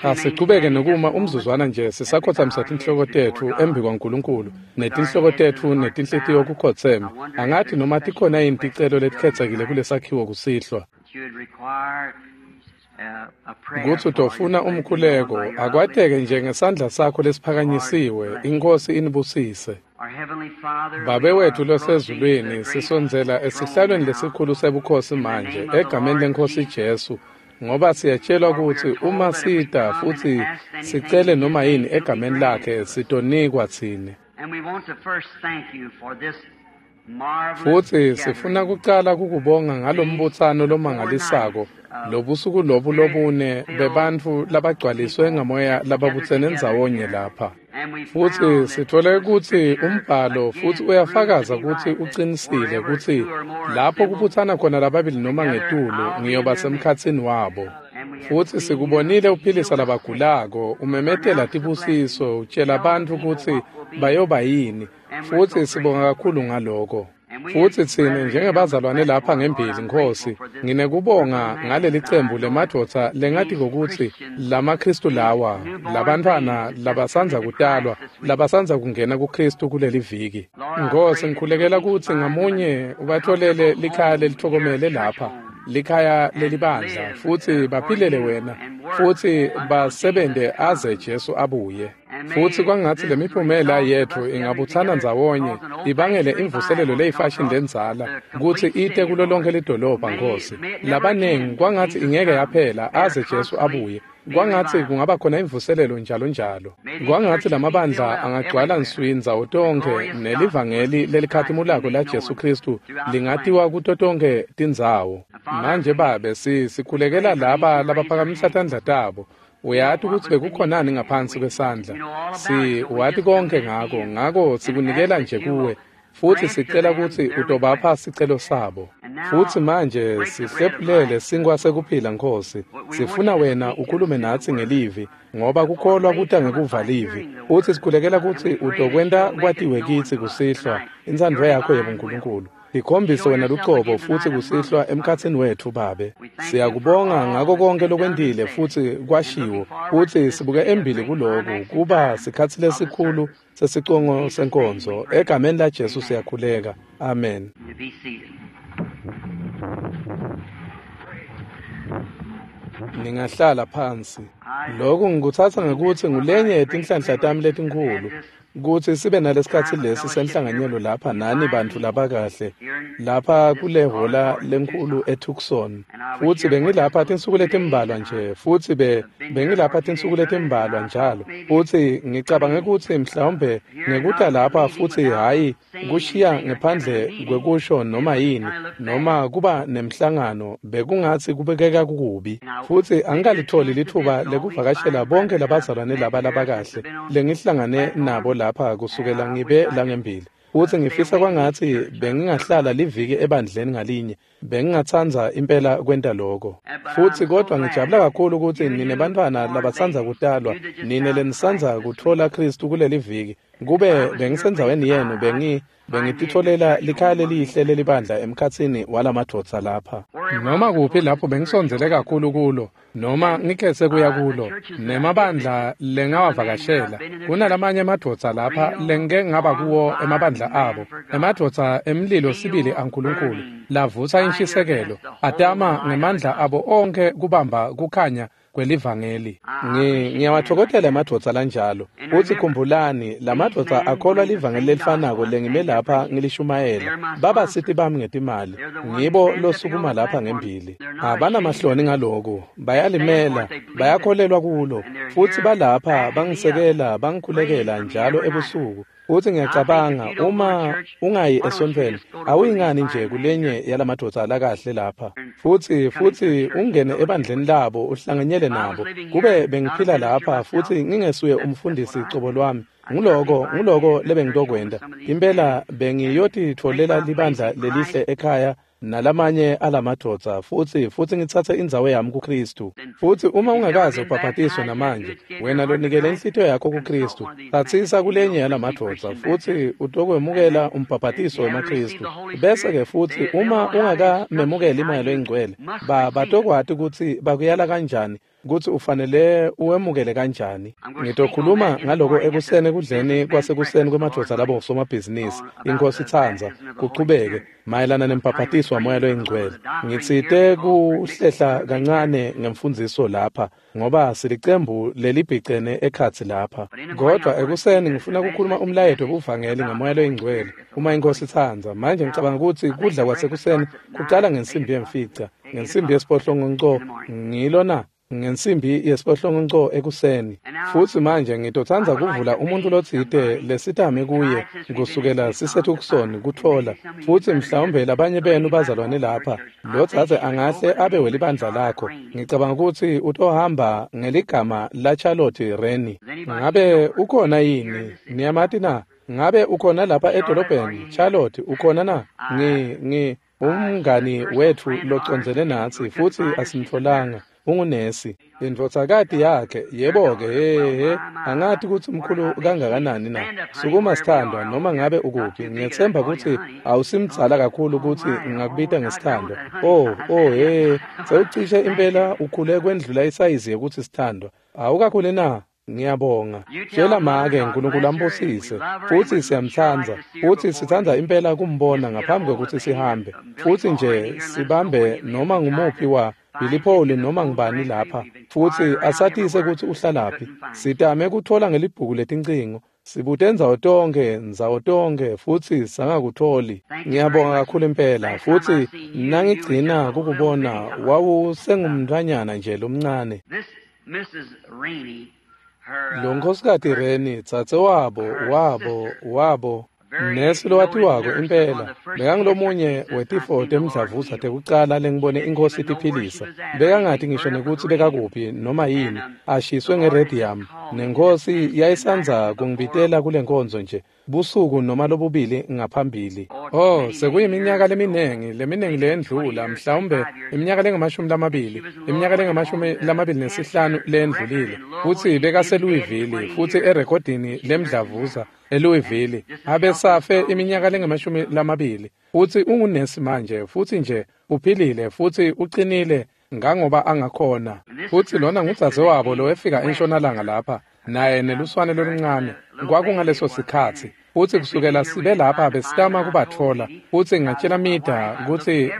Asichubeke nokuma umzuzwana nje sisakhothamisa tinhloko tetfu embi kwaNkulunkulu netinhloko tetfu netinhlitiyo kukhotseme. Angathi noma tikhona yini ticelo letikhetsekile kulesakhiwo kusihlwa. Kutsi utofuna umkhuleko, akwateke nje ngesandla sakho lesiphakanyisiwe, iNkhosi inibusise. Babe wethu losezulwini, sisondzela esihlalweni lesikhulu sebukhosi manje, egameni leNkhosi Jesu, ngoba siyatshelwa kutsi uma sita futsi sicele noma yini egameni lakhe, sitonikwa tsine. Futsi sifuna kucala kukubonga ngalombutsano lomangalisako, lobusuku lobu lobune bebantfu labagcwaliswe ngamoya lababutsene ndzawonye lapha. Futsi sithole kutsi umbhalo futsi uyafakaza kutsi ucinisile kutsi lapho kubutsana khona lababili noma ngetulu ngiyoba semkhatsini wabo. Futsi sikubonile uphilisa labagulako, umemetela tibusiso, utshela bantfu kutsi bayoba yini. Futsi sibonga kakhulu ngaloko. Futsi tsine njengebazalwane lapha ngembili, Nkhosi, nginekubonga ngaleli cembu lemadvodza lengatiko kutsi lamaKhristu lawa, labantfwana labasandza kutalwa, labasandza kungena kuKhristu kuleli viki. Nkhosi, ngikhulekela kutsi ngamunye ubatholele likhaya lelithokomele lapha, likhaya lelibandla, futsi baphilele wena, futsi basebente aze Jesu abuye. Futsi kwangatsi lemiphumela yetfu ingabutsana ndzawonye ibangele imvuselelo leyifashini lendzala kutsi ite kulo lonke lidolobha, Nkhosi. Labanengi kwangatsi ingeke yaphela aze Jesu abuye. Kwangatsi kungaba khona imvuselelo njalo njalo. Kwangatsi lamabandla angagcwala nswi ndzawo tonkhe nelivangeli lelikhatimulako la Jesu Khristu lingatiwa kuto tonkhe tindzawo. Manje Babe, sikhulekela laba labaphakamisa tandla tabo. Uyati kutsi bekukhonani ngaphansi kwesandla. Wati konke ngako, ngako sikunikela nje kuwe. Futsi sicela kutsi utobapha sicelo sabo. Futsi manje sihlephulele sinkwa sekuphila, Nkhosi. Sifuna wena ukhulume natsi ngelivi, ngoba kukholwa kuta ngekuva livi. Futsi sikhulekela kutsi utokwenta kwatiwe kitsi kusihlwa intsandvo yakho yebuNkulunkulu. Tikhombise wena lucobo futsi kusihlwa emkhatsini wetfu, Babe. Siyakubonga ngako konke lokwentile futsi kwashiwo, futsi sibuke embili kuloku kuba sikhatsi lesikhulu sesicongo senkonzo. Egameni la Jesu siyakhuleka. Amen. Ningahlala phansi. Lokhu ngikutsatsa ngekutsi ngulenye yetinhlanhla tami letinkhulu, kutsi sibe nalesikhatsi lesi senhlanganyelo lapha nani bantfu labakahle lapha kule hhola lenkhulu eTucson. Futsi bengilapha tinsuku letimbalwa nje, futsi bengilapha tinsuku letimbalwa njalo. Futsi ngicabange kutsi mhlawumbe ngekuta lapha futsi hhayi kushiya ngephandle kwekusho noma yini noma kuba nemhlangano bekungatsi kubekeka kukubi. Futsi angikalitholi litfuba lekuvakashela bonke labazalwane laba labakahle lengihlangane nabo lapha kusukela ngibe langembili. Futsi ngifisa kwangatsi bengingahlala liviki ebandleni ngalinye, bengingatsandza impela kwenta lokho. Futsi kodwa ngijabula kakhulu kutsi nine bantfwana labatsandza kutalwa, nine lenisandza kutfola Khristu kuleli viki. Kube bengisendzaweni yenu bengititfolela likhaya lelihle lelibandla emkhatsini walamadvodza lapha. Noma kuphi lapho bengisondzele kakhulu kulo, noma ngikhetse kuya kulo, nemabandla lengawavakashela, kunalamanye emadvodza lapha lengike ngaba kuwo emabandla abo, emadvodza emlilo sibili aNkulunkulu, lavusa inshisekelo, atama ngemandla abo onke kubamba kukhanya kwelivangeli. Ngiyawatfokotela emadvodza lanjalo. Futsi khumbulani, lamadvodza akholwa livangeli lelifanako lengime lapha ngilishumayela. Babasiti bami ngetimali, ngibo losukuma lapha ngembili. Abanamahloni ngaloku, bayalimela, bayakholelwa kulo. Futsi balapha bangisekela, bangikhulekela njalo ebusuku. Futsi ngiyacabanga uma ungayi esontfweni, awuyingani nje kulenye yalamadvodza lakahle lapha. Futsi ungene ebandleni labo uhlanganyele nabo. Kube bengiphila lapha futsi ngingesuye umfundisi cobo lwami, nguloko lebengitokwenta. Impela bengiyotitfolela libandla lelihle ekhaya nalamanye alamadvodza futsi ngitsatse indzawo yami kuKhristu. Futsi uma ungakaze ubhabhatiswe namanje, wena lonikele inhlitiyo yakho kuKhristu, tsatsisa kulenye yalamadvodza futsi utokwemukela umbhabhatiso wemaKhristu. Bese-ke futsi uma ungakamemukeli iMoya loyiNgcwele, batokwati kutsi bakuyala kanjani kutsi ufanele uwemukele kanjani. Ngitokhuluma ngaloko ekuseni ekudleni kwasekuseni kwemadvodza labo somabhizinisi, iNkhosi itsandza, kuchubeke mayelana nembhaphatiso waMoya loyiNgcwele. Ngitsite kuhlehla kancane ngemfundziso lapha, ngoba silicembu lelibhicene ekhatsi lapha. Kodwa ekuseni ngifuna kukhuluma umlayeto wobuvangeli ngaMoya loyiNgcwele, uma iNkhosi itsandza. Manje ngicabanga kutsi kudla kwasekuseni kucala ngensimbi 5, ngensimbi 7 ngilo na? Ngensimbi 7 ekuseni. Futsi manje ngitotsandza kuvula umuntfu lotsite lesitame kuye kusukela siseTucson kutfola, futsi mhlawumbe labanye benu bazalwane lapha, lo dzadze angahle abe welibandla lakho. Ngicabanga kutsi utohamba ngeligama la Charlotte Rennie. Ngabe ukhona yini? Niyamati na? Ngabe ukhona lapha edolobheni? Charlotte, ukhona na? Ngi umngani wetfu locondzene natsi, futsi asimtfolanga. Ungunesi, indvodzakati yakhe, yebo-ke, he, angati kutsi mkhulu kangakanani na. Sukuma sithandwa, noma ngabe ukuphi, ngiyetsemba kutsi awusimdzala kakhulu kutsi ngingakubita ngesithandwa. Oh, he, sewucishe impela ukhule kwendlula isayizi yekutsi sithandwa. Awukakhuli na? Ngiyabonga. Tjela make uNkulunkulu ambusise, futsi siyamtsandza, futsi sitsandza impela kumbona ngaphambi kwekutsi sihambe. Futsi nje sibambe noma ngumuphi wa Billy Paul noma ngubani lapha, futsi asatise kutsi uhlalaphi. Sitame kutfola ngelibhuku letincingo, sibute ndzawo tonkhe, futsi sangakutholi. Ngiyabonga kakhulu impela, futsi nangigcina kukubona wawusengumntfwanyana nje lomncane. Lo nkhosikati Reni, dzadze wabo, nesi lowatiwako impela, bekangulomunye wetifo temdlavuza tekucala lengibone iNkhosi itiphilisa. Bekangati ngisho nekutsi bekakuphi noma yini, ashiswe ngeradium, neNkhosi yayisandza kungibitela kule nkonzo nje busuku noma lobubili ngaphambili. Oh, sekuyiminyaka leminingi leyendlula, mhlawumbe iminyaka lengamashumi-20, iminyaka lengamashumi-25 leyendlulile. Futsi bekaseLouisville, futsi erekhodini lemdlavuza eLouisville, abesafe iminyaka lengamashumi-20. Futsi ungunesi manje, futsi nje uphilile futsi uqinile ngangoba angakhona. Futsi lona ngudzadzewabo lowefika entshonalanga lapha, naye neluswane loluncane. Kwakungaleso sikhatsi, futsi kusukela sibe lapha besitama kubatfola. Futsi ngatjela Mida kutsi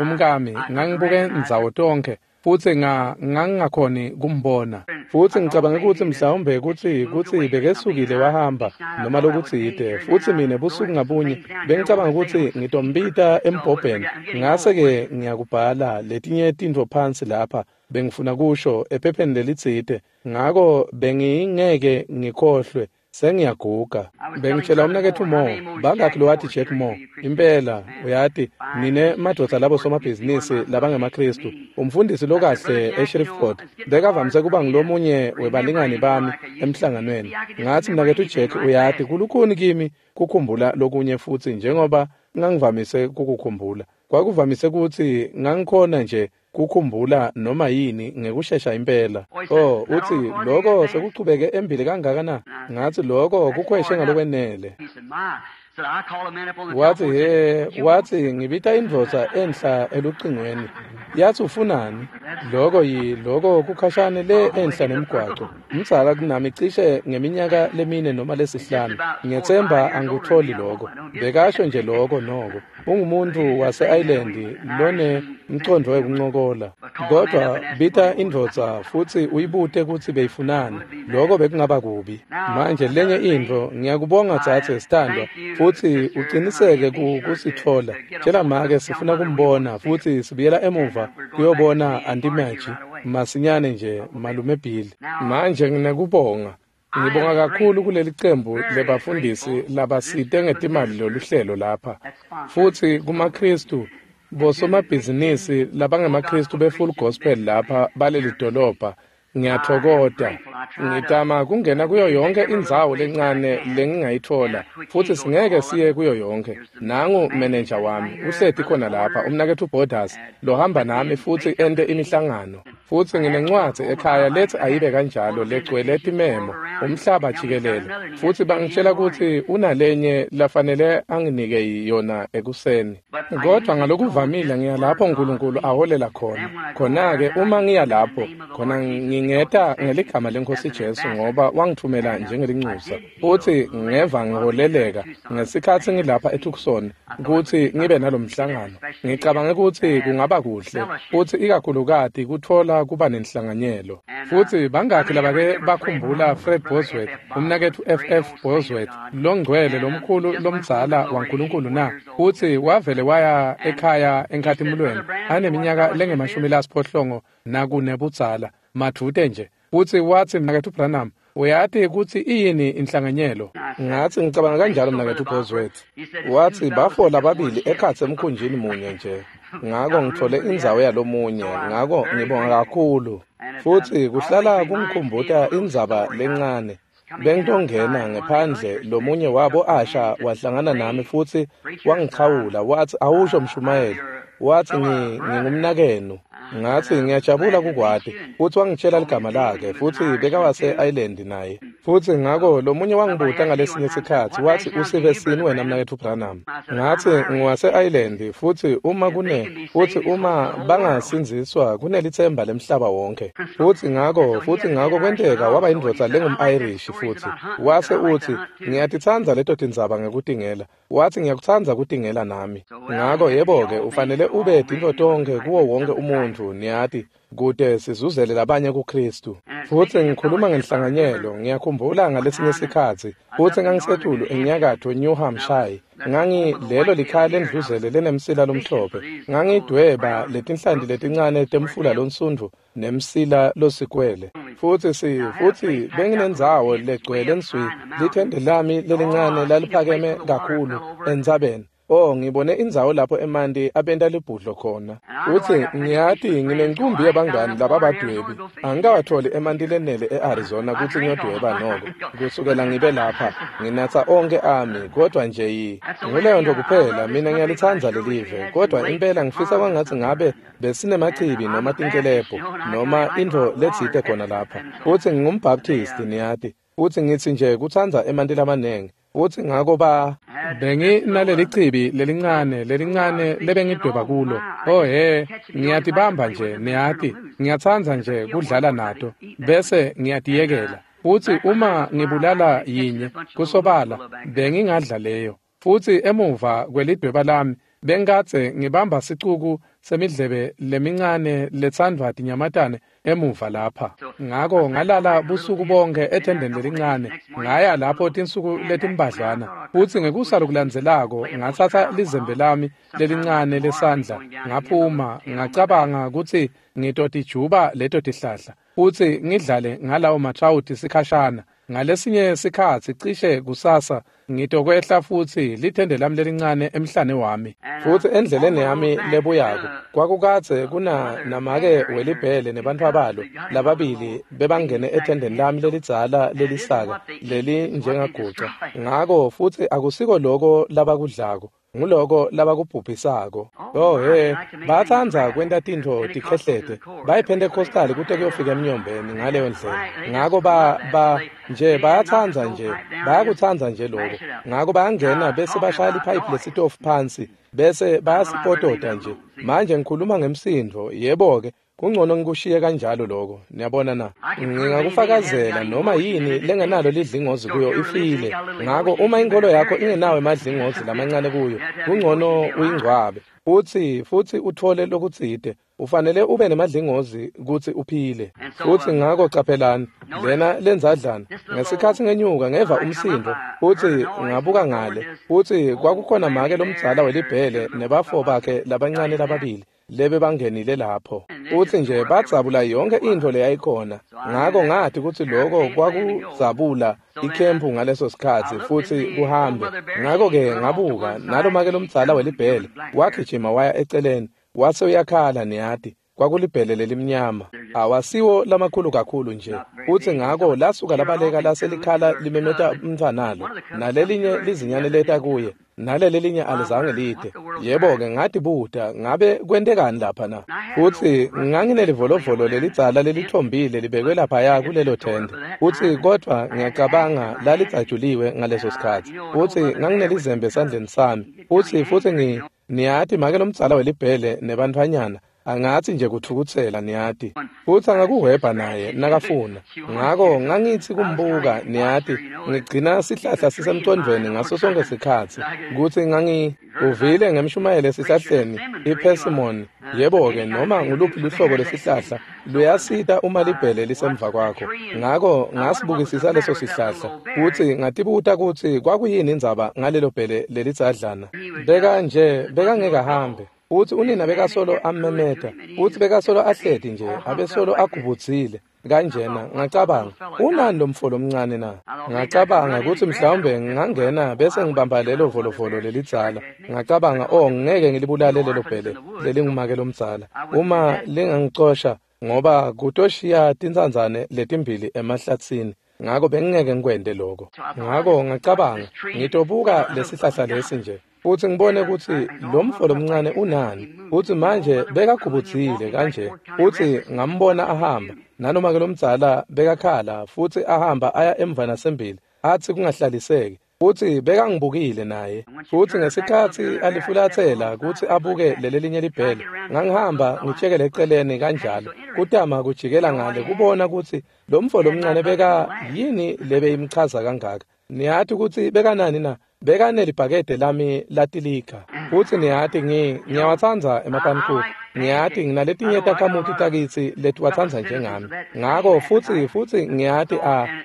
umkami ngangibuke ndzawo tonkhe, futsi ngangingakhoni kumbona. Futsi ngicabange kutsi mhlawumbe kutsi bekesukile wahamba noma lokutsite. Futsi mine busuku ngabunye bengicabanga kutsi ngitombita embhobheni, ngase-ke ngiyakubhala letinye tintfo phansi lapha bengifuna kusho ephepheni lelitsite, ngako bengingeke ngikhohlwe. Sengiyaguga. Bengitshela umnaketfu Moore, bangakhi lowati Jack Moore? Impela, uyati, nine madvodza labo somabhizinisi labangemaKhristu, umfundisi lokahle eShreveport, bekavamise kuba ngulomunye webalingani bami emhlanganweni. Ngatsi mnaketfu Jack, uyati, kulukhuni kimi kukhumbula lokunye futsi njengoba ngangivamise kukukhumbula. Kwakuvamise kutsi ngangikhona nje kukhumbula noma yini ngekushesha impela. Oh, utsi loko sekuchubeke embili kangaka na? Ngatsi loko kukhweshe ngalokwenele. Watsi he, watsi ngibita indvodza enhla elucingweni. Yathi ufunani? Loko loko kukhashane le enhla nemgwaco. Mdzala kunami cishe ngeminyaka lemine noma lesihlanu. Ngiyetsemba angikutholi loko. Bekasho nje loko noko. Ungumuntu wase-Ireland lone mcondvo wekuncokola. Kodwa bita indvodza futsi uyibute kutsi beyifunani. Loko bekungaba kubi. Manje lenye intfo, ngiyakubonga dzadze sithandwa, futsi uqiniseke kusitfola. Tjela make sifuna kumbona futsi sibuyela emuva kuyobona Auntie Maggie masinyane nje, malume Bill. Manje nginekubonga. Ngibonga kakhulu kuleli cembu lebafundisi labasite ngetimali loluhlelo lapha. Futsi kumaKhristu, bosomabhizinisi labangemaKhristu be-Full Gospel lapha baleli dolobha, ngiyatfokota. Ngitama kungena kuyo yonke indzawo lencane lengingayitfola, futsi singeke siye kuyo yonke. Nangu menenja wami, uhleti khona lapha, umnaketfu Borders, lohamba nami futsi ente imihlangano. Futsi nginencwadzi ekhaya lethi ayibe kanjalo legcwele timemo, umhlaba jikelele. Futsi bangitshela kutsi unalenye lafanele anginike yona ekuseni. Kodwa ngalokuvamile ngiya lapho uNkulunkulu aholela khona. Khona-ke uma ngiya lapho, khona ngingeta ngeligama leNkosi Jesu ngoba wangithumela njengelinxusa. Futsi ngeva ngiholeleka ngesikhatsi ngilapha eTucson kutsi ngibe nalomhlangano. Ngicabange kutsi kungaba kuhle futsi ikakhulukati kutfola kuba nenhlanganyelo. Futsi bangakhi labake bakhumbula Fred Bosworth, umnaketfu FF Bosworth, longcwele lomkhulu lomdzala waNkulunkulu na? Futsi wavele waya ekhaya enkhatimulweni aneminyaka lengu-84 budzala madvute nje. Futsi watsi, mnaketfu Branham, uyati kutsi iyini inhlanganyelo? Ngatsi, ngicabanga kanjalo mnaketfu Bosworth. Watsi, bafo lababili ekhatsi emkhunjini munye nje. Ngako ngitfole indzawo yalomunye, ngako ngibonga kakhulu. Futsi kuhlala kungikhumbuta indzaba lencane. Bengitongena ngephandle, lomunye wabo asha wahlangana nami futsi wangichawula, watsi, awusho mshumayeli. Watsi, ngingumnakenu. Ngatsi, ngiyajabula kukwati. Futsi wangitshela ligama lakhe, futsi bekawase-Ireland naye. Futsi ngako lomunye wangibuta ngalesinye sikhatsi, watsi, usive sini wena mnaketfu Branham? Ngatsi, ngiwase-Ireland, futsi uma futsi uma bangasindziswa kunelitsemba lemhlaba wonke. Futsi ngako kwenteka waba indvodza lengum-Irish futsi. Wase utsi, ngiyatitsandza leto tindzaba ngekutingela. Watsi, ngiyakutsandza kutingela nami. Ngako yebo-ke, ufanele ube tintfo tonkhe kuwo wonke umuntfu, niyati, kute sizuzele labanye kuKristu. Futsi ngikhuluma ngenhlanganyelo, ngiyakhumbula ngalesinye sikhatsi, futsi ngangisetulu enyakatfo New Hampshire. Lelo likhaya lendluzele lenemsila lomhlophe. Ngangidweba letinhlanti letincane temfula lonsundvu nemsila losikwele. Futsi benginendzawo legcwele nswi, lithende lami lelincane laliphakeme kakhulu entsabeni. Oh, ngibone indzawo lapho emanti abenta libhudlo khona. Utsi, ngiyati nginencumbi yabangani lababadwebi. Angikawatholi emanti lenele e-Arizona kutsi ngiyodweba noko. Kusukela ngibe lapha, nginatsa onke ami, kodwa nje nguleyo nto kuphela, mina ngiyalitsandza lelive, kodwa impela ngifisa kwangatsi ngabe besinemachibi noma tinkelebho, noma intfo letsite khona lapha. Futsi ngingumbaptisti, niyati. Futsi ngitsi nje kutsandza emanti lamanengi. Futsi ngako benginaleli chibi lelincane lebengidweba kulo. Oh he, ngiyatibamba nje, niyati, ngiyatsandza nje kudlala nato, bese ngiyatiyekela. Futsi uma ngibulala yinye, kusobala, bengingadla leyo. Futsi emuva kwelidweba lami, bengikadze ngibamba sicuku semidlebe lemincane letsandvwa tinyamatane emuva lapha. Ngako ngalala busuku bonke ethendeni lelincane, ngaya lapho tinsuku letimbadlwana. Futsi ngekusa lokulandzelako ngatsatsa lizembe lami lelincane lesandla, ngaphuma, ngacabanga kutsi ngitotijuba leto tihlahla, futsi ngidlale ngalawo matrawuti sikhashana. Ngalesinye sikhatsi cishe kusasa ngitokwehla futsi lithende lami lelincane emhlane wami. Futsi endleleni yami lebuyako kwakukadze kuna namake welibhele nebantfwabalo lababili bebangene ethendeni lami lelidzala lelisaka lelinjengaguca. Ngako futsi akusiko loko labakudlako, nguloko labakubhubhisako. Oh he, batsandza kwenta tintfo tikhehlete. BayiPentecostal kute kuyofika emnyombeni ngaleyo ndlela. Ngako nje bayatsandza nje, bayakutsandza nje lokho. Ngako bayangena bese bashaya liphayiphi lesitofu phansi, bese bayasipotota nje. Manje ngikhuluma ngemsindvo, yebo-ke, kungcono ngikushiye kanjalo lokho. Niyabona na? Ngingakufakazela noma yini lengenalo lidlingozi kuyo ifile. Ngako uma inkolo yakho ingenawo emadlingozi lamancane kuyo, kungcono uyingcwabe. Futsi utfole lokutsite. Ufanele ube nemadlingozi kutsi uphile. Futsi ngako caphelani, lena lendzadlana, ngesikhatsi ngenyuka ngeva umsindvo, futsi ngabuka ngale, futsi kwakukhona make lomdzala welibhele nebafo bakhe labancane lababili lebe bangenile lapho. Futsi nje badzabula yonke intfo leyayikhona. Ngako ngati kutsi loko kwakudzabula ikhempu ngaleso sikhatsi futsi kuhambe. Ngako-ke ngabuka, nalomake lomdzala welibhele wagijima waya eceleni, wase uyakhala, niyati. Kwakulibhele lelimnyama, awasiwo lamakhulu kakhulu nje. Futsi ngako lasuka labaleka laselikhala limemeta umntfwanalo, nalelinye lizinyane leta kuye, nalelelinye alizange lide. Yebo-ke, ngatibuta ngabe kwentekani lapha na? Futsi nganginelivolovolo lelidzala lelithombile libekwe laphaya kulelo thende. Futsi kodvwa ngiyacabanga lalitsajuliwe ngaleso sikhatsi. Futsi nganginelizembe esandleni sami. Futsi niyati make lomdzala welibhele nebantfwanyana angatsi nje kutfukutsela, niyati. Futsi angakuhwebha naye nakafuna. Ngako ngangitsi kumbuka, niyati, ngigcina sihlahla sisemcondvweni ngaso sonke sikhatsi kutsi uvile ngemshumayelo esihlahleni ipersimmon. Yebo-ke, noma nguluphi luhlobo lesihlahla luyasita uma libhele lisemva kwakho. Ngako ngasibukisisa leso sihlahla futsi ngatibuta kutsi kwakuyini indzaba ngalelo bhele lelidzadlana. Bekangeke ahambe. Futsi unina bekasolo ammemeta, futsi bekasolo ahleti nje, abesolo agubudzile kanjena. Ngacabanga, unani lo mfo lomncane na? Ngacabanga kutsi mhlawumbe ngingangena bese ngibamba lelo volovolo lelidzala. Ngacabanga, oh, ngeke ngilibulale lelo bhele lelingumake lomdzala uma lingangicosha, ngoba kutoshiya tintsandzane letimbili emahlatsini. Ngako bengingeke ngikwente lokho. Ngako ngacabanga, ngitobuka lesihlahla lesi nje futsi ngibone kutsi lo mfo lomncane unani. Futsi manje bekagubudzile kanje, futsi ngambona ahamba, nanoma ke lomdzala bekakhala futsi ahamba aya emva nasembili atsi kungahlaliseki. Futsi bekangibukile naye. Futsi ngesikhatsi alifulatsela kutsi abuke lelelinye libhele, ngangihamba ngitshekele eceleni kanjalo, kutama kujikela ngale kubona kutsi lo mfo lomncane beka yini lebeyimchaza kangaka. Niyati kutsi bekanani na? Bekanelibhakede lami latilika. Futsi niyati ngiyawatsandza emapanikuku. Ngiyati nginaletinye takhamuti takitsi letiwatsandza njengami. Ngako futsi ngiyati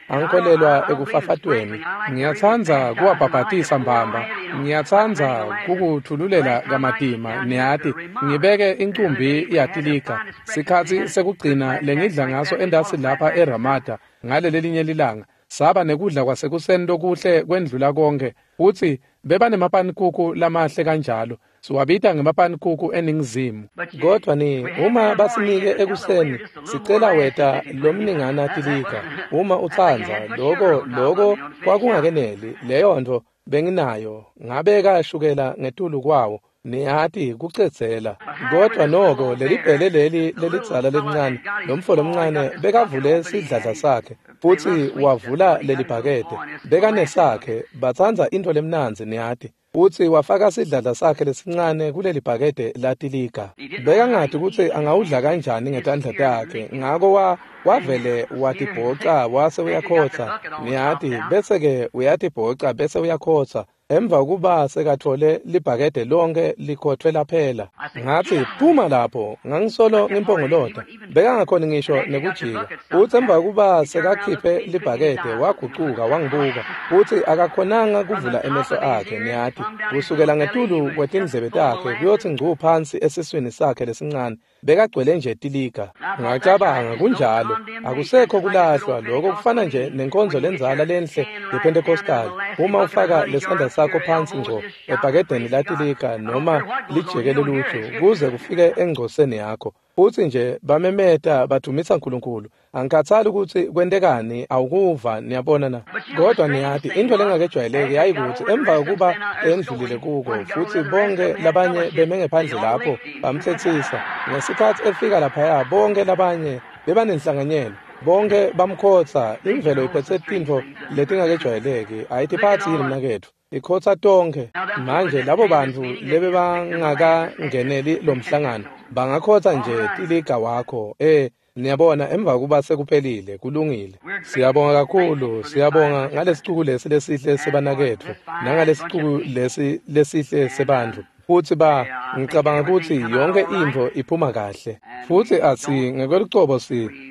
angikholelwa ekufafatweni. Ngiyatsandza kuwabhabhatisa mbamba. Ngiyatsandza kukuthululela kamatima, niyati, ngibeke incumbi yatilika. Sikhatsi sekugcina lengidla ngaso endasi lapha eRamada ngalelelinye lilanga, saba nekudla kwasekuseni lokuhle kwendlula konke. Futsi bebanemapanikuku lamahle kanjalo, siwabita ngemapanikuku eNingizimu. Kodvwa uma basinike ekuseni, sicela weta lomningana tilika uma utsandza. Loko kwakungakeneli, leyo ntfo benginayo ngabeka shukela ngetulu kwawo, niyati, kucedzela. Kodvwa noko lelibhele leli lelidzala lelincane, lomfo lomncane bekavule sidladla sakhe futsi wavula lelibhakede. Bekanesakhe, batsandza intfo lemnandzi, niyati. Futsi wafaka sidladla sakhe lesincane kuleli bhakede latilika. Bekangati kutsi angawudla kanjani ngetandla takhe, ngako wavele watibhoca wase uyakhotsa, niyati, bese-ke uyatibhoca bese uyakhotsa. Emva kuba sekatfole libhakede lonke likhothwe laphela. Ngatsi, phuma lapho. Ngangisolo ngimpongolota. Bekangakhoni ngisho nekujika. Futsi emva kuba sekakhiphe libhakede wagucuka wangibuka. Futsi akakhonanga kuvula emehlo akhe, niyati. Kusukela ngetulu kwetindlebe takhe kuyotsi ngcu phansi esiswini sakhe lesincane. Bekagcwele nje tilika. Ngacabanga, kunjalo, akusekho kulahlwa. Lokho kufana nje nenkonzo lendzala lenhle yePentecostal. Uma ufaka lesandla sakho phansi ngco ebhakedeni latilika noma lijeke lelutho kuze kufike engcoseni yakho, futsi nje bamemeta badumisa uNkulunkulu. Angikhathali kutsi kwentekani, awukuva, niyabona na? Kodwa niyati, intfo lengakejwayeleki yayikutsi emva kokuba endlulile kuko, futsi bonke labanye beme ngephandle lapho bamtsetsisa. Ngesikhatsi efika laphaya, bonke labanye bebanenhlanganyelo, bonke bamkhotsa. Imvelo iphetse tintfo letingakejwayeleki, ayitiphatsi yini mnaketfu? Ikhotsa tonkhe. Manje labo bantfu lebebangakangeneli lo mhlangano bangakhotsa nje tiliga wakho. Niyabona, emva kuba sekuphelile, kulungile. Siyabonga kakhulu, siyabonga ngalesicuku lesi lesihle sebanaketfu, nangalesicuku lesi lesihle sebantfu. Futsi ngicabanga kutsi yonke intfo iphuma kahle. Futsi atsi ngekwelucobo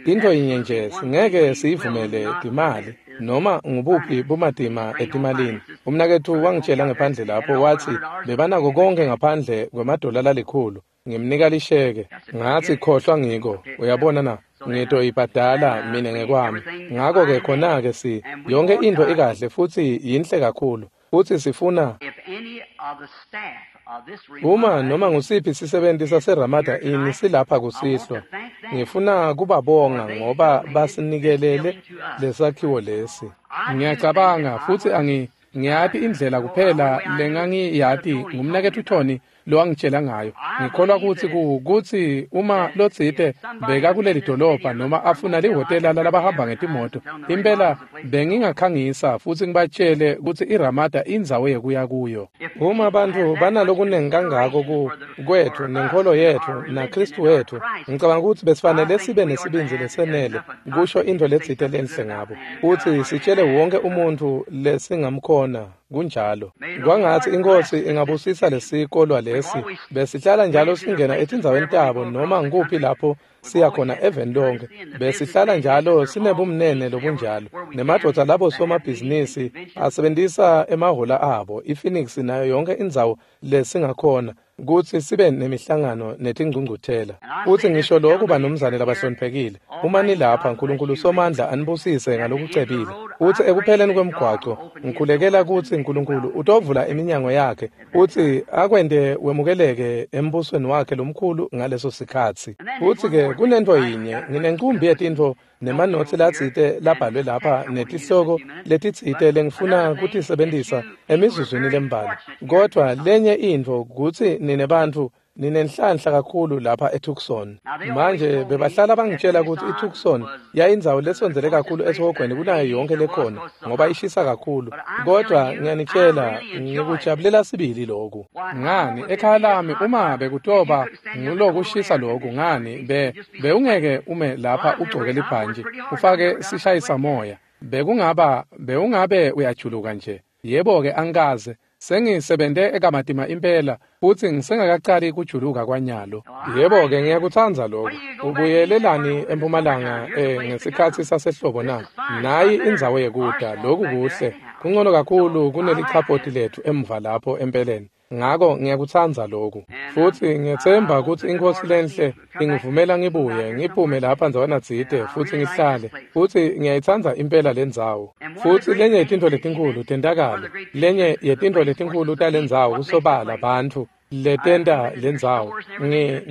intfo yinye nje singeke siyivumele timali noma ngubuphi bumatima etimalini. Umnaketfu wangitshela ngephandle lapho, watsi bebanako konke ngaphandle kwemadola lalikhulu. Ngimnika lisheke. Ngatsi, khohlwa ngiko. Uyabona na? Ngitoyibhadala mina ngekwami. Ngako-ke khona-ke yonke intfo ikahle futsi yinhle kakhulu. Futsi sifuna If any of the staff Uma noma ngusiphi sisebenti saseRamada Inn silapha kusihlwa, ngifuna kubabonga ngoba basinikelele lesakhiwo lesi. Ngiyacabanga futsi ngiyati indlela kuphela lengangiyati ngumnaketfu Tony lowangitshela ngayo. Ngikholwa kutsi kutsi uma lotsite beka kuleli dolobha noma afuna lihhotela lalabahamba ngetimoto, impela bengingakhangisa futsi ngibatshele kutsi iRamada indzawo yekuya kuyo. Uma bantfu banalokunengi kangako kwetfu nenkholo yetfu naKhristu wetfu, ngicabanga kutsi besifanele sibe nesibindzi lesenele kusho intfo letsite lenhle ngabo, futsi sitshele wonke umuntfu lesingamkhona. Kunjalo. Kwangatsi iNkhosi ingabusisa lesikolwa lesi. Besihlala njalo singena etindzaweni tabo noma ngikuphi lapho siya khona eveni lonke. Besihlala njalo sinebumnene lobunjalo. Nemadvodza labo somabhizinisi asebentisa emahhola abo, iPhoenix nayo yonke indzawo lesingakhona kutsi sibe nemihlangano netingcungcuthela. Futsi ngisho lokhu banumzane labahloniphekile, uma nilapha, Nkulunkulu Somandla anibusise ngalokucebile. Futsi ekupheleni kwemgwaco, ngikhulekela kutsi Nkulunkulu utovula iminyango yakhe futsi akwente wemukeleke embusweni wakhe lomkhulu ngaleso sikhatsi. Futsi-ke kunentfo yinye, nginencumbi yetintfo nemanotsi latsite labhalwe lapha netihloko letitsite lengifuna kutisebentisa emizuzwini lembalwa. Kodvwa lenye intfo kutsi nine bantfu ninenhlanhla kakhulu lapha eTucson. Manje bebahlala bangitshela kutsi iTucson yayindzawo lesondzele kakhulu esihogweni kunayo yonke lekhona ngoba ishisa kakhulu. Kodwa ngiyanitshela, ngikujabulela sibili lokhu. Ngani, ekhaya lami uma bekutoba ngulokushisa lokhu, ngani bewungeke ume lapha ugcoke libhantji ufake sishayisamoya. Bewungabe uyajuluka nje. Yebo-ke angikaze. Sengisebente ekamatima impela futsi ngisengakacali kujuluka kwanyalo. Yebo-ke ngiyakutsandza lokho. Ubuyelelani eMpumalanga ngesikhatsi sasehlobo na? Nayi indzawo yekuta, lokhu kuhle. Kungcono kakhulu kunelichapoti lethu emva lapho empeleni. Ngako ngiyakutsandza lokhu. Futsi ngiyetsemba kutsi iNkhosi lenhle ingivumela ngibuye ngiphume lapha ndzawana tsite futsi ngihlale. Futsi ngiyayitsandza impela lendzawo. Futsi lenye yetintfo letinkhulu tentakalo, lenye yetintfo letinkhulu talendzawo kusobala bantfu letenta lendzawo.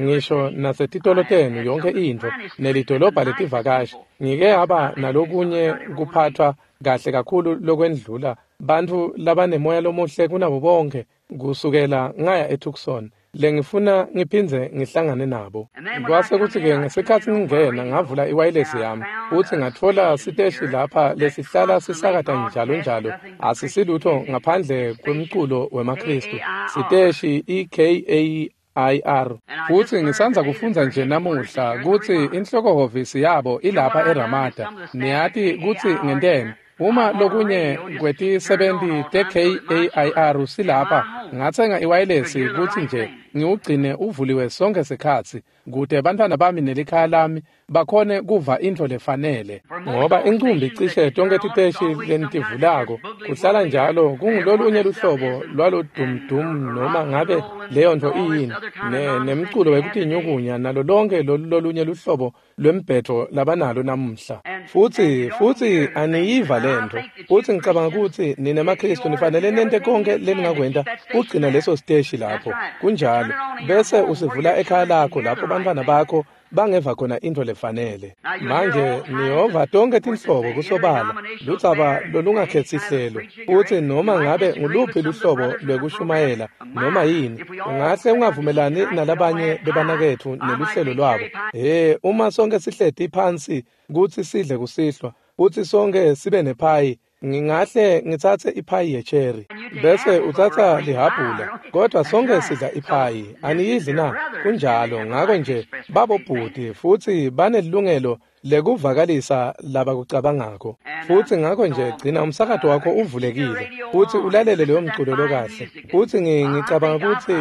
Ngisho nasetitolo tenu yonke intfo nelidolobha letivakashi. Ngike haba nalokunye kuphathwa kahle kakhulu lokwendlula bantfu labanemoya lomuhle kunabo bonke kusukela ngaya eTucson lengifuna ngiphindze ngihlangane nabo. Kwase kutsi-ke ngesikhatsi ngingena ngavula iwayilesi yami futsi ngatfola siteshi lapha lesihlala sisakata njalo njalo, asisilutho ngaphandle kwemculo wemaKhristu, siteshi iKAIR. Futsi ngisandza kufundza nje namuhla kutsi inhlokohhovisi yabo ilapha eRamada. Niyati kutsi ngenteni? Uma lokunye kwetisebenti te-KAIR silapha, ngatsenga iwayilesi kutsi nje ngiwugcine uvuliwe sonke sikhatsi kute bantfwana bami nelikhaya lami bakhone kuva intfo lefanele. Ngoba incumbi cishe tonke titeshi lenitivulako kuhlala njalo kungulolunye luhlobo lwalodumdum noma ngabe leyo ntfo iyini, nemculo wekutinyukunya nalo lonke lolunye luhlobo lwembhetho labanalo namuhla. Futsi aniyiva lentfo. Futsi ngicabanga kutsi nine maKhristu nifanele nente konke leningakwenta kugcina leso siteshi lapho. Kunjalo. Bese usivula ekhaya lakho lapho bantfwana bakho bangeva khona intfo lefanele. Manje niyova tonke tinhlobo kusobala, ludzaba lolungakhetsi hlelo. Futsi noma ngabe nguluphi luhlobo lwekushumayela noma yini, ungahle ungavumelani nalabanye bebanaketfu neluhlelo lwabo. Uma sonke sihleti phansi kutsi sidle kusihlwa, futsi sonke sibe nephayi, ngingahle ngitsatse iphayi yecherry bese utsatsa lihabhula, kodwa sonke sidla iphayi. Aniyidli na? Kunjalo. Ngako nje babobhuti futsi banelilungelo lekuvakalisa labakucabangako. Futsi ngako nje gcina umsakato wakho uvulekile futsi ulalele leyo mculo lokahle. Futsi ngicabanga kutsi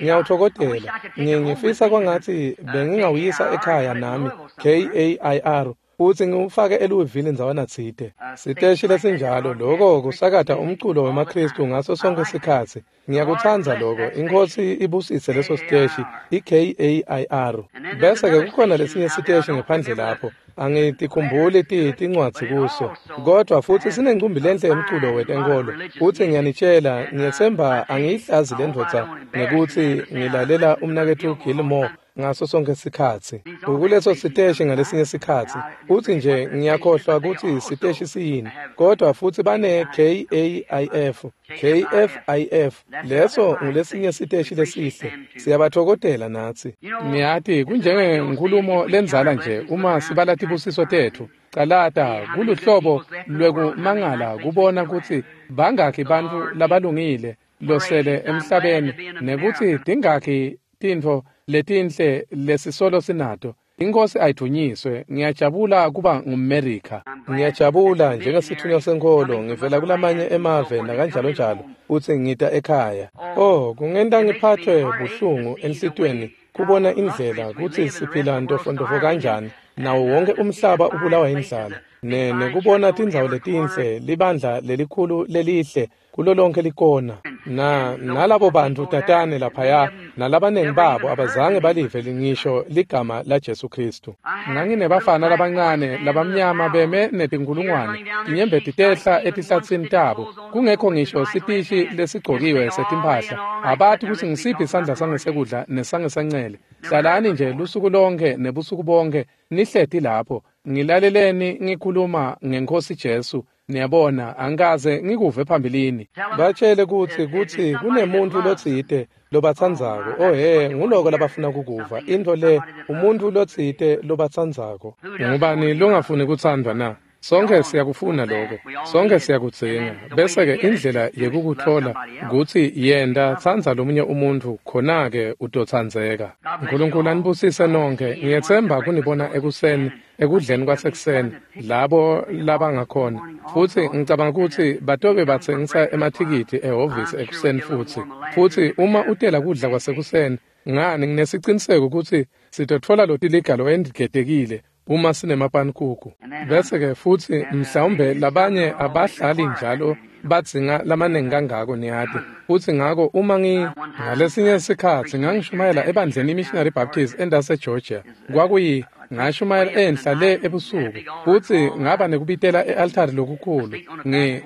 ngiyawuthokodela. Ngifisa kwangatsi bengingawuyisa ekhaya nami KAIR futsi ngiwufake eLouisville ndzawana tsite. Siteshi lesinjalo loko kusakata umculo wemaKhristu ngaso sonke sikhatsi. Ngiyakutsandza loko. INkhosi ibusise leso siteshi iKAIR. Bese-ke kukhona lesinye siteshi ngephandle lapho. Angitikhumbuli tincwadzi kuso, kodwa futhi sinencumbi lenhle yemculo wetenkolo. Futhi ngiyanitshela, ngiyetsemba angiyihlazi le ndvodza ngekutsi ngilalela umnaketfu Gilmore ngaso sonke sikhatsi. Ukuleso siteshi ngalesinye sikhatsi, futhi nje ngiyakhohlwa kutsi siteshi siyini, kodwa futhi bane KAIF, KFIF, leso ngulesinye siteshi lesihle. Siyabathokotela natsi. Niyati, kunjengenkhulumo lendzala nje uma sibala tibusiso tetfu. Calata kuluhlobo lwekumangala kubona kutsi bangakhi bantfu labalungile losele emhlabeni nekutsi tingakhi tintfo letinhle lesisolo sinato. Inkosi ayidvunyiswe. Ngiyajabula kuba ngumMerika. Ngiyajabula njengesithunywa senkolo ngivela kulamanye emave nakanjalo njalo, futsi ngita ekhaya. Oh, kungenta ngiphathwe buhlungu enhlitiyweni kubona indlela kutsi siphila ntofontofo kanjani, nawo wonke umhlaba ubulawa indlala. Nekubona tindzawo letinhle, libandla lelikhulu lelihle kulo lonke likona. Nalabo bantu tatane laphaya, nalabanengi babo abazange balive ngisho ligama la Jesu Kristu. Nganginebafana labancane labamnyama beme netinkulungwane, tinyembeti tehla etihlatsini tabo, kungekho ngisho sitishi lesigcokiwe setimphahla. Abati kutsi ngisiphi isandla sangesekudla nesangesancele. Hlalani nje lusuku lonke nebusuku bonke nihleti lapho. Ngilaleleni ngikhuluma ngeNkosi Jesu. Niyabona, angikaze ngikuve phambilini. Batshele kutsi kunemuntu lotsite lobatsandzako. Oh he, nguloko labafuna kukuva. Intfo le, umuntu lotsite lobatsandzako. Ngubani longafuni kutsandvwa na? Sonke siyakufuna lokho. Sonke siyakudzinga. Bese-ke indlela yekukutfola kutsi yenta tsandza lomunye umuntfu, khona-ke utotsandzeka. Nkulunkulu anibusise nonke. Ngiyetsemba kunibona ekuseni, ekudleni kwasekuseni, labo labangakhona. Futsi ngicabanga kutsi batobe batsengisa emathikithi ehhovisi ekuseni futsi. Futsi uma utela kudla kwasekuseni, ngani nginesiciniseko kutsi sitotfola lotiliga lowengetekile uma sinemapanikuku. Bese-ke futsi mhlawumbe labanye abahlali njalo badzinga lamaningi kangako, niyati. Futsi ngako uma ngalesinye sikhatsi ngangishumayela ebandleni iMissionary Baptist endase Georgia. Kwakuyi ngashumayela enhla le ebusuku, futsi ngaba nekubitela e-altari lokukhulu.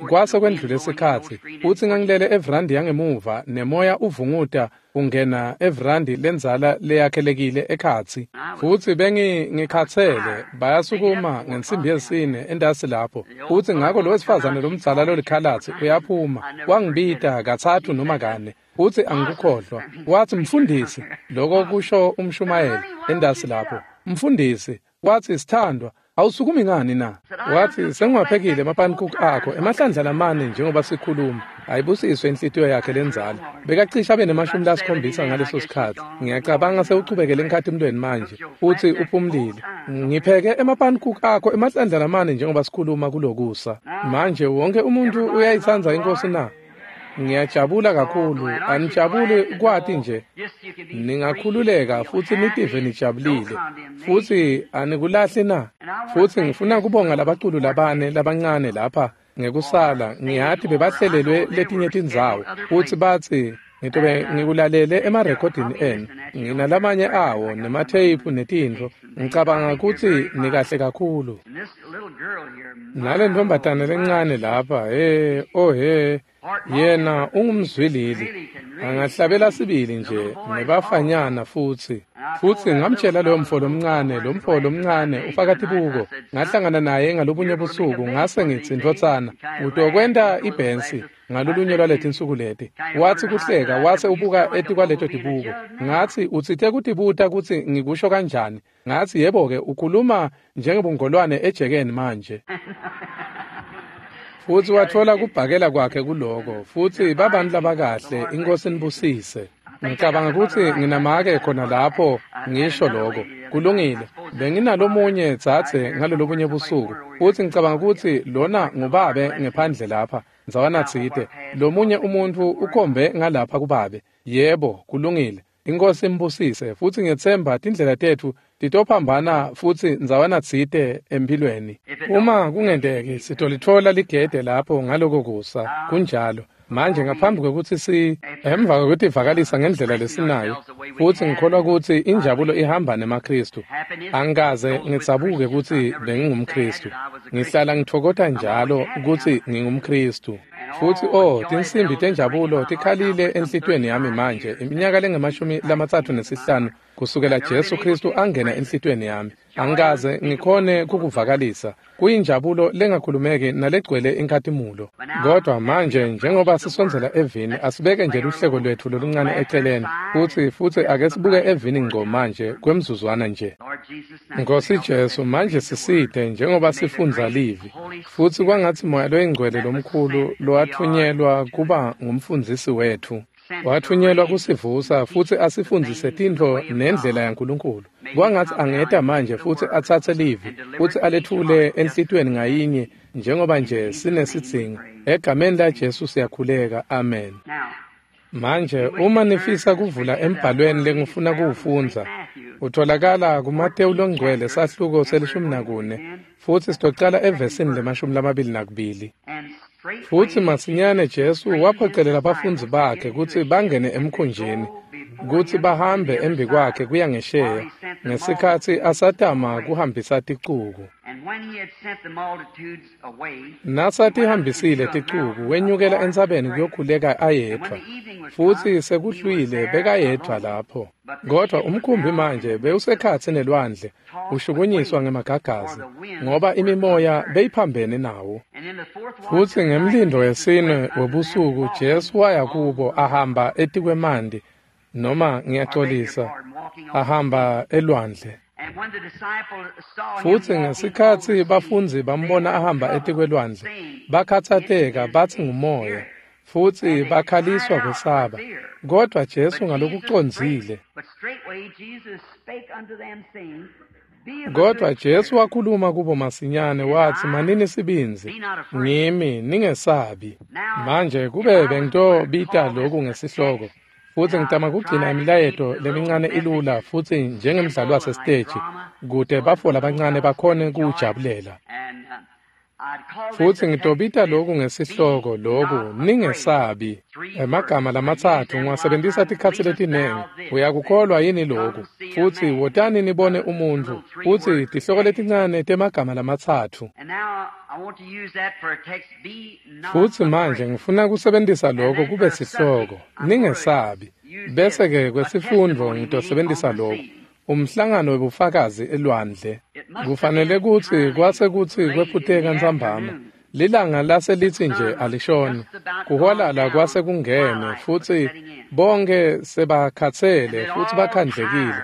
Kwase kwendlule sikhatsi, futsi ngangilele evrandi yangemuva nemoya uvunguta ungena evrandi lendzala leyakhelekile ekhatsi. Futsi bengikhatsele, bayasukuma ngensimbi yesine endasi lapho. Futsi ngako lo wesifazane lomdzala lolikhalatsi uyaphuma, wangibita katsatfu noma kane. Futsi angikukhohlwa. Watsi, mfundisi, loko kusho umshumayeli endasi lapho. Mfundisi, watsi, sithandwa, awusukumi ngani na? Watsi, sengiwaphekile emapanikuku akho emahlandla lamane njengoba sikhuluma. Ayibusiswe inhlitiyo yakhe lendzala. Bekacishe abe ne-70 ngaleso sikhatsi. Ngiyacabanga sewuchubekele enkhatimlweni manje, futsi uphumlile. Ngipheke emapanikuku akho emahlandla lamane njengoba sikhuluma kulokusa. Manje wonke umuntu uyayitsandza iNkosi na? Ngiyajabula kakhulu. Anijabuli kwati nje. Ningakhululeka futsi nitive nijabulile. Futsi anikulahli na? Futsi ngifuna kubonga labaculu labane labancane lapha ngekusala. Ngiyati bebahlelelwe letinye tindzawo. Futsi batsi ngitobe ngikulalele emarekhodini enu. Nginalamanye awo nematheyiphu netintfo. Ngicabanga kutsi nikahle kakhulu. Nale ntombatane lencane lapha, he, oh he, yena ungumzwilili, angahlabela sibili nje nebafanyana futsi. Futsi ngamtshela loyo mfo lomncane ufaka tibuko. Ngahlangana naye ngalobunye busuku, ngase ngitsi, ndvodzana, utokwenta ibhensi ngalolunye lwaletinsuku leti. Watsi kuhleka, wase ubuka etikwaleto tibuko. Ngatsi, utsite kutibuta kutsi ngikusho kanjani. Ngatsi, yebo-ke, ukhuluma njengebungolwane ejekeni manje. Futsi watfola kubhakela kwakhe kuloko. Futsi babantu labakahle, iNkosi nibusise. Ngicabanga kutsi nginamake khona lapho ngisho loko. Kulungile. Benginalomunye dzadze ngalolobunye busuku. Futsi ngicabanga kutsi lona ngubabe ngephandle lapha, ndzawana tsite. Lomunye umuntfu ukhombe ngalapha kubabe. Yebo, kulungile. Inkosi imbusise. Futsi ngiyetsemba tindlela tetfu titophambana futsi ndzawana tsite emphilweni. Uma kungenteki, sitolitfola ligede lapho ngaloko kusa. Kunjalo. Manje ngaphambi kwekutsi emva kwekutivakalisa ngendlela lesinayo, futsi ngikholwa kutsi injabulo ihamba nemaKhristu. Angikaze ngidzabuke kutsi bengingumKhristu. Ngihlala ngitfokota njalo kutsi ngingumKhristu. Futsi tinsimbi tenjabulo tikhalile enhlitiyweni yami manje iminyaka lengu-35 kusukela Jesu Khristu angena enhlitiyweni yami. Angikaze ngikhone kukuvakalisa. Kuyinjabulo lengakhulumeki nalegcwele inkhatimulo. Kodwa manje njengoba sisondzela evini, asibeke nje luhleko lwetfu loluncane eceleni futsi ake sibuke evini ngco manje kwemzuzwana nje. Nkosi Jesu, manje sisite njengoba sifundza livi, futsi kwangatsi Moya loyiNgcwele lomkhulu lowatfunyelwa kuba ngumfundzisi wetfu, watfunyelwa kusivusa futsi asifundzise tintfo nendlela yaNkulunkulu. Kwangatsi angeta manje futsi atsatse livi futsi aletfule enhlitiyweni ngayinye njengoba nje sinesidzingo. Egameni laJesu siyakhuleka, amen. Manje uma nifisa kuvula embhalweni lengifuna kuwufundza, utholakala kuMatewu loNgcwele sahluko se-14, futsi sitocala evesini le-22. Futsi masinyane Jesu waphocelela bafundzi bakhe kutsi bangene emkhunjini, kutsi bahambe embikwakhe kuya ngesheya, ngesikhatsi asatama kuhambisa ticuku. Nasatihambisile ticuku, wenyukela entsabeni kuyokhuleka ayedvwa, futsi sekuhlwile bekayedvwa lapho. Kodwa umkhumbi manje bewusekhatsi nelwandle, ushukunyiswa ngemagagasi, ngoba imimoya beyiphambene nawo. Futsi ngemlindo wesine webusuku Jesu waya kubo ahamba etikwemanti, noma ngiyacolisa, ahamba elwandle. Futsi ngesikhatsi bafundzi bambona ahamba etikwelwandle, bakhatsateka batsi ngumoya, futsi bakhaliswa kwesaba. Kodwa Jesu ngalokucondzile. Kodwa Jesu wakhuluma kubo masinyane watsi, manini sibindzi, ngimi, ningesabi. Manje kube bengitobita loku ngesihloko, futsi ngitama kugcina imilayeto lemincane ilula futsi njengemdlalo wasesiteji, kute bafo labancane bakhone kuwujabulela. Futsi ngitobita loku ngesihloko loku, ningesabi. Emagama lamatsatfu ngiwasebentisa tikhatsi letinengi. Uyakukholwa yini loku? Futsi wotani nibone umuntfu. Futsi tihloko letincane temagama lamatsatfu. Futsi manje ngifuna kusebentisa loko kube sihloko, ningesabi. Bese-ke kwesifundvo ngitosebentisa loku, umhlangano webufakazi elwandle. Kufanele kutsi kwase kutsi kwephuteka ntsambama, lilanga lase litsi nje alishoni, kuhwalala kwase kungene, futsi bonke sebakhatsele futsi bakhandlekile.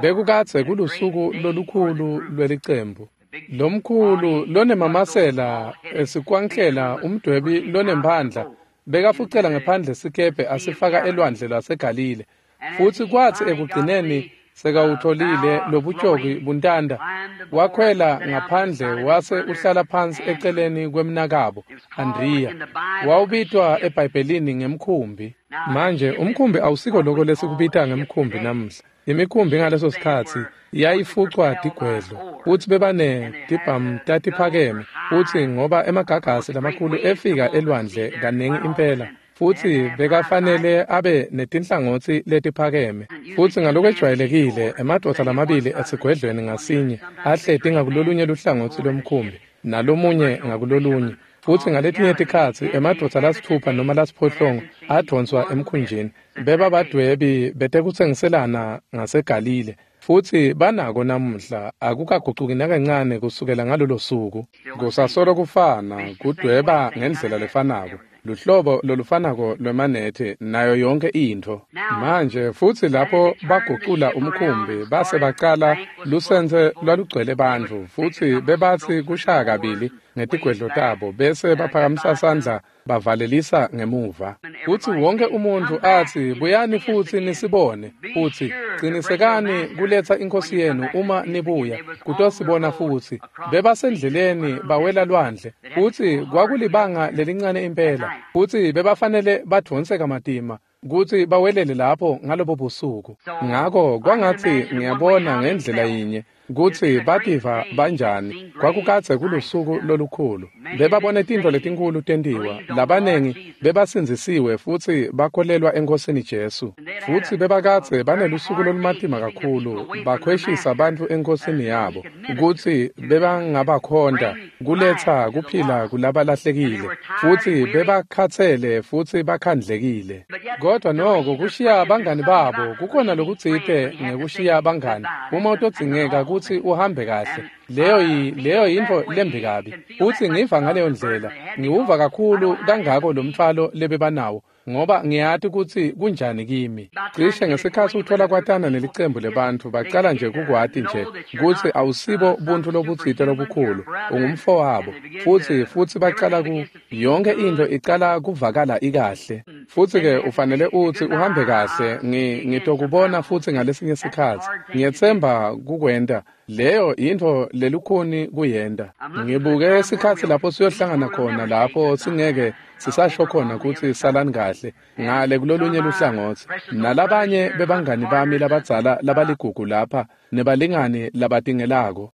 Bekukadze kulusuku lolukhulu lwelicembu. Lomkhulu lonemamasela esikwanklela umdwebi lonemphandla bekafucela ngephandle sikebhe asifaka elwandle lwaseGalile. Futsi kwatsi ekugcineni sekawutholile lobutjoki buntanda, wakhwela ngaphandle wase uhlala phansi eceleni kwemnakabo Andriya. Wawubitwa eBhayibhelini ngemkhumbi. Manje umkhumbi awusiko loko lesikubita ngemkhumbi namuhla. Imikhumbi ngaleso sikhatsi yayifucwa tigwedlo, futsi bebanetibhamu tatiphakeme, futsi ngoba emagagasi lamakhulu efika elwandle kaningi impela, futsi bekafanele abe netinhlangotsi letiphakeme. Futsi ngalokwejwayelekile emadvodza lamabili esigwedlweni ngasinye ahleti ngakulolunye luhlangotsi lwemkhumbi nalomunye ngakulolunye. Futsi ngaletinye tikhatsi emadvodza lasitfupha noma lasiphohlongo advonswa emkhunjini. Bebabadwebi betekutsengiselana ngaseGalile, futsi banako namuhla akukagucuki nakancane kusukela ngalolo suku. Kusasolo kufana, kudweba ngendlela lefanako, luhlobo lolufanako lwemanethe nayo yonke intfo. Manje futsi lapho bagucula umkhumbi base bacala lusense lwalugcwele bantfu, futsi bebatsi kushaya kabili ngetigwedlo tabo bese baphakamisa sandla bavalelisa ngemuva. Futsi wonke umuntfu atsi, buyani futsi nisibone, futsi cinisekani kuletsa inkhosi yenu uma nibuya kutosibona futsi. Bebasendleleni bawela lwandle, futsi kwakulibanga lelincane impela, futsi bebafanele badvonse kamatima kutsi bawelele lapho ngalobo busuku. Ngako kwangatsi ngiyabona ngendlela yinye kutsi bativa banjani. Kwakukadze kulusuku lolukhulu. Bebabone tintfo letinkhulu tentiwa. Labanengi bebasindzisiwe futsi bakholelwa eNkhosini Jesu. Futsi bebakadze banelusuku lolumatima kakhulu, bakhweshisa bantfu eNkhosini yabo, kutsi bebangabakhonta kuletsa kuphila kulabalahlekile, futsi bebakhatsele futsi bakhandlekile. Kodwa noko kushiya bangani babo kukhona lokutsite ngekushiya bangani. Uma utodzingeka kutsi uhambe kahle, leyo yintfo lembi kabi. Futsi ngiva ngaleyo ndlela, ngiwuva kakhulu kangako lo mtfwalo lebebanawo, ngoba ngiyati kutsi kunjani kimi. Cishe ngesikhatsi uthola kwatana nelicembu lebantfu, bacala nje kukwati nje kutsi awusibo buntfu lobutsite lobukhulu, ungumfowabo, futsi bacala ku yonke intfo icala kuvakala ikahle. Futsi-ke ufanele utsi uhambe kahle, ngitokubona futsi ngalesinye sikhatsi. Ngiyetsemba kukwenta. Leyo yintfo lelukhuni kuyenta. Ngibuke sikhatsi lapho siyohlangana khona, lapho singeke sisasho khona kutsi salani kahle ngale kulolunye luhlangotsi. Nalabanye bebangani bami labadzala labaligugu lapha nebalingani labatingelako.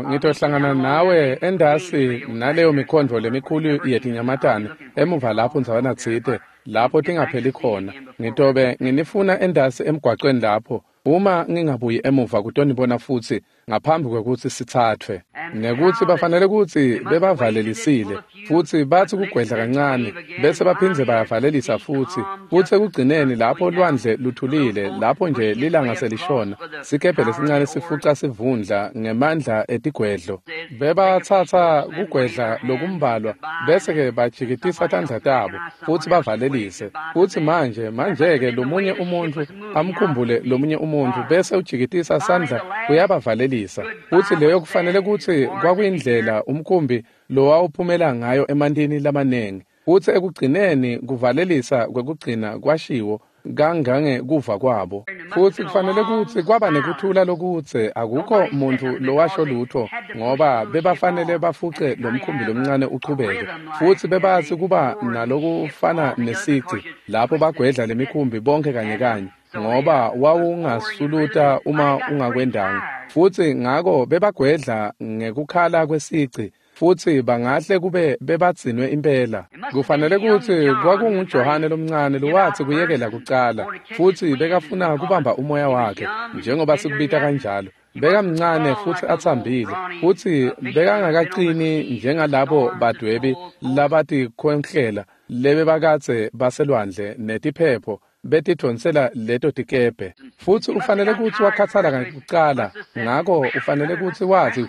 Ngitohlangana nawe endasi naleyo mikhondvo lemikhulu yetinyamatane emuva lapho ndzawana tsite lapho tingapheli khona. Ngitobe nginifuna endasi emgwacweni lapho. Uma ngingabuyi emuva kutonibona futsi ngaphambi kwekutsi sithathwe. Nekutsi bafanele kutsi bebavalelisile futsi batsi kugwedla kancane bese baphindze bayavalelisa futsi. Futsi ekugcineni lapho lwandle luthulile, lapho nje lilanga selishona, sikebhe lesincane sifuca sivundla ngemandla etigwedlo. Bebatsatsa kugwedla lokumbalwa bese-ke bajikitisa tandla tabo futsi bavalelise. Futsi manje-ke lomunye umuntfu amkhumbule lomunye umuntfu bese ujikitisa sandla uyabavalelisa. Futsi leyo kufanele kutsi kwakuyindlela umkhumbi lowawuphumela ngayo emantini lamanengi. Futsi ekugcineni kuvalelisa kwekugcina kwashiwo kangange kuva kwabo. Futsi kufanele kutsi kwaba nekuthula lokutse, akukho muntfu lowasho lutho, ngoba bebafanele bafuce lo mkhumbi lomncane uchubeke. Futsi bebatsi kuba nalokufana nesici lapho bagwedla lemikhumbi bonke kanye kanye, ngoba wawungasuluta uma ungakwendanga. Futsi ngako bebagwedla ngekukhala kwesici, futsi bangahle kube bebadzinwe impela. Kufanele kutsi kwakunguJohane lomncane lowatsi kuyekela kucala, futsi bekafuna kubamba umoya wakhe, njengoba sikubita kanjalo. Bekamncane futsi atsambile, futsi bekangakacini njengalabo badwebi labatikhonhlela lebebakadze baselwandle netiphepho betidvonsela leto tikebhe. Futsi ufanele kutsi wakhathala kucala, ngako ufanele kutsi watsi,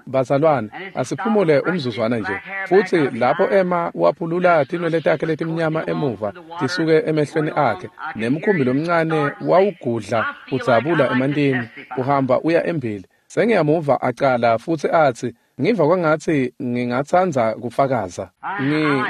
bazalwane, asiphumule umzuzwana nje. Futsi lapho ema waphulula tinwele takhe letimnyama emuva tisuke emehlweni akhe, nemkhumbi lomncane wawugudla udzabula emantini uhamba uya embili. Sengiyamuva acala futsi atsi, ngiva kwangatsi ngingatsandza kufakaza.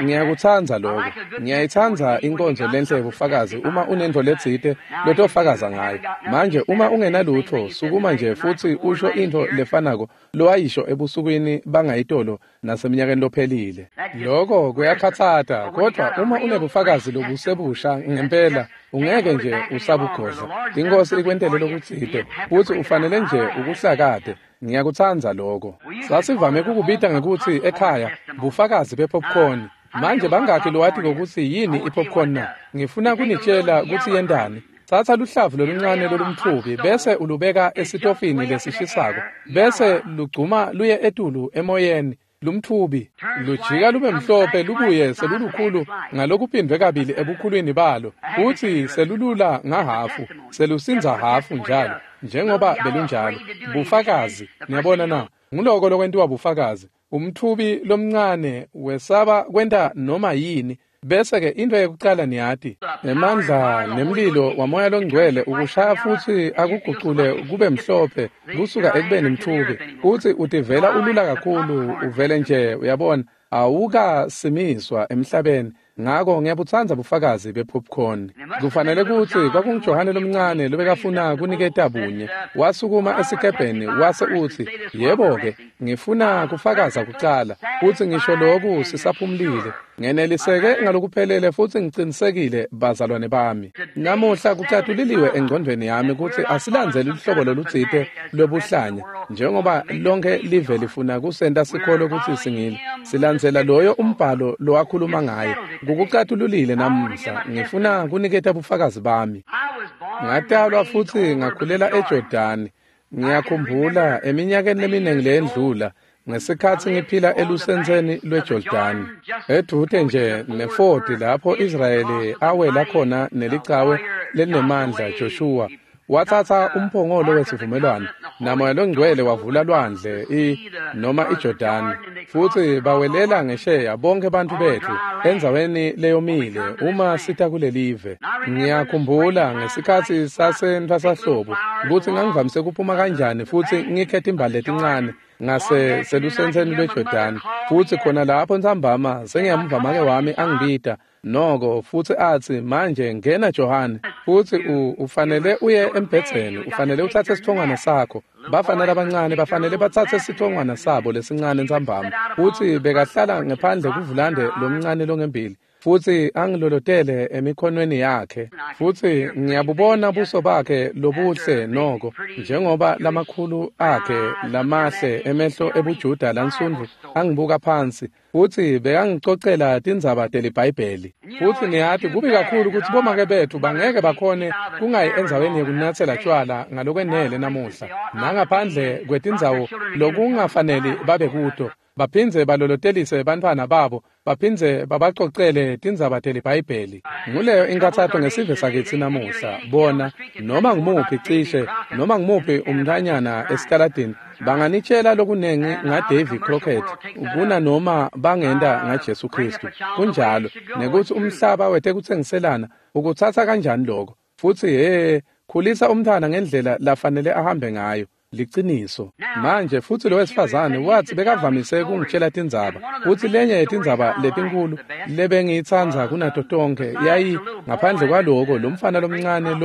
Ngiyakutsandza lokho. Ngiyayitsandza inkonzo lenhle yebufakazi uma unentfo letsite lotofakaza ngayo. Manje uma ungenalutfo, sukuma nje futsi usho intfo lefanako lowayisho ebusukwini bangayitolo naseminyakeni lophelile. Lokho kuyakhatsata, kodwa uma unebufakazi lobusebusha ngempela, ungeke nje usabugodla. Inkosi ikwentele lokutsite, futsi ufanele nje ukuhlakate. Ngiyakutsandza lokho. Sasivame kukubita ngekutsi ekhaya bufakazi bepopcorn. Manje bangakhi lowati ngokuthi yini ipopcorn na? Ngifuna kunitshela kutsi yentani. Tsatsa luhlavu loluncane lolumtfubi bese ulubeka esitofini lesishisako, bese lugcuma luye etulu emoyeni. Lumtfubi lujika lube mhlophe lubuye selulukhulu ngalokuphindwe kabili ebukhulwini balo, futsi selulula ngahafu, selusindza hafu njalo, njengoba belunjalo. Bufakazi, niyabona na? Nguloko lokwentiwa bufakazi. Umtfubi lomncane wesaba kwenta noma yini, bese-ke into yekucala niyati, emandla nemlilo wamoya longcwele ukushaya futsi akugucule kube mhlophe kusuka ekubeni mtfubi, futsi utivela ulula kakhulu, uvele nje uyabona awukasimiswa emhlabeni. Ngako ngiyabutsandza bufakazi be-popcorn. Kufanele kutsi kwakunguJohane lomncane lobekafuna kuniketa bunye. Wasukuma esikebheni wase utsi, yebo-ke, ngifuna kufakaza kucala, futsi ngisho loku sisaphumulile. Ngeneliseke ngalokuphelele futsi ngicinisekile bazalwane bami. Namuhla kucatuliliwe engcondvweni yami kutsi asilandzeli luhlobo lolutsite lwebuhlanya, njengoba lonke live lifuna kusenta sikholwe kutsi singilo. Silandzela loyo umbhalo lowakhuluma ngaye. Kukucatululile namuhla. Ngifuna kuniketa bufakazi bami. Ngatalwa futsi ngakhulela eJordani. Ngiyakhumbula eminyakeni leminingi leyendlula ngesikhatsi ngiphila elusentseni lweJordani, edvute nje nefodi lapho Israyeli awela khona nelicawe lelinemandla. Joshua watsatsa umphongolo wesivumelwano naMoya loNgcwele wavula lwandle noma iJordani, futsi bawelela ngesheya bonke bantfu betfu endzaweni leyomile uma sita kulelive. Ngiyakhumbula ngesikhatsi sasentfwasahlobo kutsi ngangivamise kuphuma kanjani futsi ngikhe timbali letincane ngase selusentseni lweJordani, futsi khona lapho ntsambama sengiyamva make wami angibita noko futsi atsi, manje ngena Johane, futsi ufanele uye embhedzeni, ufanele utsatse sitfongwana sakho. Bafana labancane bafanele batsatse sitfongwana sabo lesincane ntsambama. Futsi bekahlala ngephandle kuvulande lomncane longembili, futsi angilolotele emikhonweni yakhe. Futsi ngiyabubona buso bakhe lobuhle noko, njengoba lamakhulu akhe lamahle emehlo ebuJuda lansundvu angibuka phansi, futsi bekangicocela tindzaba teliBhayibheli. Futsi niyati kubi kakhulu kutsi bomake betfu bangeke bakhone kungayi endzaweni yekunyatsela tjwala ngalokwenele namuhla, nangaphandle kwetindzawo lokungafaneli babe kuto, baphindze balolotelise bantfwana babo, baphindze babacocele tindzaba teliBhayibheli. Nguleyo inkathato ngesive sakitsi namuhla. Bona noma ngumuphi cishe noma ngumuphi umntanyana esitaladini banganitshela lokunengi ngaDavy Crockett kunanoma bangenta ngaJesu Kristu. Kunjalo nekutsi umhlaba wetekutsengiselana ukutsatsa kanjani lokho. Futsi khulisa umntfwana ngendlela lafanele ahambe ngayo. Liciniso. Manje futsi lo wesifazane watsi bekavamise kungitshela tindzaba, futsi lenye yetindzaba letinkulu lebengiyitsandza kunato tonkhe yayi ngaphandle kwaloko lo mfana lomncane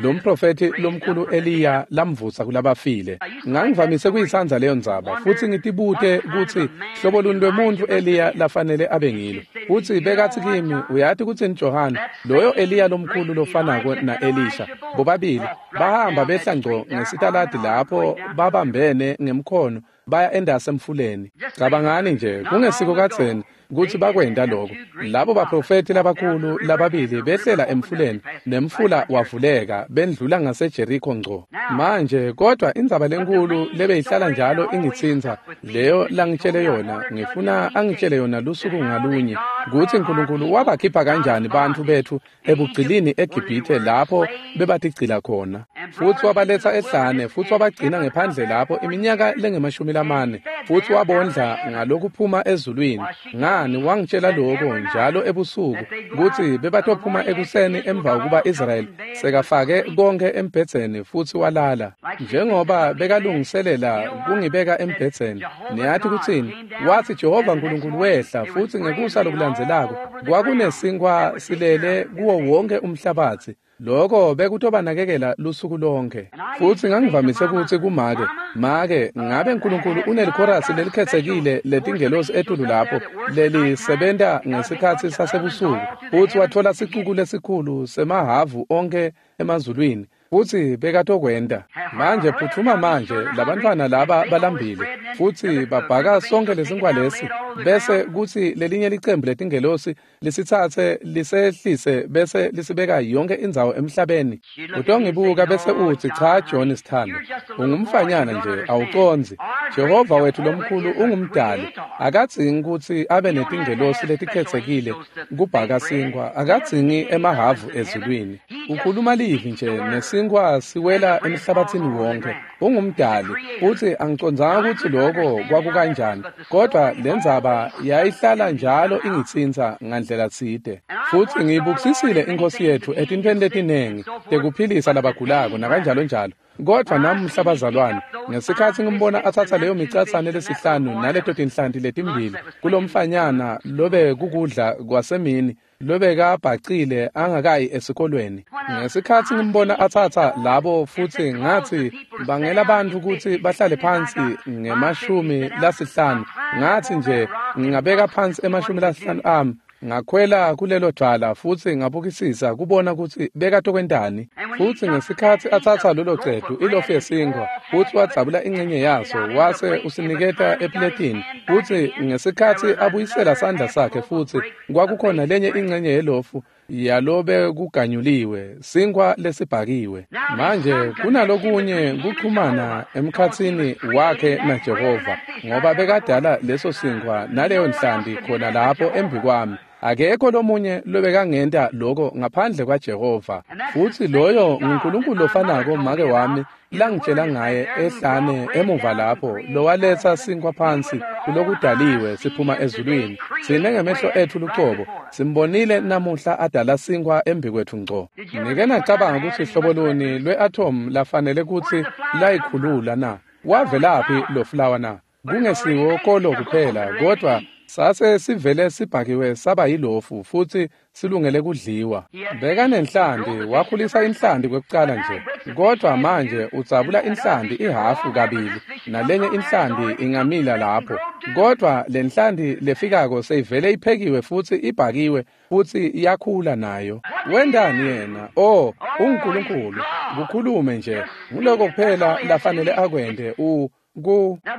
lo mprofethi lomkhulu Eliya lamvusa kulabafile. Ngangivamise kuyitsandza leyo ndzaba, futsi ngitibute kutsi hlobo luni lwemuntfu Eliya lafanele abe ngilo. Futsi bekatsi kimi, uyati kutsini Johane, loyo Eliya lomkhulu lofanako na-Elisha, bobabili bahamba behla ngco ngesitaladi lapho babambene ngemkhono baya endase emfuleni. Cabangani nje, kungesiko kadzeni kutsi bakwenta lokho. Labo baprofethi labakhulu lababili behlela emfuleni, nemfula wavuleka, bendlula ngaseJeriko ngco. Manje kodwa indzaba lenkulu lebeyihlala njalo ingitsintsa, leyo langitshele yona, ngifuna angitshele yona lusuku ngalunye, kutsi Nkulunkulu wabakhipha kanjani bantfu betfu ebugcilini eGibhithe lapho bebatigcila khona, futsi wabaletsa ehlane, futsi wabagcina ngephandle lapho iminyaka lengemashumi lamane, futsi wabondla ngalokuphuma ezulwini. Ngani wangitshela lokho njalo ebusuku kutsi bebatophuma ekuseni emva kokuba Israyeli sekafake konke embhedzeni futsi walala. Njengoba bekalungiselela kungibeka embhedzeni, niyati kutsini? Watsi Jehova Nkulunkulu wehla, futsi ngekusa lokulandzelako kwakunesinkwa silele kuwo wonke umhlabatsi. Lokho bekutobanakekela lusuku lonke. Futsi ngangivamise kutsi kumake, make, ngabe Nkulunkulu unelikhorasi lelikhetsekile letingelosi etulu lapho lelisebenta ngesikhatsi sasebusuku, futsi watfola sicuku lesikhulu semahavu onke emazulwini, futsi bekatokwenta. Manje phuthuma manje, labantfwana laba balambile, futsi babhaka sonke lesinkwa lesi, bese kutsi lelinye licembu letingelosi lisitsatse lisehlise bese lisibeka yonke indzawo emhlabeni. Utongibuka bese utsi, cha John sithando, ungumfanyana nje, awucondzi. Jehova wethu lomkhulu ungumdali, akadzingi kutsi abe netingelosi letikhetsekile kubhaka sinkwa, akadzingi emahavu ezulwini. Ukhuluma livi nje nesinkwa siwela emhlabathini wonke. Ungumdali, futsi angicondzanga kutsi lokho kwakukanjani, kodwa lendzaba yayihlala njalo ingitsintsa ngandlela tsite. Futsi ngiyibukisisile iNkhosi yetfu etintfweni letinengi tekuphilisa labagulako nakanjalo njalo. Kodvwa namuhla bazalwane, ngesikhatsi ngimbona atsatsa leyo micatsane lesihlanu naleto tinhlanti letimbili kulomfanyana lobe kukudla kwasemini lobekabhacile angakayi esikolweni. Ngesikhatsi ngimbona atsatsa labo futsi ngatsi bangela bantfu kutsi bahlale phansi nge-50, ngatsi nje ngingabeka phansi ema-50 ami. Ngakhwela kulelo dvwala futsi ngabukisisa kubona kutsi bekatokwentani. Futsi ngesikhatsi atsatsa lolo cetu ilofu yesinkhwa futsi wadzabula ingcenye yaso wase usiniketa epletini, futsi ngesikhatsi abuyisela sandla sakhe futsi kwakukhona lenye ingcenye yelofu yalobe kuganyuliwe sinkhwa lesibhakiwe. Manje kunalokunye kuxhumana emkhatsini wakhe naJehova, ngoba bekadala leso sinkhwa naleyo nhlanti khona lapho embikwami. Akekho lomunye lobekangenta lokho ngaphandle kwaJehova. Futsi loyo nguNkulunkulu lofanako make wami langitshela ngaye ehlane emuva lapho, lowaletsa sinkhwa phansi kulokudaliwe siphuma ezulwini. Sine ngemehlo etfu lucobo simbonile namuhla adala sinkhwa embikwetfu ngco. Nike nacabanga kutsi hlobo luni lwe-atom lafanele kutsi layikhulula na? Wavelaphi lo fulawa na? Kungesiwo kolo kuphela, kodvwa sase sivele sibhakiwe saba yilofu futsi silungele kudliwa. Bekanenhlanti, wakhulisa inhlanti kwekucala nje, kodvwa manje udzabula inhlanti ihhafu kabili nalenye inhlanti ingamila lapho. Kodvwa lenhlanti lefikako seyivele iphekiwe futsi ibhakiwe futsi iyakhula nayo. Wentani yena? Oh, unguNkulunkulu. Kukhulume nje, nguloko kuphela lafanele akwente.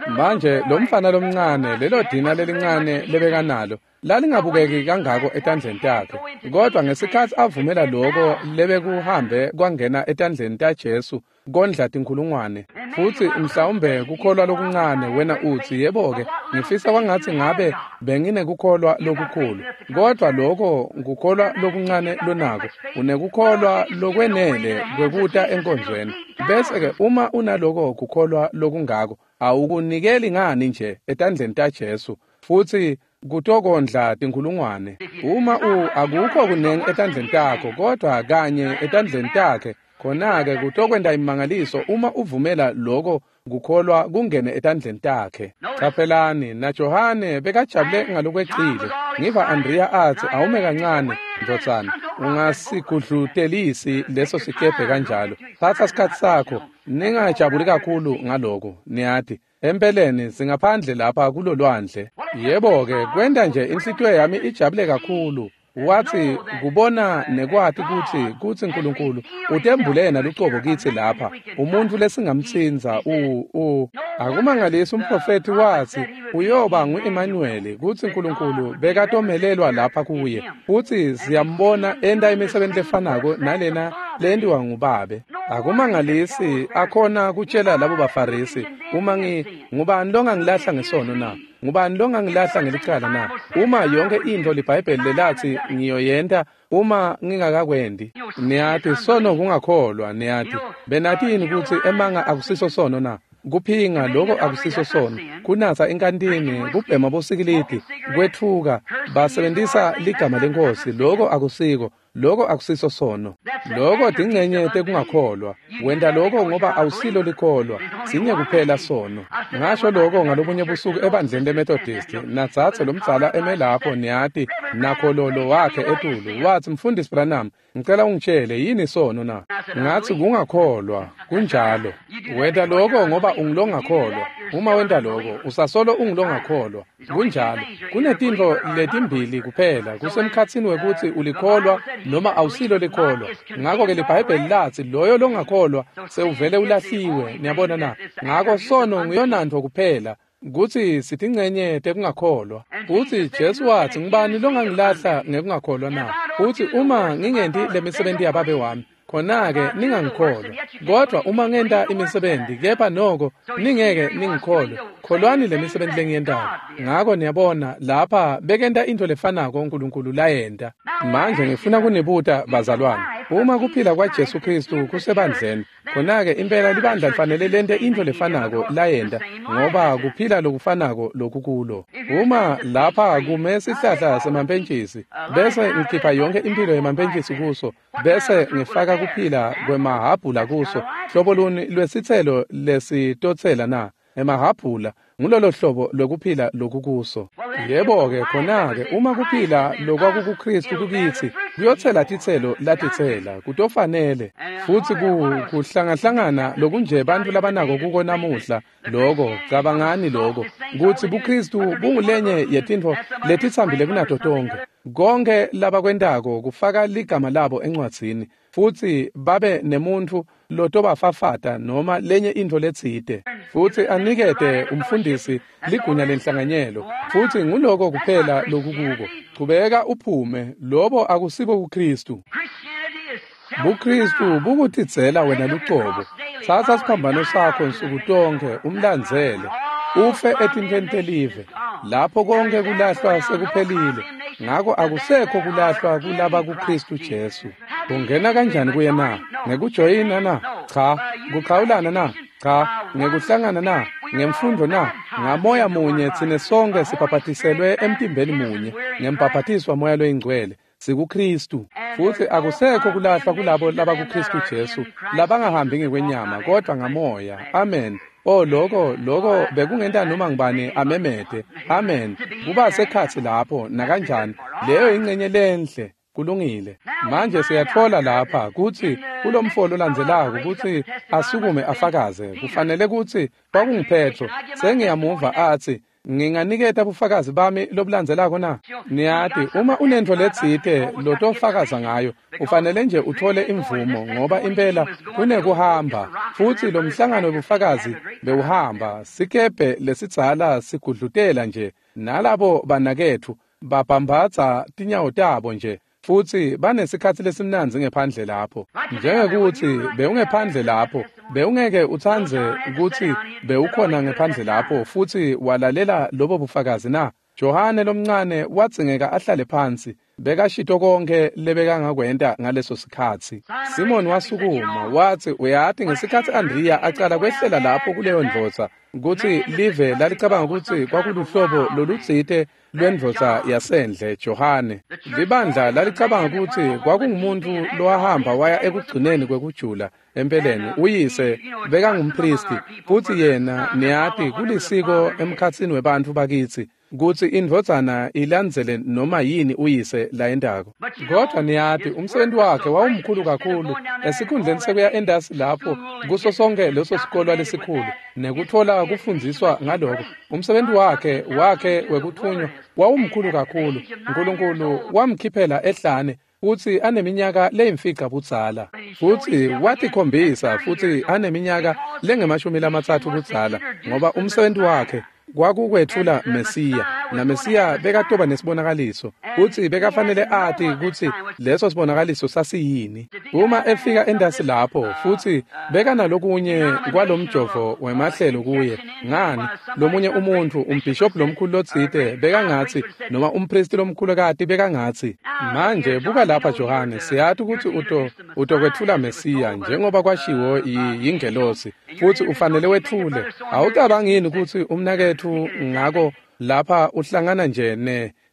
Manje lo mfana lomncane, lelo dina lelincane lebekanalo lalingabukeki kangako etandleni takhe, kodwa ngesikhatsi avumela loko lebekuhambe kwangena etandleni taJesu kondla tinkhulungwane. Futsi mhlawumbe kukholwa lokuncane, wena utsi, yebo-ke, ngifisa kwangatsi ngabe benginekukholwa lokukhulu. Kodvwa loko kukholwa lokuncane lonako, unekukholwa lokwenele kwekuta enkonzweni. Bese-ke uma unaloko kukholwa lokungako, awukunikeli ngani nje etandleni taJesu futsi kutokondla tinkhulungwane. Uma akukho kunengi etandleni takho, kodvwa kanye etandleni takhe, khona-ke kutokwenta imimangaliso uma uvumela loko kukholwa kungene etandleni takhe. Caphelani, naJohane bekajabule ngalokwecile. Ngiva Andrea atsi, awume kancane, ndvodzana, ungasigudlutelisi leso sikebhe kanjalo. Tsatsa sikhatsi sakho, ningajabuli kakhulu ngaloko, niyati. Empeleni singaphandle lapha kulolwandle. Yebo-ke, kwenta nje inhlitiyo yami ijabule kakhulu. Wathi kubona nekwati kutsi uNkulunkulu utembule yena lucobo kitsi lapha, umuntfu lesingamtsintsa. Akumangalisi umprofethi wathi uyoba ngu-Emmanuel, kutsi uNkulunkulu bekatomelelwa lapha kuye. Futsi siyambona enta imisebenti lefanako nalena lentiwa ngubabe. Akumangalisi akhona kutshela labo baFarisi, uma ngubani longangilahla ngesono na? Ngubani longangilahla ngelicala na? Uma yonke intfo liBhayibheli lelathi ngiyoyenta uma ngingakakwendi. Niyati sono kungakholwa, niyati. Benati yini kutsi emanga akusiso sono na? Kuphinga loko akusiso sono. Kunatsa inkantini, kubhema bosikilidi, kwetfuka, basebentisa ligama leNkhosi, loko akusiko. Loko akusiso sono. Loko tingcenye tekungakholwa. Wenta loko ngoba awusilo likholwa. Sinye kuphela sono. Ngasho loko ngalobunye busuku ebandleni leMethodist. Natsatse lomdzala eme lapho, niyati, nakhololo wakhe etulu. Watsi, Mfundisi Branham, ngicela ungitshele yini sono na? Ngatsi kungakholwa. Kunjalo. Wenta loko ngoba ungulongakholwa. Uma wenta loko, usasolo ungulongakholwa. Kunjalo. Kunetintfo letimbili kuphela, kusemkhatsini wekutsi ulikholwa noma awusilo likholwa. Ngakho-ke liBhayibheli latsi loyo longakholwa sewuvele ulahliwe, niyabona na? Ngako sono nguyonantfo kuphela, kutsi sitincenye tekungakholwa. Futsi Jesu watsi, ngubani longangilahla ngekungakholwa na? Futsi uma ngingenti lemisebenti yababe wami, khona-ke ningangikholwa. Kodvwa uma ngenta imisebenti, kepha noko ningeke ningikholwe, kholwani lemisebenti lengiyentako. Ngako niyabona lapha bekenta intfo lefanako uNkulunkulu layenta. Manje ngifuna kunibuta bazalwane, uma kuphila kwaJesu Khristu kusebandleni, khona-ke impela libandla lifanele lente intfo lefanako layenta, ngoba kuphila lokufanako lokukulo. Uma lapha kume sihlahla semampentjisi, bese ngikhipha yonke imphilo yemampentjisi kuso, bese ngifaka kuphila kwemahhabhula kuso, hlobo luni lwesitselo lesitotsela na? Emahhabhula. Ngulolo hlobo lwekuphila lokukuso. Yebo-ke, khona-ke, uma kuphila lokwakukuKristu kukitsi, kuyotsela titselo latitsela, kutofanele. Futsi kuhlangahlangana lokunje bantfu labanako kuko namuhla, loko, cabangani loko, kutsi buKristu bungulenye yetintfo letitsambile kunato tonkhe. Konkhe labakwentako kufaka ligama labo encwadzini, futsi babe nemuntfu lotobafafata noma lenye intfo letsite, futsi anikete umfundisi ligunya lenhlanganyelo, futsi nguloko kuphela lokukuko. Chubeka uphume, lobo akusibo buKristu. BuKristu bukutidzela wena lucobo. Tsatsa siphambano sakho nsuku tonkhe umlandzele, ufe etintfweni telive. Lapho konke kulahlwa sekuphelile, ngako akusekho kulahlwa kulaba kuKristu Jesu. Ungena kanjani kuye na? Ngekujoyina na? Cha. Kukhawulana na? Cha. Ngekuhlangana na? Ngemfundo na? Ngamoya munye tsine sonke sibhabhatiselwe emtimbeni munye, ngembhabhatiso waMoya loyiNgcwele. SikuKristu. Futsi akusekho kulahlwa kulabo labakuKristu Jesu, labangahambi ngekwenyama kodvwa ngamoya. Amen. Oh, loko bekungenta noma ngibani amemete. Amen. Kuba sekhatsi lapho nakanjani. Leyo ingcenye lenhle. Kulungile. Manje siyatfola lapha kutsi kulomfo lolandzelako kutsi asukume afakaze. Kufanele kutsi kwakunguPetro. Sengiyamuva atsi, nginganiketa bufakazi bami lobulandzelako na? Niyati, uma unentfo letsite lotofakaza ngayo, ufanele nje uthole imvumo, ngoba impela kunekuhamba. Futsi lo mhlangano webufakazi bewuhamba, sikebhe lesidzala sigudlutela nje, nalabo banaketfu babhambatsa tinyawo tabo nje, futsi banesikhatsi lesimnandzi ngephandle lapho. Njengekuthi bewungephandle lapho, bewungeke utsandze kutsi bewukhona ngephandle lapho futsi walalela lobo bufakazi na? Johane lomncane wadzingeka ahlale phansi, bekashito konkhe lebekangakwenta ngaleso sikhatsi. Simon wasukuma watsi, uyati ngesikhatsi Andriya acala kwehlela lapho kuleyo ndvodza, kutsi live lalicabanga kutsi kwakuluhlobo lolutsite lwendvodza yasendle, Johane. Libandla lalicabanga kutsi kwakungumuntfu lowahamba waya ekugcineni kwekujula. Empeleni uyise bekangumpristi, futsi yena niyati kulisiko emkhatsini webantfu bakitsi kutsi indvodzana ilandzele noma yini uyise layentako. Kodvwa niyati umsebenzi wakhe wawumkhulu kakhulu, esikhundleni sekuya endasi lapho kuso sonke leso sikolwa lesikhulu nekutfola kufundziswa ngaloko, umsebenzi wakhe wekuthunywa wawumkhulu kakhulu. Nkulunkulu wamkhiphela ehlane futsi aneminyaka leyimfica budzala, futsi watikhombisa futsi aneminyaka lengama-30 budzala, ngoba umsebenzi wakhe kwakukwetfula Mesiya, naMesiya bekatoba nesibonakaliso, futsi bekafanele ati kutsi leso sibonakaliso sasiyini. Uma efika endasi lapho, futsi bekanalokunye kwalomjovo wemahlelo kuye, ngani, lomunye umuntfu, umbhishobhi lomkhulu lotsite bekangatsi, noma umpristi lomkhulukati bekangatsi, manje buka lapha Johane, siyati kutsi utokwetfula Mesiya njengoba kwashiwo yingelosi, futsi ufanele wetfule. Awucabangi yini kutsi umnaketfu ngako lapha uhlangana nje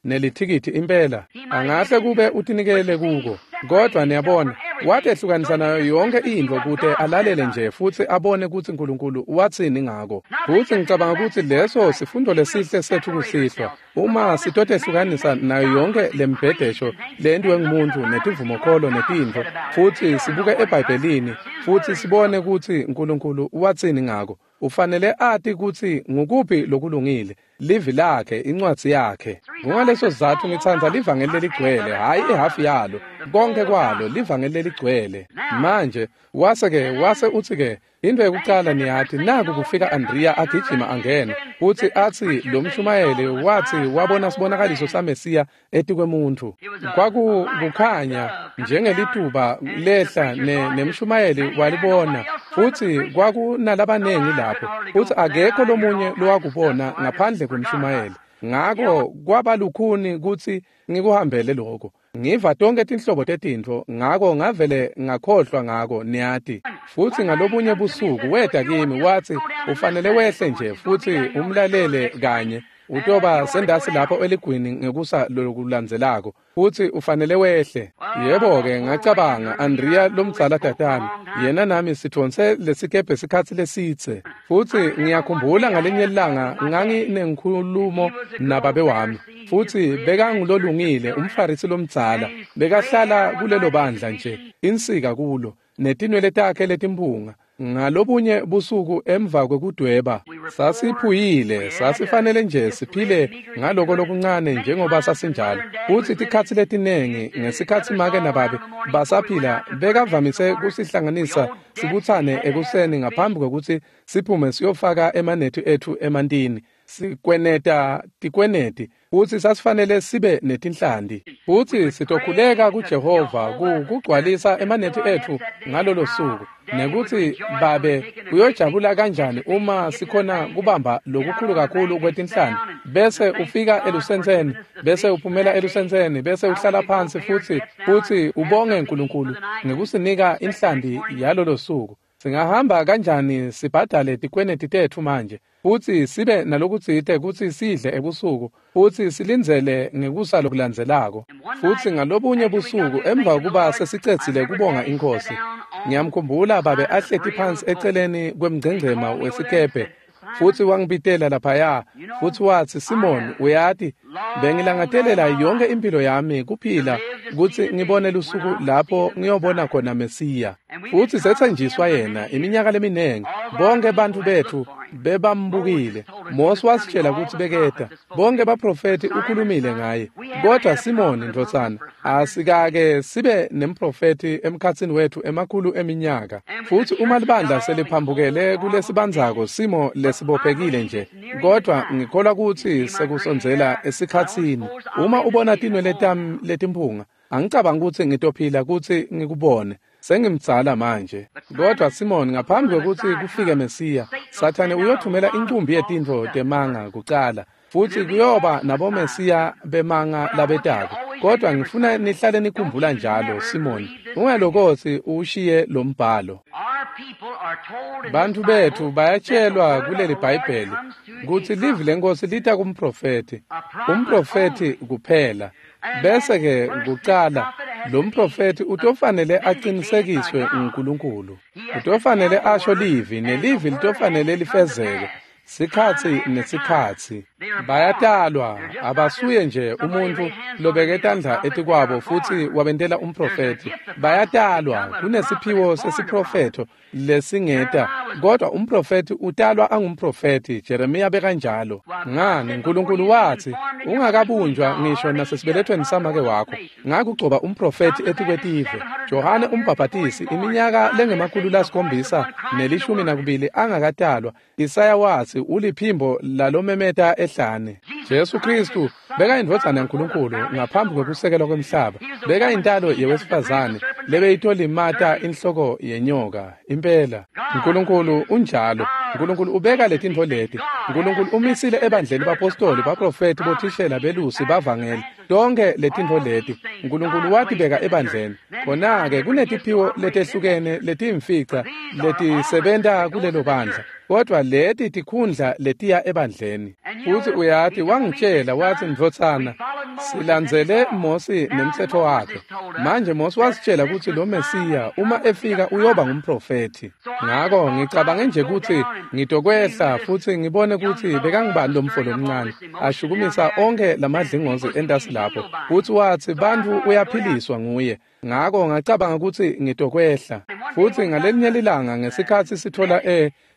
nelithikithi impela? Angahle kube utinikele kuko, kodvwa niyabona, watehlukanisa nayo yonke intfo kute alalele nje futsi abone kutsi Nkulunkulu watsini ngako. Futsi ngicabanga kutsi leso sifundo lesihle setfu kusihlwa, uma sitotehlukanisa nayo yonke lembhedesho lentiwe ngumuntu netivumokholo netintfo, futsi sibuke eBhayibhelini futsi sibone kutsi Nkulunkulu watsini ngako. Ufanele ati kutsi ngukuphi lokulungile, livi lakhe, incwadzi yakhe. Kungaleso sizatfu ngitsandza livangeli leligcwele, hhayi ihafu yalo, konke kwalo, livangeli leligcwele. Manje wase utsi-ke, into yekucala niyati, naku kufika Andriya agijima angena, futsi atsi lo mshumayeli watsi wabona sibonakaliso saMesiya etikwemuntfu. Kwakukukhanya njengelituba lehla nemshumayeli walibona, futsi kwakunalabanengi lapho, futsi akekho lomunye lowakubona ngaphandle kwemshumayeli. Ngako kwaba lukhuni kutsi ngikuhambele lokho. Ngiva tonke tinhlobo tetintfo, ngako ngavele ngakhohlwa ngako, niyati. Futsi ngalobunye busuku weta kimi watsi, ufanele wehle nje futsi umlalele kanye. Utoba sendasi lapho eligwini ngekusa lokulandzelako, futsi ufanele wehle. Yebo-ke, ngacabanga, Andrea lomdzala tatami, yena nami sithonse lesikebhe sikhatsi lesidze. Futsi ngiyakhumbula ngalinye ilanga nganginenkhulumo nababe wami, futsi bekangulolungile umfarisi lomdzala, bekahlala kulelo bandla nje, insika kulo, netinwele takhe letimpunga. Ngalobunye busuku emva kwekudweba, sasiphuyile, sasifanele nje siphile ngaloko lokuncane njengoba sasinjalo. Futsi tikhatsi letinengi ngesikhatsi make nababe basaphila, bekavamise kusihlanganisa sibutsane ekuseni ngaphambi kwekutsi siphume siyofaka emanethi etfu emantini, sikweneta tikweneti, futsi sasifanele sibe netinhlanti. Futsi sitokhuleka kuJehova kugcwalisa emanethi etfu ngalolo suku, nekutsi babe uyojabula kanjani uma sikhona kubamba lokukhulu kakhulu kwetinhlanti, bese ufika elusentseni, bese uphumela elusentseni, bese uhlala phansi futsi ubonge uNkulunkulu ngekusinika inhlanti yalolo suku. Singahamba kanjani sibhadale tikweneti tetfu manje, futsi sibe nalokutsite kutsi sidle ebusuku, futsi silindzele ngekusa lokulandzelako. Futsi ngalobunye busuku emva kuba sesicedzile kubonga iNkhosi, ngiyamkhumbula babe ahleti phansi eceleni kwemngcengcema wesikebhe, futsi wangibitela laphaya, futsi watsi, Simon, uyati, bengilangatelela yonke impilo yami kuphila kutsi ngibone lusuku lapho ngiyobona khona Mesiya. Futsi setsenjiswa yena iminyaka leminingi, bonke bantfu betfu bebambukile. Mose wasitshela kutsi beketa, bonke baprofethi ukhulumile ngaye. Kodwa Simoni ndvodzana, asikake sibe nemprofethi emkhatsini wetfu emakhulu eminyaka. Futsi uma libandla seliphambukele kulesibandzako simo lesibophekile nje, kodwa ngikholwa kutsi sekusondzela esikhatsini. Uma ubona tinwele tami letimpunga, angicabangi kutsi ngitophila kutsi ngikubone. Sengimdzala manje. Kodwa Simon, ngaphambi kwekutsi kufike Mesiya, Sathane uyothumela incumbi yetintfo temanga kucala, futsi kuyoba nabomesiya bemanga labetako. Kodwa ngifuna nihlale nikhumbula njalo, Simon, ungalokotsi ushiye lo mbhalo. Bantfu betfu bayatshelwa kuleli Bhayibheli kutsi livi leNkhosi lita kumprofethi, umprofethi kuphela. Bese-ke kucala lo mprofethi utofanele aqinisekiswe nguNkulunkulu. Utofanele asho livi, nelivi litofanele lifezeke sikhatsi nesikhatsi. Bayatalwa, abasuye nje umuntfu lobeke tandla etikwabo futsi wabentela umprofethi. Bayatalwa, kunesiphiwo sesiprofetho lesingeta, kodwa umprofethi utalwa angumprofethi. Jeremiya bekanjalo. Ngani, uNkulunkulu watsi, ungakabunjwa ngisho nasesibelethweni samake wakho, ngakugcoba umprofethi etikwetive. Johane umbhabhatisi iminyaka lengama-712 angakatalwa, Isaya watsi uliphimbo lalomemeta ehlane. Jesu Kristu bekayindvodzana yaNkulunkulu ngaphambi kwekusekelwa kwemhlaba, bekayintalo yewesifazane lebeyitolimata inhloko yenyoka. Impela uNkulunkulu unjalo. uNkulunkulu ubeka letintfo leti. uNkulunkulu umisile ebandleni bapostoli, baprofethi, bothishela, belusi, bavangeli, tonke letintfo leti uNkulunkulu watibeka ebandleni. Khona-ke kunetiphiwo letehlukene letiyimfica letisebenta kulelo bandla, kodwa leti tikhundla letiya ebandleni. Futsi uyati, wangitshela watsi, ndvodzana, silandzele Mosi nemtsetfo wakhe. Manje Mosi wasitshela kutsi lo Mesiya uma efika uyoba ngumprofethi. Ngako ngicabange nje kutsi ngitokwehla futsi ngibone kutsi bekangubani lo mfo lomncane ashukumisa onke lamadlingozi entasi lapho, futsi watsi bantfu uyaphiliswa nguye. Ngako ngacabanga kutsi ngitokwehla. Futsi ngalelinye lilanga ngesikhatsi sithola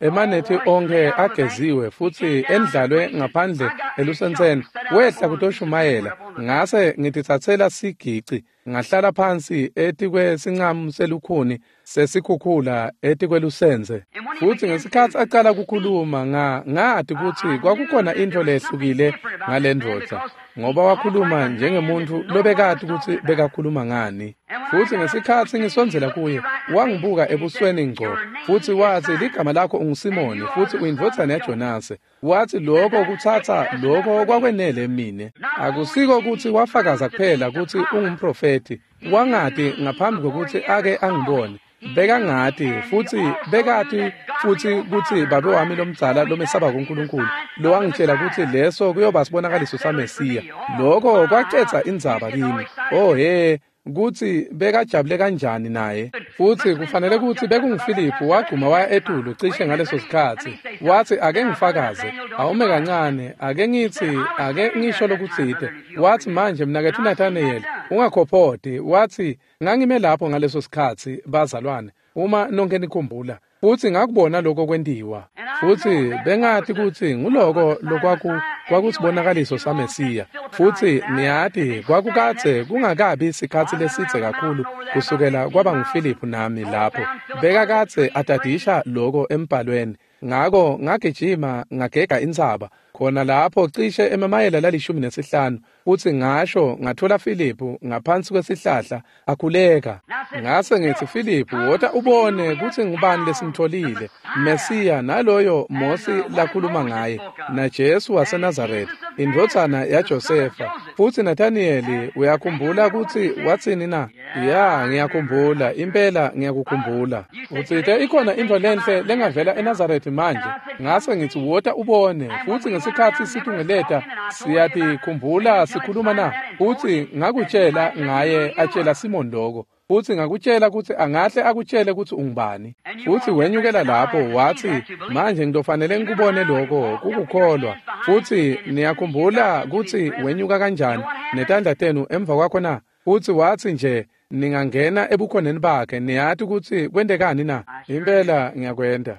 emanethi onke ageziwe futsi endlalwe ngaphandle elusentseni, wehla kutoshumayela. Ngase ngititsatsela sigici, ngahlala phansi etikwesincamu selukhuni sesikhukhula etikwelusenze. Futsi ngesikhatsi acala kukhuluma, ngati kutsi kwakukhona intfo lehlukile ngalendvodza, ngoba wakhuluma njengemuntfu lobekati kutsi bekakhuluma ngani. Futsi ngesikhatsi ngisondzela kuye, wangibuka ebusweni ngco, futsi watsi, ligama lakho unguSimoni, futsi uyindvodzana yaJonase. Watsi lokho kutsatsa lokho kwakwenele mine. Akusiko kutsi wafakaza kuphela kutsi ungumprofethi, wangati ngaphambi kwekutsi ake angibone. Bekangati futsi bekati futsi kutsi babe wami lomdzala lomesaba kuNkulunkulu lowangitshela kutsi leso kuyoba sibonakaliso saMesiya. Lokho kwacetsa indzaba kimi. Oh he, kutsi bekajabule kanjani naye. Futsi kufanele kutsi bekunguFiliphu wagcuma waya etulu cishe ngaleso sikhatsi. Watsi ake ngifakaze, awume kancane, ake ngitsi, ake ngisho lokutsite. Watsi manje mnaketfu Nathanayeli, ungakhophoti. Watsi ngangime lapho ngaleso sikhatsi bazalwane, uma nonke nikhumbula. Futsi ngakubona lokho kwentiwa. Futsi bengati kutsi nguloko lokwakusibonakaliso saMesiya. Futsi niyati kwakukadze kungakabi sikhatsi lesidze kakhulu kusukela kwaba nguFiliphu nami lapho. Bekakadze atadisha loko embhalweni. Ngako ngagijima ngagega intsaba khona lapho cishe emamayela la15 futsi ngasho ngathola Filiphu ngaphansi kwesihlahla akhuleka. Ngase ngithi Filiphu, wota ubone kutsi ngubani lesimtholile, Mesiya naloyo Mosi lakhuluma ngaye, naJesu waseNazaretha, indvodzana yaJosefa. Futsi Nathaniyeli uyakhumbula kutsi watsini na? Ya, ngiyakhumbula, impela ngiyakukhumbula. Utsite ikhona intfo lenhle lengavela eNazaretha manje. Ngase ngithi wota ubone. Futsi ngesikhatsi situngeleta siyatikhumbula sikhuluma na? Futsi ngakutshela ngaye atshela Simon lokho. Futsi ngakutshela kutsi angahle akutshele kutsi ungubani. Futsi wenyukela lapho watsi manje ngitofanele ngikubone lokho kukukholwa. Futsi niyakhumbula kutsi wenyuka kanjani netandla tenu emva kwakho na? Futsi watsi nje ningangena ebukhoneni bakhe niyati kutsi kwentekani na? Impela ngiyakwenta.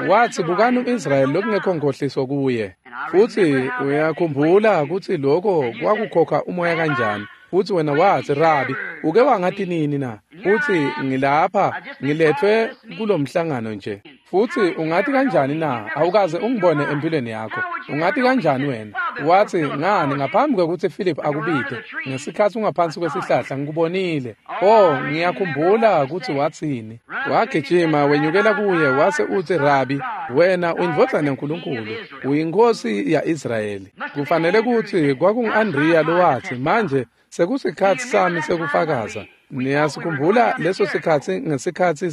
Watsi bukani umIsrayeli lokungekho nkhohliso kuye. Futsi uyakhumbula kutsi lokho kwakukhokha umoya kanjani. Futsi wena watsi, Rabi, uke wangati nini na? Futsi ngilapha ngiletfwe kulomhlangano nje. Futsi ungati kanjani na? Awukaze ungibone empilweni yakho. Ungati kanjani wena? Watsi ngani ngaphambi kwekutsi Philip akubite ngesikhatsi ungaphansi kwesihlahla ngikubonile. Oh, ngiyakhumbula kutsi watsini. Wagijima wenyukela kuye wase utsi, Rabi, wena uyindvodzana yaNkulunkulu, uyinkosi ya-Israyeli. Kufanele kutsi kwakungu-Andriya lowatsi manje sekusikhatsi sami sekufakaza. Niyasikhumbula leso sikhatsi ngesikhatsi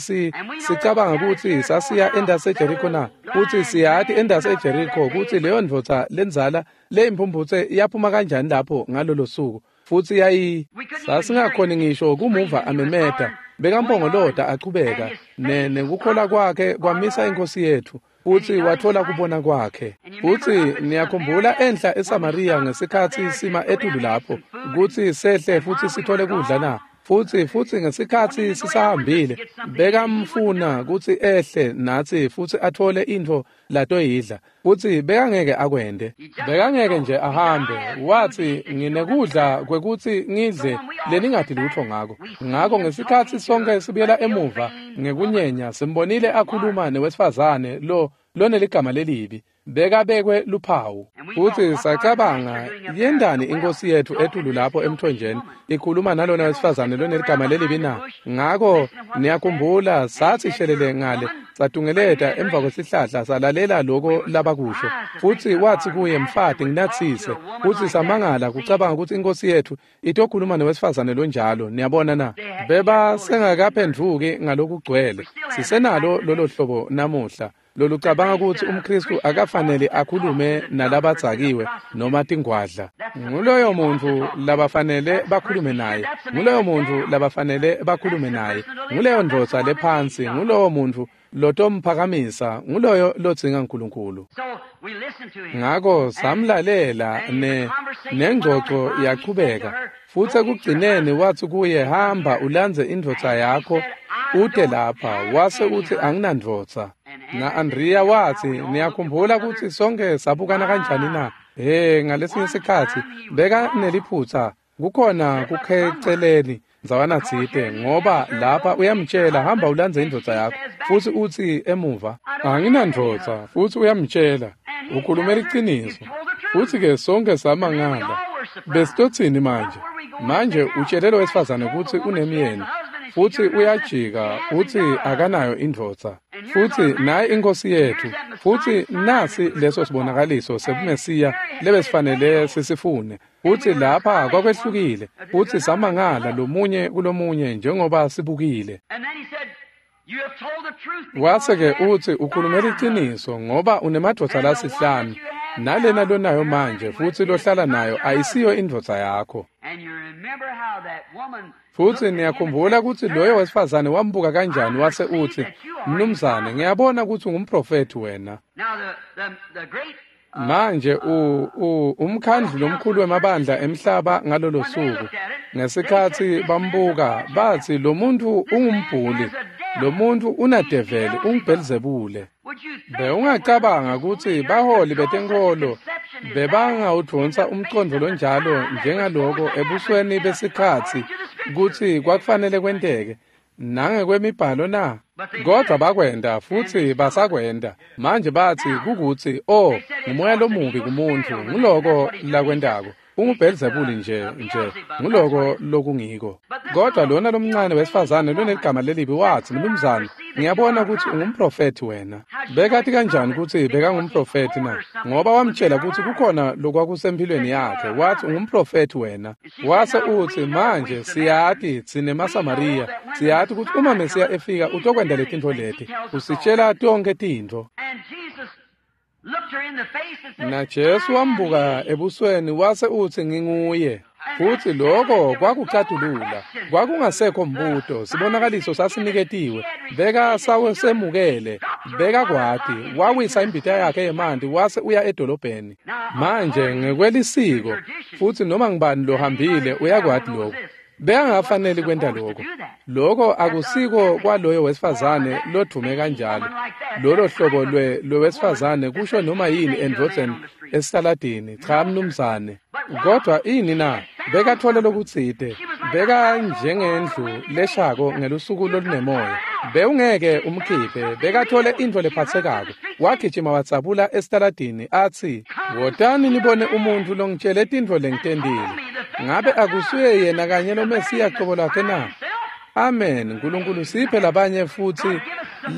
sicabanga kutsi sasiya endasi eJeriko na? Kutsi siyati endasi eJeriko kutsi leyo ndvodza lendzala leyimphumphutse yaphuma kanjani lapho ngalolo suku. Futsi yayi sasingakhoni ngisho kumuva amemeta. Bekampongolota achubeka nekukholwa kwakhe kwamisa inkosi yethu. Futsi wathola kubona kwakhe. Futsi niyakhumbula enhla eSamariya ngesikhatsi sima etulu lapho kutsi sehle futsi sithole kudla na? Futsi ngesikhatsi sisahambile bekamfuna kutsi ehle natsi futsi athole intfo latoyidla. Futsi bekangeke akwente. Bekangeke nje ahambe. Watsi nginekudla kwekutsi ngidle leningati lutho ngako. Ngako ngesikhatsi sonke sibuyela emuva ngekunyenya simbonile akhuluma newesifazane lo loneligama lelibi. Bekabekwe luphawu. Futsi sacabanga yendani inkosi yethu etulu lapho emthonjeni ikhuluma nalona wesifazane loneligama lelibi na? Ngako niyakhumbula sathi shelele ngale satungeleta emva kwesihlahla salalela lokho labakusho. Futsi watsi kuye, mfati nginatsise. Futsi samangala kucabanga kutsi inkosi yethu itokhuluma newesifazane lonjalo. Niyabona na? Beba sengakaphendvuki ngalokugcwele. Sisenalo lolo hlobo namuhla lolucabanga kutsi umKristu akafanele akhulume nalabadzakiwe noma tingwadla. Nguloyo muntfu labafanele bakhulume naye. Nguloyo muntfu labafanele bakhulume naye. Nguleyo ndvodza lephansi, ngulowo muntfu lotomphakamisa, nguloyo lodzinga uNkulunkulu. Ngako samlalela nengxoxo yachubeka. Futsi ekugcineni watsi kuye, hamba ulandze indvodza yakho ute lapha. Wase utsi anginandvodza. Na-Andriya watsi, niyakhumbula kutsi sonke sabukana kanjani na? He, ngalesinye sikhatsi bekaneliphutsa kukhona kukheceleni ndzawana tsite, ngoba lapha uyamtshela hamba ulandze indvodza yakho, futsi utsi emuva anginandvodza, futsi uyamtshela ukhulumela iqiniso. Futsi-ke sonke samangala. Besitotsini manje? Manje utshele lo wesifazane kutsi unemyeni, futsi uyajika utsi akanayo indvodza. Futsi naye inkosi yethu, futsi nasi leso sibonakaliso sebuMesiya lebesifanele sisifune. Futsi lapha kwakwehlukile, futsi samangala lomunye kulomunye njengoba sibukile. Wase-ke utsi ukhulume liciniso ngoba unemadvodza lasihlanu, nalena lonayo manje futsi lohlala nayo ayisiyo indvodza yakho. Futsi niyakhumbula kutsi loyo wesifazane wambuka kanjani wase utsi, "Mnumzane, ngiyabona kutsi ungumprofethi wena." Manje umkhandlu lomkhulu wemabandla emhlaba ngalolo suku, ngesikhatsi bambuka batsi lo muntu ungumbhuli, lo muntu unadeveli, unguBhelzebule. Bewungacabanga kutsi baholi betenkholo bebangawudvonsa umcondvo lonjalo njengaloko ebusweni besikhatsi kutsi kwakufanele kwenteke nangekwemibhalo na? Kodvwa bakwenta futsi basakwenta. Manje batsi kukutsi, "Oh, ngumoya lomubi kumuntfu, nguloko lakwentako. UnguBhelzebule nje nguloko lokungiko." Kodwa lona lomncane wesifazane loneligama lelibi watsi, "Mnumzane, ngiyabona kutsi ungumprofethi wena." Bekati kanjani kutsi bekangumprofethi na? Ngoba wamtshela kutsi kukhona lokwakusemphilweni yakhe. Watsi ungumprofethi wena. Wase utsi, "Manje siyati tsine maSamariya, siyati kutsi uma Mesiya efika utokwenta letintfo leti. Usitshela tonkhe tintfo." Na Jesu wambuka ebusweni wase utsi, "Nginguye." Futsi lokho kwakucatulula. Kwakungasekho mbuto, sibonakaliso sasiniketiwe. Beka sawesemukele, bekakwati, wawisa imbita yakhe yemanti wase uya edolobheni. Manje ngekwelisiko, futsi noma ngubani lohambile uyakwati lokho. Bekangafanele kwenta lokho. Lokho akusiko kwaloyo wesifazane lodvume kanjalo. Lolo hlobo lwewesifazane kusho noma yini endvodzeni esitaladini. Cha mnumzane. Kodwa ini na? Bekathole lokutsite. Bekanjengendlu leshako ngelusuku lolunemoya. Bewungeke umkhiphe. Bekathole intfo lephatsekako. Wagijima watsabula esitaladini atsi, "Wotani nibone umuntfu longitshele tintfo lengitentile. Ngabe akusuye yena kanye lo Mesiya cobo lwakhe na?" Amen. Nkulunkulu siphe labanye futsi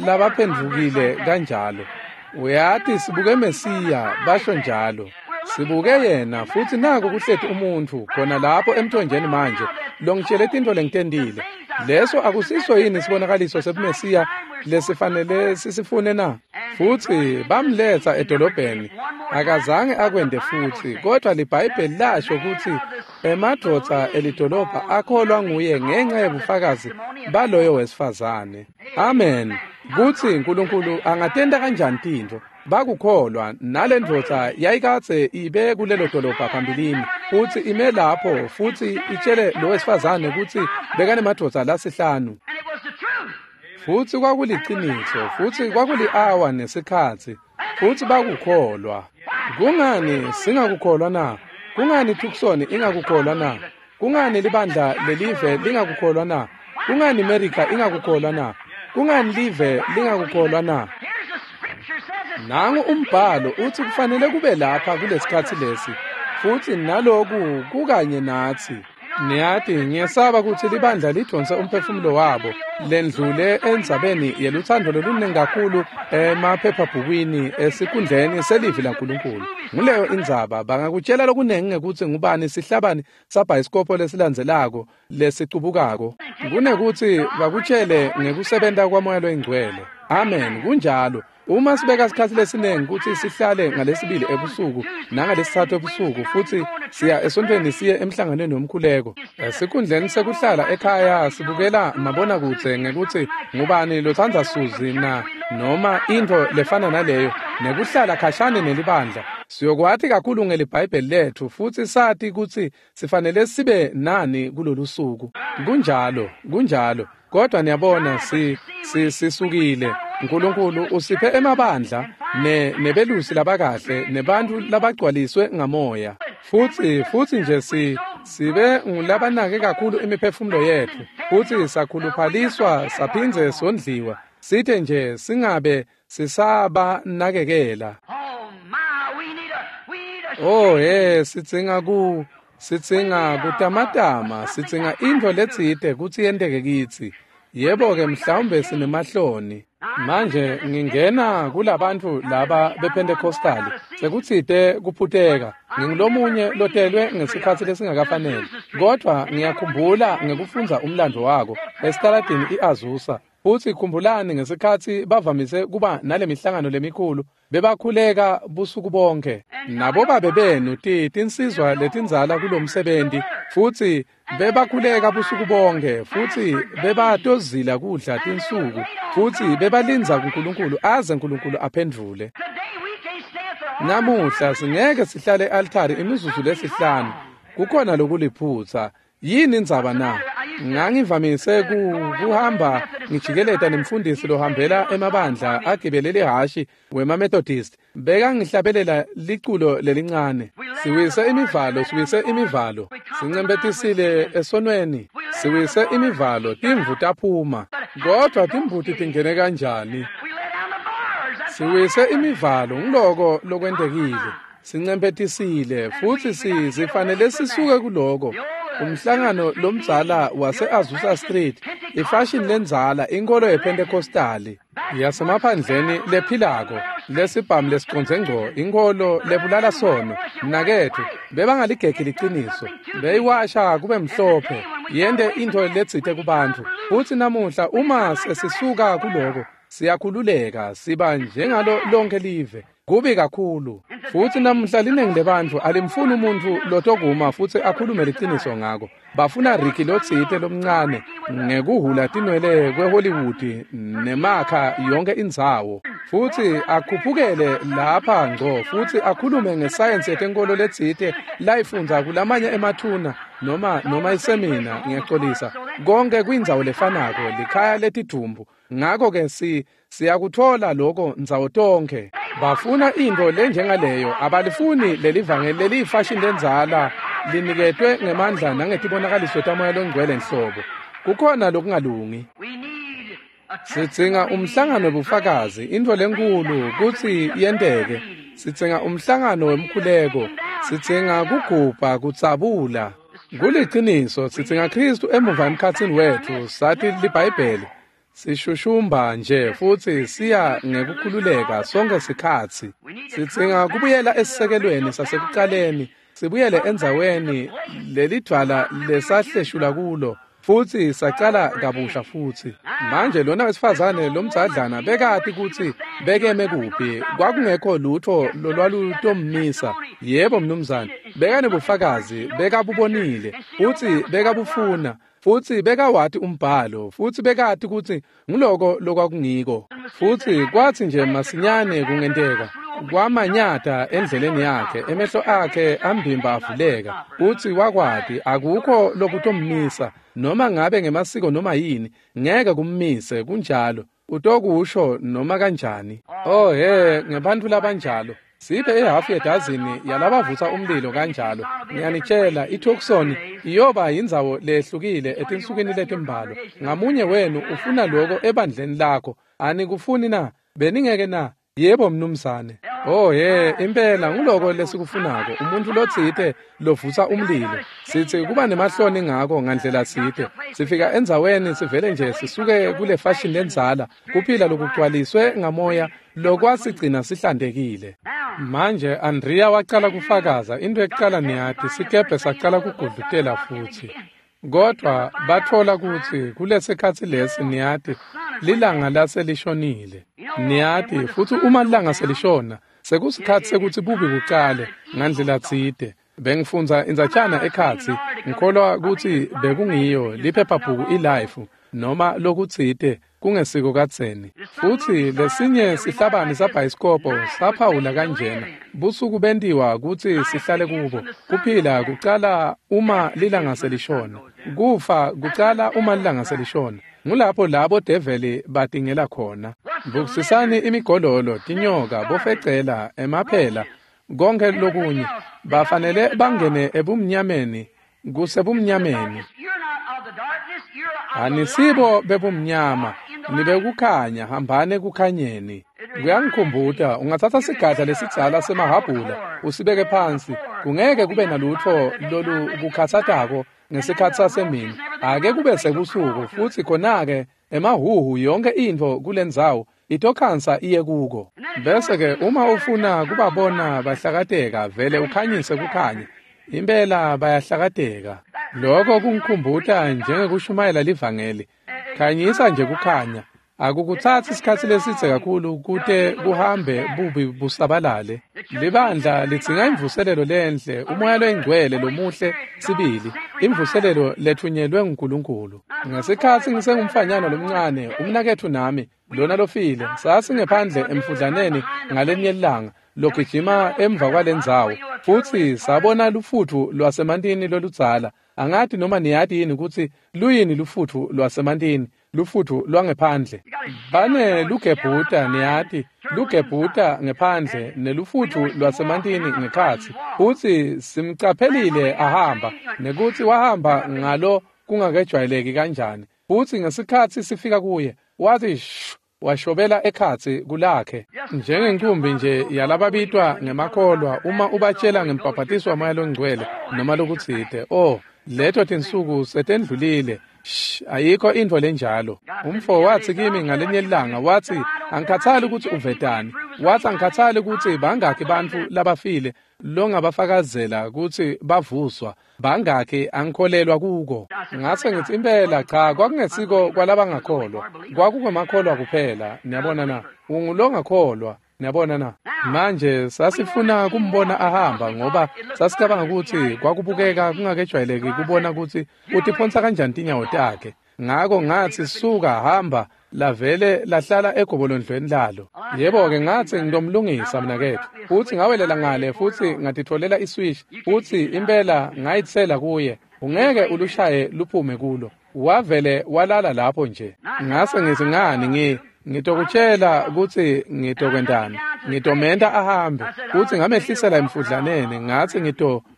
labaphendvukile kanjalo. Uyati sibuke Mesiya, basho njalo. Sibuke yena futsi naku kuhleti umuntfu khona lapho emthonjeni manje longitshele tintfo lengitentile. Leso akusiso yini sibonakaliso sebuMesiya lesifanele sisifune na? Futsi bamletsa edolobheni. Akazange akwente futsi, kodwa liBhayibheli lasho kutsi emadvodza elidolobha akholwa nguye ngenxa yebufakazi baloyo wesifazane. Amen. Kutsi Nkulunkulu angatenta kanjani tintfo. Bakukholwa nalendvodza yayikadze ibe kulelo dolobha phambilini, futsi ime lapho futsi itshele lo wesifazane kutsi bekanemadvodza lasihlanu. Futsi kwakuliciniso, futsi kwakuli-awa nesikhatsi, futsi bakukholwa. Kungani singakukholwa na? Kungani Tucson ingakukholwa na? Kungani libandla lelive lingakukholwa na? Kungani America ingakukholwa na? Kungani live lingakukholwa na? Nangu umbhalo utsi kufanele kube lapha kulesikhatsi lesi, futsi naloku kukanye natsi. Niyati, ngiyesaba kutsi libandla lidonse umphefumulo wabo lendlule endzabeni yelutsandvo loluningi kakhulu emaphephabhukwini esikhundleni selivi laNkulunkulu. Nguleyo indzaba. Bangakutshela lokuningi ngekutsi ngubani sihlabani sabhayisikobho lesilandzelako lesicubukako, kunekutsi bakutshele ngekusebenta kwaMoya loyiNgcwele. Amen. Kunjalo. Uma sibeka sikhatsi lesiningi kutsi sihlale ngalesibili ebusuku nangalesitsatfu ebusuku futsi siya esontfweni siye emhlanganweni womkhuleko, esikhundleni sekuhlala ekhaya sibukela mabonakudze ngekutsi ngubani lotsandza Suzi na noma intfo lefana naleyo, nekuhlala khashane nelibandla, siyokwati kakhulu ngeliBhayibheli letfu futsi sati kutsi sifanele sibe nani kulolu suku. Kunjalo, kunjalo. Kodwa niyabona sisukile. Nkulunkulu usiphe emabandla nebelusi labakahle nebantfu labagcwaliswe ngamoya. Futsi nje sibe ngulabanake kakhulu imiphefumulo yetfu, futsi sakhuluphaliswa saphindze sondliwa, sithe nje singabe sisabanakekela. Oh he, sidzinga kutamatama, sidzinga intfo letsite kutsi yenteke kitsi. Yebo-ke mhlawumbe sinemahloni. Manje ngingena kulabantu laba bePentecostali sekutsite kuphuteka. Ngingulomunye lotelwe ngesikhatsi lesingakafanele, kodvwa ngiyakhumbula ngekufundza umlando wako esitaladini iAzusa. Futsi khumbulani ngesikhatsi bavamise kuba nalemihlangano lemikhulu, bebakhuleka busuku bonke. Nabobabe benu tinsizwa letindzala kulomsebenti, futsi bebakhuleka busuku bonke, futsi bebatozila kudla tinsuku, futsi bebalindza kuNkulunkulu aze uNkulunkulu aphendvule. Namuhla singeke sihlale e-altari imizuzu lesihlanu. Kukhona lokuliphutsa. Yini indzaba na? Ngangivamise kuhamba ngijikeleta nemfundisi lohambela emabandla agibele lihhashi wemaMethodist. Bekangihlabelela liculo lelincane. Siwise imivalo, siwise imivalo. Sincembetisile esonweni. Siwise imivalo, timvu taphuma. Kodwa timbuti tingene kanjani? Siwise imivalo, ngiloko lokwentekile. Sincembetisile futsi sifanele sisuke kuloko. Umhlangano lomdzala wase-Azusa Street, ifashini lendzala, inkolo yePentecostali yasemaphandleni lephilako, lesibhamu lesicondze ngco, inkolo lebulala sono. Mnaketfu, bebangaligegi liciniso, beyiwasha kube mhlophe, yente intfo letsite kubantfu. Futsi namuhla uma sesisuka kuloko, siyakhululeka, siba njengalo lonke live. Kubi kakhulu. Futsi namuhla linengi lebantfu alimfuni umuntfu lotokuma futsi akhulume liciniso ngako. Bafuna Ricky lotsite lomncane ngekuhhula tinwele kweHollywood nemakha yonke indzawo. Futsi akhuphukele lapha ngco futsi akhulume ngesayensi yetenkolo letsite layifundza kulamanye emathuna noma isemina, ngiyaxolisa. Konke kwindzawo lefanako, likhaya letidvumbu. Ngakho-ke siyakuthola lokho ndzawo tonkhe. Bafuna intfo lenjengaleyo, abalifuni lelivangeli leliyifashini lendzala liniketwe ngemandla nangetibonakaliso taMoya Longcwele nhlobo. Kukhona lokungalungi. Sidzinga umhlangano webufakazi, intfo lenkulu kutsi yenteke. Sidzinga umhlangano wemkhuleko, sidzinga kugubha, kutsabula. Kuliciniso, sidzinga Khristu emuva emkhatsini wetfu, sathi liBhayibheli. Sishushumba nje futsi siya ngekukhululeka sonke sikhatsi. Sidzinga kubuyela esisekelweni sasekucaleni, sibuyele endzaweni lelidvwala lesahleshula kulo, futsi sacala kabusha futsi. Manje lona wesifazane lomdzadlana bekati kutsi bekeme kuphi, kwakungekho lutfo lolwalutommisa. Yebo mnumzane, bekanebufakazi, bekabubonile, futsi bekabufuna. Futsi bekawati umbhalo, futsi bekati kutsi nguloko lokwakungiko. Futsi kwatsi nje masinyane kungenteka, kwamanyata endleleni yakhe, emehlo akhe ambimba avuleka. Futsi wakwati akukho lokutommisa, noma ngabe ngemasiko noma yini, ngeke kummise kunjalo. Utokusho noma kanjani. Oh he, ngebantfu labanjalo. Siphe ihafu yedazini yalabavutsa umlilo kanjalo. Ngiyanitshela, iTucson iyoba yindzawo lehlukile etinsukwini letimbalwa. Ngamunye wenu ufuna lokho ebandleni lakho. Anikufuni na? Beningeke na? Yebo mnumzane. Oh he, impela nguloko lesikufunako, umuntu lotsite lovutsa umlilo. Sithi kuba nemahloni ngako ngandlela tsite. Sifika endzaweni sivele nje sisuke kule fashion lendzala, kuphila lokugcwaliswe ngamoya lokwasigcina sihlantekile. Manje Andrea wacala kufakaza, into ekucala niyati, sikebhe sacala kugudlutela futsi. Kodwa batfola kutsi kulesikhatsi lesi niyati lilanga laselishonile. Niyati futsi uma lilanga selishona sekusikhatsi sekutsi bubi bucale ngandlela tsite. Bengifundza indzatjana ekhatsi, ngikholwa kutsi bekungiyo liphephabhuku iLife noma lokutsite kungesiko kadzeni. Futsi lesinye sihlabani sabhayisikobho saphawula kanjena: busuku bentiwa kutsi sihlale kubo, kuphila kucala uma lilanga selishona, kufa kucala uma lilanga selishona. Ngulapho labo develi batingela khona. Bukisisani imigololo, tinyoka, bofecela, emaphela, konke lokunye. Bafanele bangene ebumnyameni, kusebumnyameni. Anisibo bebumnyama, nibekukhanya, hambani ekukhanyeni. Kuyangikhumbuta, ungatsatsa sigadla lesidzala semahabhula usibeke phansi, kungeke kube nalutfo lolukukhatsatako ngesikhatsi sasemini. Ake kube sebusuku futsi khona-ke Emahuhu yonke intfo kulendzawo itokhansa iye kuko. Bese-ke uma ufuna kubabona bahlakateka vele ukhanyise kukhanya. Impela bayahlakateka. Lokho kungikhumbuta njengekushumayela livangeli. Khanyisa nje kukhanya. Akukutsatsi isikhatsi lesidze kakhulu kute kuhambe bubi busabalale. Libandla lidzinga imvuselelo lenhle, umoya loyingcwele lomuhle sibili, imvuselelo lethunyelwe nguNkulunkulu. Ngesikhatsi ngisengumfanyana lomncane, umnaketfu nami, lona lofile, sasingephandle emfudlaneni ngalenye ilanga, logijima emva kwalendzawo, futsi sabona lufutfu lwasemantini loludzala. Angati noma niyati yini kutsi luyini lufutfu lwasemantini, lufutfu lwangephandle. Bane lugebhuta niyati, lugebhuta ngephandle nelufutfu lwasemantini ngekhatsi. Futsi simcaphelile ahamba, nekutsi wahamba ngalo kungakejwayeleki kanjani. Futsi ngesikhatsi sifika kuye, wathi shu, washobela ekhatsi kulakhe. Njengenkumbi nje yalababitwa ngemakholwa uma ubatshela ngembhaphatiso waMoya loNgcwele noma lokutsite. Oh, leto tinsuku setendlulile. Shh, ayikho intfo lenjalo. Umfo watsi kimi ngalenye ilanga, watsi angikhathali ukuthi uvetani. Watsi angikhathali ukuthi bangakhi bantfu labafile longabafakazela kutsi bavuswa, bangakhi angikholelwa kuko. Ngase ngitsi impela cha, kwakungesiko kwalabangakholwa, kwakungemakholwa kuphela. Niyabona na? Ungulongakholwa. Niyabona na? Manje sasifuna kumbona ahamba ngoba sasicabanga ukuthi kwakubukeka kungakejwayeleki kubona kutsi utiphonsa kanjani tinyawo takhe. Ngako ngatsi suka hamba, lavele lahlala egobolondlweni lalo. Yebo-ke ngatsi ngitomlungisa mnaketfu. Futsi ngawelela ngale futsi ngatitfolela iswish, futsi impela ngayitsela kuye. Ungeke ulushaye luphume kulo. Wavele walala lapho nje. Ngase ngitsi ngani ngitokutshela kutsi ngitokwentani. Ngitomenta ahambe. Futsi ngamehlisela emfudlaneni, ngatsi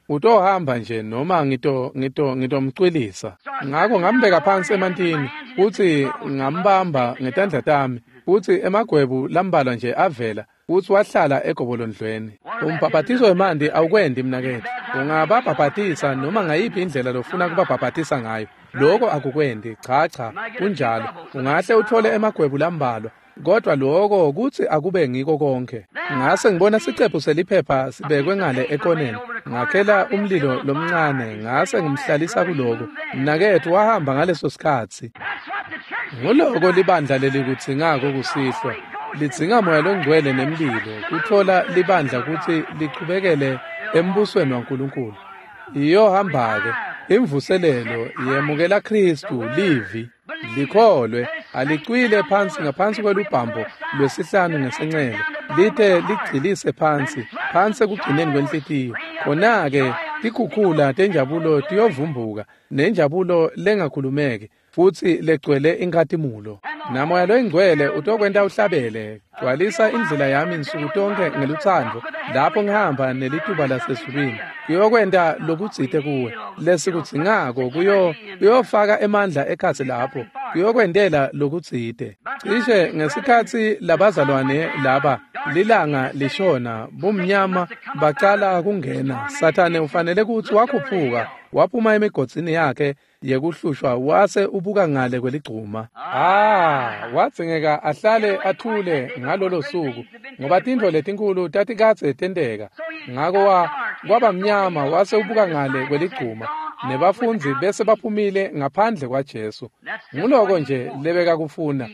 utohamba nje noma ngitomcwilisa. Ngako ngambeka phansi emantini, futsi ngambamba ngetandla tami, futsi emagwebu lambalwa nje avela, futsi wahlala egobolondlweni. Umbhaphatiso wemanti awukwendi mnaketfu. Ungababhaphatisa noma ngayiphi indlela lofuna kubabhaphatisa ngayo. Lokho akukwendi, cha cha, kunjalo. Ungahle uthole emagwebu lambalwa, kodwa lokho kutsi akube ngiko konke. Ngase ngibona sicephu seliphepha sibekwe ngale ekoneni. Ngakhela umlilo lomncane, ngase ngimhlalisa kuloko. Mnaketfu wahamba ngaleso sikhatsi. Nguloko libandla lelikudzingako kusihlwa. Lidzinga Moya loNgcwele nemlilo kutfola libandla kutsi lichubekele embusweni waNkulunkulu. Iyohamba-ke imvuselelo yemukela Khristu livi likholwe alicwile phansi ngaphansi kwelubhambo lwesihlanu ngesencele lite ligcilise phansi phansi ekugcineni kwenhlitiyo. Khona-ke tikhukhula tenjabulo tiyovumbuka nenjabulo lengakhulumeki futsi legcwele inkhatimulo. Namoya loyingcwele utokwenta uhlabele, gcwalisa indlela yami nsuku tonkhe ngelutsandvo lapho ngihamba nelituba lasezulwini. Kuyokwenta lokutsite kuwe lesikudzingako, kuyofaka emandla ekhatsi lapho, kuyokwentela lokutsite. Cishe ngesikhatsi labazalwane laba lilanga lishona, bumnyama bacala kungena. Sathane ufanele kutsi wakhuphuka waphuma emigodzini yakhe yekuhlushwa wase ubuka ngale kweligcuma. Wadzingeka ahlale athule ngalolo suku ngoba tintfo letinkulu tatikadze tenteka. Ngako kwaba mnyama wase ubuka ngale kweligcuma, nebafundzi bese baphumile ngaphandle kwaJesu. Nguloko nje lebekakufuna,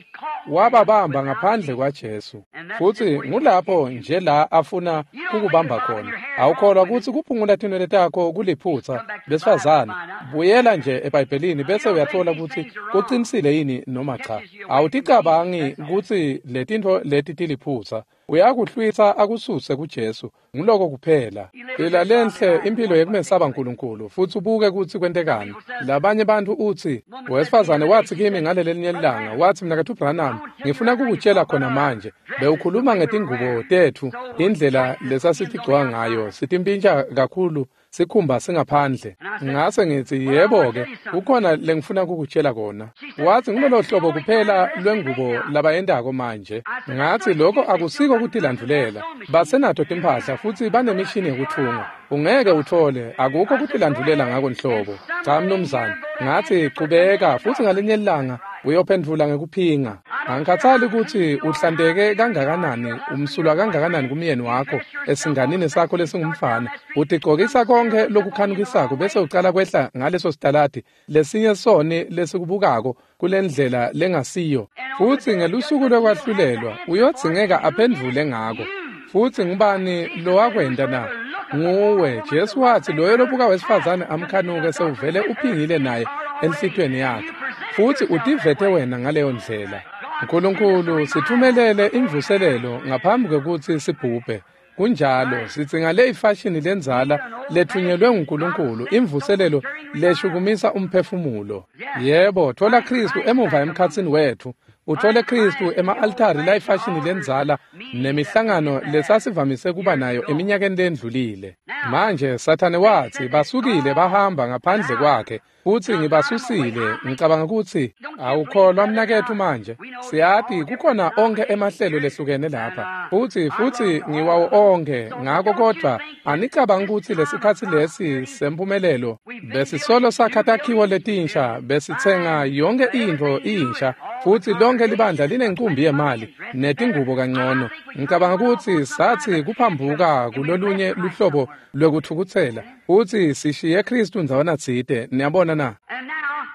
wababamba ngaphandle kwaJesu. Futsi ngulapho nje la afuna kukubamba khona. Awukholwa kutsi kuphungula tinwele takho kuliphutsa, besifazane. Buyela nje eBhayibhelini bese uyatfola kutsi kucinisile yini noma cha. Awuticabangi kutsi letintfo leti tiliphutsa. Uyakuhlwitsa akususe kuJesu. Nguloko kuphela. Phila lenhle impilo yekumesaba uNkulunkulu futsi ubuke kutsi kwentekani. Labanye bantfu utsi, wesifazane watsi kimi ngalelelinye ilanga, watsi mnaketfu Branham, ngifuna kukutshela khona manje, bewukhuluma ngetingubo tetfu, indlela lesasitigcoka ngayo, sitimpintja kakhulu, sikhumba singaphandle. Ngase ngitsi yebo-ke, kukhona lengifuna kukutshela kona. Watsi ngulolo hlobo kuphela lwengubo labayentako manje. Ngatsi lokho akusiko kutilandvulela. Basenato timphahla futsi banemishini yekutfunga. Ungeke utfole, akukho kutilandvulela ngako nhlobo. Cha mnumzane. Ngatsi chubeka futsi ngalinye ilanga Uyophendvula ngekuphinga. Angikhathali kutsi uhlanteke kangakanani, umsulwa kangakanani kumyeni wakho, esinganini sakho lesingumfana. Utigcokisa konke lokukhanukisako bese ucala kwehla ngaleso sitaladi lesinye soni lesikubukako kulendlela lengasiyo. Futsi ngelusuku lokwahlulelwa uyodzingeka aphendvule ngako. Futsi ngubani lowakwenta na? Nguwe. Jesu watsi loyo lobuka wesifazane amkhanuke sewuvele uphingile naye enhlitiyweni yakhe. Futsi utivete wena ngaleyo ndlela. Nkulunkulu sithumelele imvuselelo ngaphambi kwekutsi sibhubhe. Kunjalo, sidzinga le ifashini lendzala lethunyelwe nguNkulunkulu, imvuselelo leshukumisa umphefumulo. Yebo, thola Khristu emuva emkhatsini wetfu. Uthole Khristu ema-altari layifashini lendzala nemihlangano lesasivamise kuba nayo eminyakeni lendlulile. Manje Sathane watsi basukile bahamba ngaphandle kwakhe, futsi ngibasusile. Ngicabanga kutsi awukholwa mnaketfu manje. Siyati kukhona onkhe emahlelo lehlukene lapha, futsi ngiwawo onkhe ngako, kodvwa anicabangi kutsi lesikhatsi lesi semphumelelo besisolo sakha takhiwo letinsha, besitsenga yonke intfo insha, futsi lonke libandla linencumbi yemali netingubo kangcono. Ngicabanga kutsi satsi kuphambuka kulolunye luhlobo lwekutfukutsela, futsi sishiye Khristu ndzawana tsite. Niyabona na?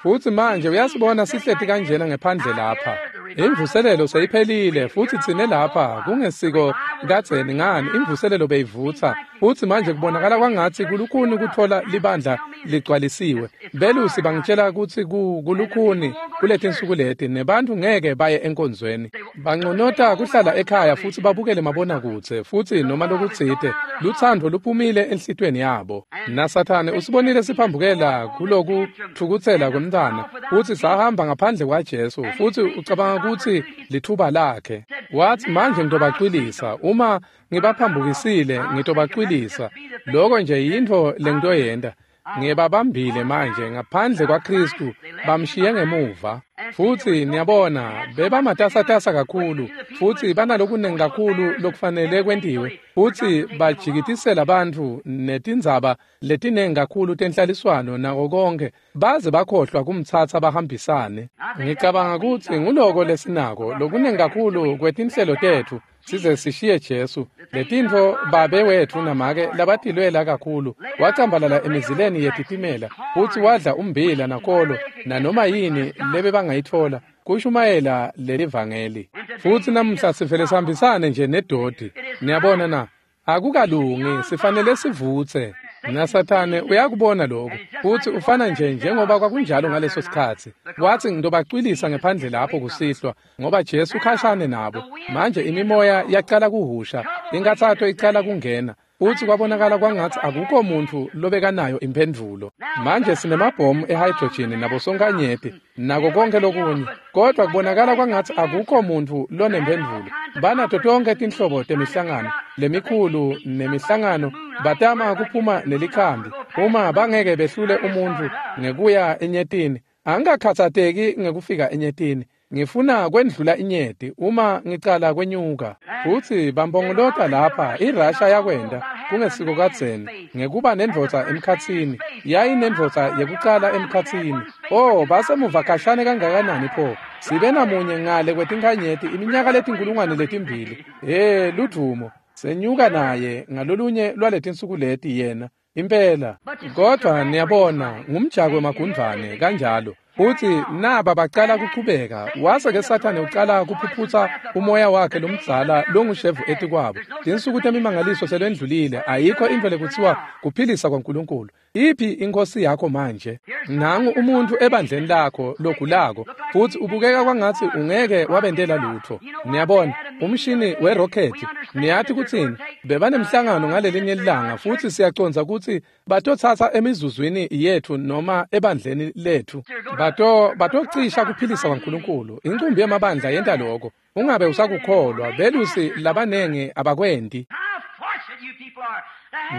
Futsi manje uyasibona sihleti kanjena ngephandle lapha. Imvuselelo seyiphelile, futsi tsine lapha kungesiko kadzeni ngani imvuselelo beyivutsa, futsi manje kubonakala kwangatsi kulukhuni kutfola libandla ligcwalisiwe. Belusi bangitshela kutsi kulukhuni kuletinsuku leti, nebantfu ngeke baye enkonzweni. Banconota kuhlala ekhaya futsi babukele mabonakudze, futsi noma lokutsite, lutsandvo luphumile enhlitiyweni yabo. NaSathane usibonile siphambukela kulokutfukutsela kwemntfwana, futsi sahamba ngaphandle kwaJesu, futsi ucabanga kutsi lithuba lakhe. Watsi manje ngitobacwilisa, uma ngibaphambukisile ngitobacwilisa. Lokho nje yintfo lengitoyenta. Ngibabambile manje ngaphandle kwaKhristu, bamshiye ngemuva. Futsi niyabona bebamatasatasa kakhulu, futsi banalokunengi kakhulu lokufanele kwentiwe, futsi bajikitisela bantfu netindzaba letinengi kakhulu tenhlaliswano nako konke, baze bakhohlwa kumtsatsa bahambisane. Ngicabanga kutsi nguloko lesinako, lokunengi kakhulu kwetinhlelo tetfu, size sishiye Jesu. Letintfo babe wetfu namake labatilwela kakhulu, wacambalala emizileni yetitimela, futsi wadla ummbila nakolo nanoma yini lebebangayitfola kushumayela lelivangeli. Futsi namuhla sivele sihambisane nje nedodi. Niyabona na? Akukalungi, sifanele sivutse. NaSathane uyakubona lokho, futsi ufana nje njengoba kwakunjalo ngaleso sikhatsi. Watsi ngitobacwilisa ngephandle lapho kusihlwa, ngoba Jesu khashane nabo. Manje imimoya yacala kuhusha, inkathato icala kungena, futsi kwabonakala kwangatsi akukho muntfu lobekanayo imphendvulo. Manje sinemabhomu ehydrogen nabosonkanyeti nako konke lokunye, kodvwa kubonakala kwangatsi akukho muntfu lonemphendvulo. Banato tonke tinhlobo temihlangano lemikhulu nemihlangano, batama kuphuma nelikhambi. Uma bangeke behlule umuntfu ngekuya enyetini, angikakhatsateki ngekufika enyetini. Ngifuna kwendlula inyeti uma ngicala kwenyuka. Futsi bampongolota lapha, iRussia yakwenta kungesiko kadzeni ngekuba nendvodza emkhatsini. Yayinendvodza yekucala emkhatsini. Oh, basemuva khashane kangakanani pho? Sibe namunye ngale kwetinkhanyeti iminyaka letinkulungwane letimbili. He, ludvumo. Senyuka naye ngalolunye lwaletinsuku leti yena. Impela. Kodvwa niyabona ngumjako wemagundvwane kanjalo. Futsi naba bacala kuchubeka, wase ke Sathane ucala kuphuphutsa umoya wakhe lomdzala longushevu etikwabo. Tinsuku temimangaliso selwendlulile, ayikho intfo lekutsiwa kuphilisa kwaNkulunkulu. Iphi inkosi yakho manje? Nangu umuntfu ebandleni lakho logulako, futsi ubukeka kwangatsi ungeke wabentela lutfo. Niyabona, umshini werokhethi, niyati kutsini? Bebanemhlangano ngalelinye ilanga, futsi siyacondza kutsi batotsatsa emizuzwini yetfu noma ebandleni letfu. Batocisha kuphilisa kwaNkulunkulu. Incumbi yemabandla yenta lokho. Ungabe usakukholwa, belusi labanengi abakwenti.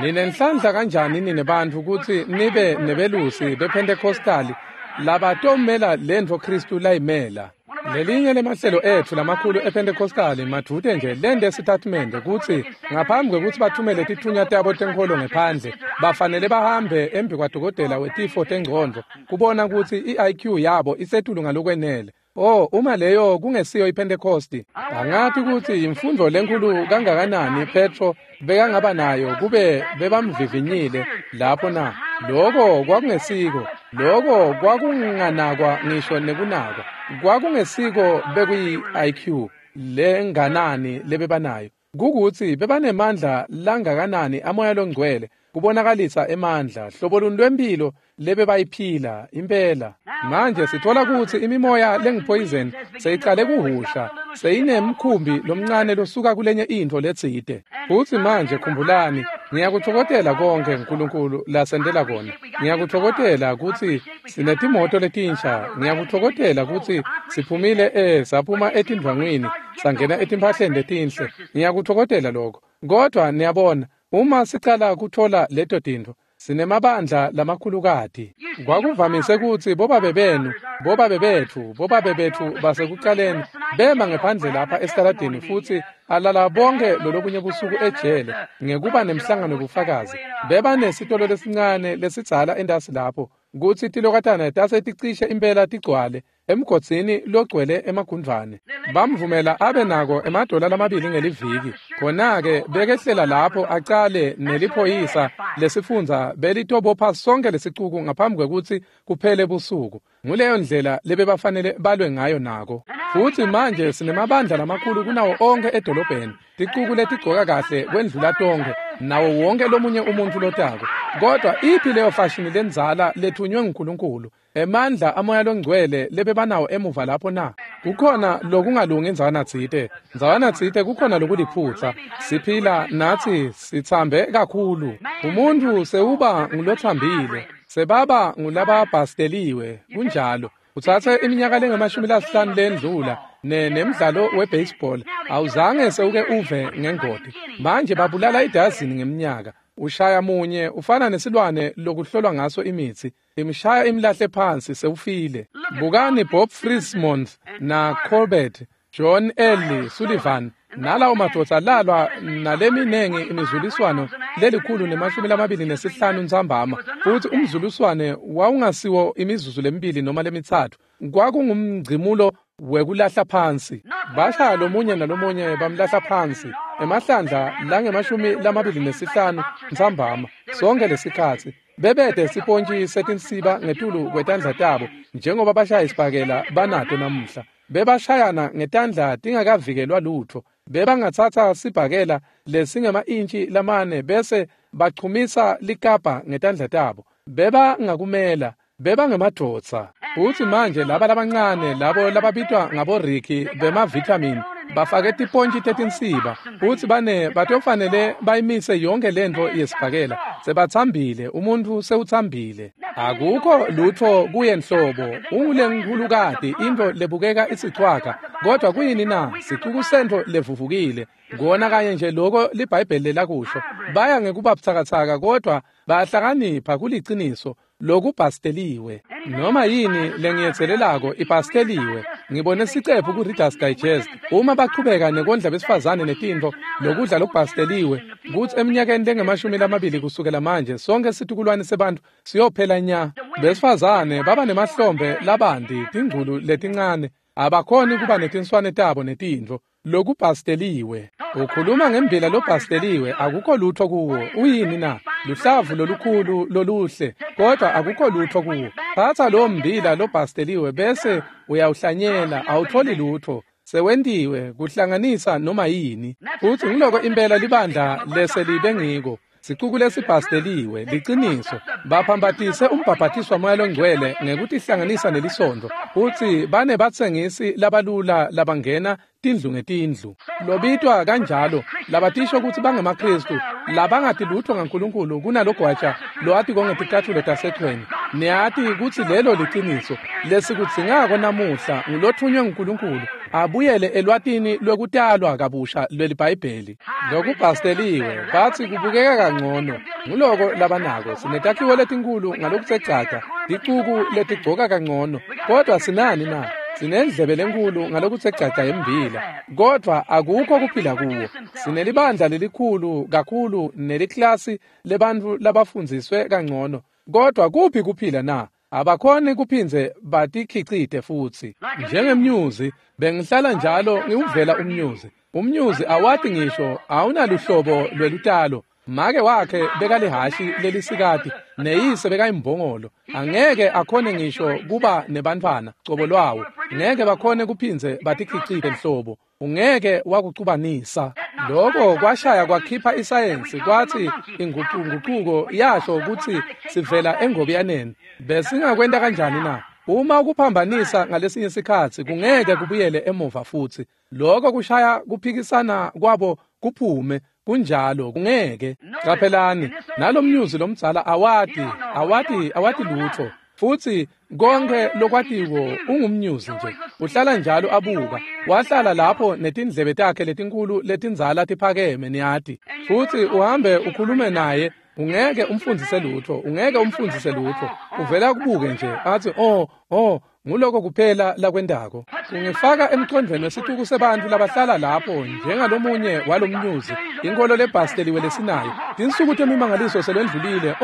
Ninenhlanhla kanjani nine bantfu kutsi nibe nebelusi bePentecostali labatomela lentfo Khristu layimela. Lelinye lemahlelo etfu lamakhulu ePentecostali madvute nje lente sitatimende kutsi ngaphambi kwekutsi bathumele titfunywa tabo tenkholo ngephandle, bafanele bahambe embi kwadokotela wetifo tengcondvo kubona kutsi i-IQ yabo isetulu ngalokwenele. Oh, uma leyo kungesiyo iPentecosti, angathi kutsi imfundvo lenkulu kangakanani Petro bekangaba nayo kube bebamvivinyile lapho na. Lokho kwakungesiko, lokho kwakunganakwa ngisho nekunakwa. Kwakungesiko bekuyi-IQ lenganani lebebanayo. Kukuthi bebanemandla langakanani amoya longcwele kubonakalisa emandla hlobo luni lwempilo lebebayiphila impela. Manje sithola kutsi imimoya lengupoison seyicale kuhusha, seyinemkhumbi lomncane losuka kulenye intfo letsite. Futsi manje khumbulani, ngiyakutfokotela konke uNkulunkulu lasentela kona. Ngiyakutfokotela kutsi sinetimoto letinsha, ngiyakutfokotela kutsi siphumile saphuma etindvwangwini sangena etimphahleni letinhle. Ngiyakutfokotela lokho. Kodwa niyabona, uma sicala kuthola leto tintfo, sinemabandla lamakhulukati. Kwakuvamise kutsi bobabe benu, bobabe betfu, bobabe betfu basekucaleni bema ngephandle lapha esitaladini futsi alala bonke lolobunye busuku ejele ngekuba nemhlangano wobufakazi. Beba nesitolo lesincane lesidzala entasi lapho kutsi tilokatana tase ticishe impela tigcwale emgodzini logcwele emagundvwane. Bamvumela abe nako $2 ngeliviki. Khona-ke bekehlela lapho acale neliphoyisa lesifundza belitobopha sonke lesicuku ngaphambi kwekutsi kuphele busuku. Nguleyo ndlela lebebafanele balwe ngayo nako. Futsi manje sinemabandla lamakhulu kunawo onkhe edolobheni, ticuku letigcoka kahle kwendlula tonkhe, nawo wonke lomunye umuntfu lotako. Kodwa iphi leyo fashini lendzala lethunywe nguNkulunkulu? Emandla amoya longcwele lebebanawo emuva lapho na? Kukhona lokungalungi ndzawana tsite. Ndzawana tsite kukhona lokuliphutsa. Siphila natsi sitsambe kakhulu. Umuntu sewuba ngulotsambile, sebaba ngulababhasteliwe, kunjalo. Utsatse iminyaka lengama-50 lendlula nemdlalo webaseball awuzange sewuke uve ngengoti. Manje babulala idazini ngeminyaka. Ushaya munye ufana nesilwane lokuhlolwa ngaso imitsi, imshaya imlahle phansi sewufile. Bukani Bob Frismond na Corbett, John L. Sullivan nalawo madvodza lalwa naleminengi imizuliswano 125 ntsambama, futsi umzuliswane wawungasiwo imizuzu lemibili noma lemithathu, kwakungumgcimulo wekulahla phansi. Bashaya lomunye nalomunye bamlahla phansi emahlandla langama-25 ntsambama sonke lesikhatsi. Bebede sipontji setinsiba ngetulu kwetandla tabo njengoba bashaya isibhakela banato namuhla. Bebashayana ngetandla tingakavikelwa lutfo. Bebangatsatsa sibhakela lesingema-intshi 4 bese bachumisa likapa ngetandla tabo. Bebangakumela, bebangemadvodza. Futsi manje laba labancane labo lababitwa ngaboriki bemavithamini bafake tipontji tetinsiba futsi batofanele bayimise yonke lentfo yesibhakela. Sebatsambile, umuntfu sewutsambile. Akukho lutfo kuye nhlobo, ungulenkhulukati intfo lebukeka isichwaga. Kodwa kuyini na? Sicuku sentfo levuvukile. Kona kanye nje loko liBhayibheli lelakusho. Baya ngekuba butsakatsaka kodwa bayahlakanipha kuliciniso lokubhasteliwe. Noma yini lengiyetselelako ibhasteliwe. Ngibone sicephu ku-Reader's Digest. Uma bachubeka nekondla besifazane netintfo lokudla lokubhasteliwe, kutsi eminyakeni lengama-20 kusukela manje sonke situkulwane sebantfu siyophela nya. Besifazane baba nemahlombe labanti, tingculu letincane, abakhoni kuba netinswane tabo netintfo lokubhasteliwe. Ukhuluma ngembila lobhasteliwe, akukho lutho kuwo. Uyini na? Luhlavu lolukhulu loluhle, kodwa akukho lutho kuwo. Thatha lowo mbila lobhasteliwe bese uyawuhlanyela, awutholi lutho. Sewentiwe kuhlanganisa noma yini. Futsi ngiloko impela libandla leselibe ngiko. Sicuku lesibhasteliwe liciniso. Baphambatise umbhabhatiswa moya longcwele ngekutihlanganisa nelisonto, futsi bane batsengisi labalula labangena tindlu ngetindlu lobitwa kanjalo, labatisho kutsi bangemaKristu, labangati lutho ngaNkulunkulu kunalogwaja loati kongeticatfulo tasechweni. Niyati kutsi lelo liciniso. Lesikudzingako namuhla ngulothunywe nguNkulunkulu abuyele elwatini lwekutalwa kabusha lweliBhayibheli. Lokubhasteliwe batsi kubukeka kangcono. Nguloko labanako. Sinetakhiwo letinkulu ngalokusecaca, ticuku letigcoka kangcono, kodwa sinani na? Sinendlebe lenkulu ngalokuthe gcagca yembila, kodvwa akukho kuphila kuwo. Sinelibandla lelikhulu kakhulu neliklasi lebantfu labafundziswe kangcono, kodvwa kuphi kuphila na? Abakhoni kuphindze batikhicite futsi. Njengemnyuzi, bengihlala njalo ngiwuvela umnyuzi. Umnyuzi awati ngisho, awunaluhlobo lwelutalo. Make wakhe bekalihashi lelisikati, neyise bekayimbongolo. Angeke akhone ngisho kuba nebantfwana cobo lwawo. Ngeke bakhone kuphindze batikhicite nhlobo. Ungeke wakucubanisa. Lokho kwashaya kwakhipha isayensi, kwathi inguquko yasho ukuthi sivela engobiyaneni. Besingakwenta kanjani na? Uma ukuphambanisa ngalesinye isikhatsi kungeke kubuyele emuva futsi. Lokho kushaya kuphikisana kwabo kuphume. Kunjalo, kungeke. Qaphelani, nalomnyuzi lomdzala awati lutho. Futsi konke lokwatiwo ungumnyuzi nje. Uhlala njalo abuka. Wahlala lapho netindlebe takhe letinkulu letindzala tiphakeme, niyati. Futsi uhambe ukhulume naye, ungeke umfundzise lutho, ungeke umfundzise lutho. Uvela kubuke nje, athi oh, nguloko kuphela lakwendako. Ungifaka emqondweni wesituku sebantu labahlala lapho njengalomunye walomnyuzi, inkolo lebhasteliwe lesinayo. Tinsuku temimangaliso selwendlulile.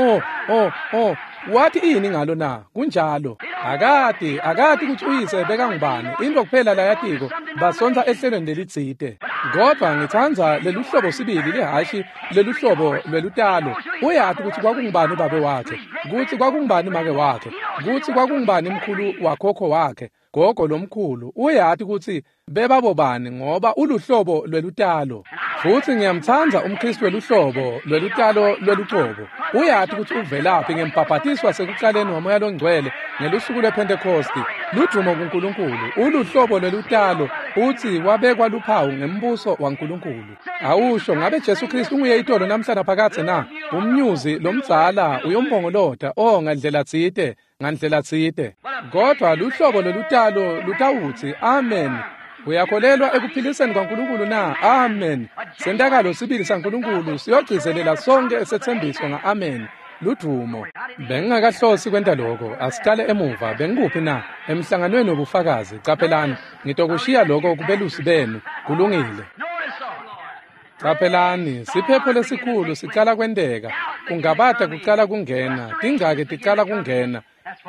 Oh, wathi ini ngalo na? Kunjalo. Akati ukuthi uyise bekangubani. Into kuphela layatiko basontsa ehlelweni lelitsite. Kodwa ngitsandza leluhlobo sibili lihashi leluhlobo lwelutalo. Uyati ukuthi kwakungubani babe wakhe, ukuthi kwakungubani make wakhe, ukuthi kwakungubani mkhulu wakhokho wakhe, gogo lomkhulu. Uyati ukuthi bebabobani ngoba uluhlobo lwelutalo. Futhi ngiyamtsandza umKristu weluhlobo lwelutalo lwelucobo. Uyati ukuthi uvelaphi ngembhabhatiswa sekucaleni waMoya loNgcwele ngelusuku lwePhentekosti. Ludumo kuNkulunkulu, uluhlobo lwelutalo, uthi wabekwa luphawu ngembuso waNkulunkulu. Awusho ngabe Jesu Kristu unguye itolo namhla naphakadze na? Umnyuzi lomdzala uyombongolota, oh ngandlela tsite, ngandlela tsite. Kodwa luhlobo lolutalo lutawutsi amen. Uyakholelwa ekuphiliseni kwaNkulunkulu na? Amen. Sentakalo sibili saNkulunkulu siyogcizelela sonke esethembiso nga-amen. Ludumo. Bengingakahlosi kwenta lokho. Asiqale emuva. Bengikuphi na? Emhlanganweni wobufakazi. Qaphelani, ngitokushiya lokho kubelusi benu. Kulungile. Qaphelani, siphepho lesikhulu sicala kwenteka. Kungabata kucala kungena, tingcaki ticala kungena.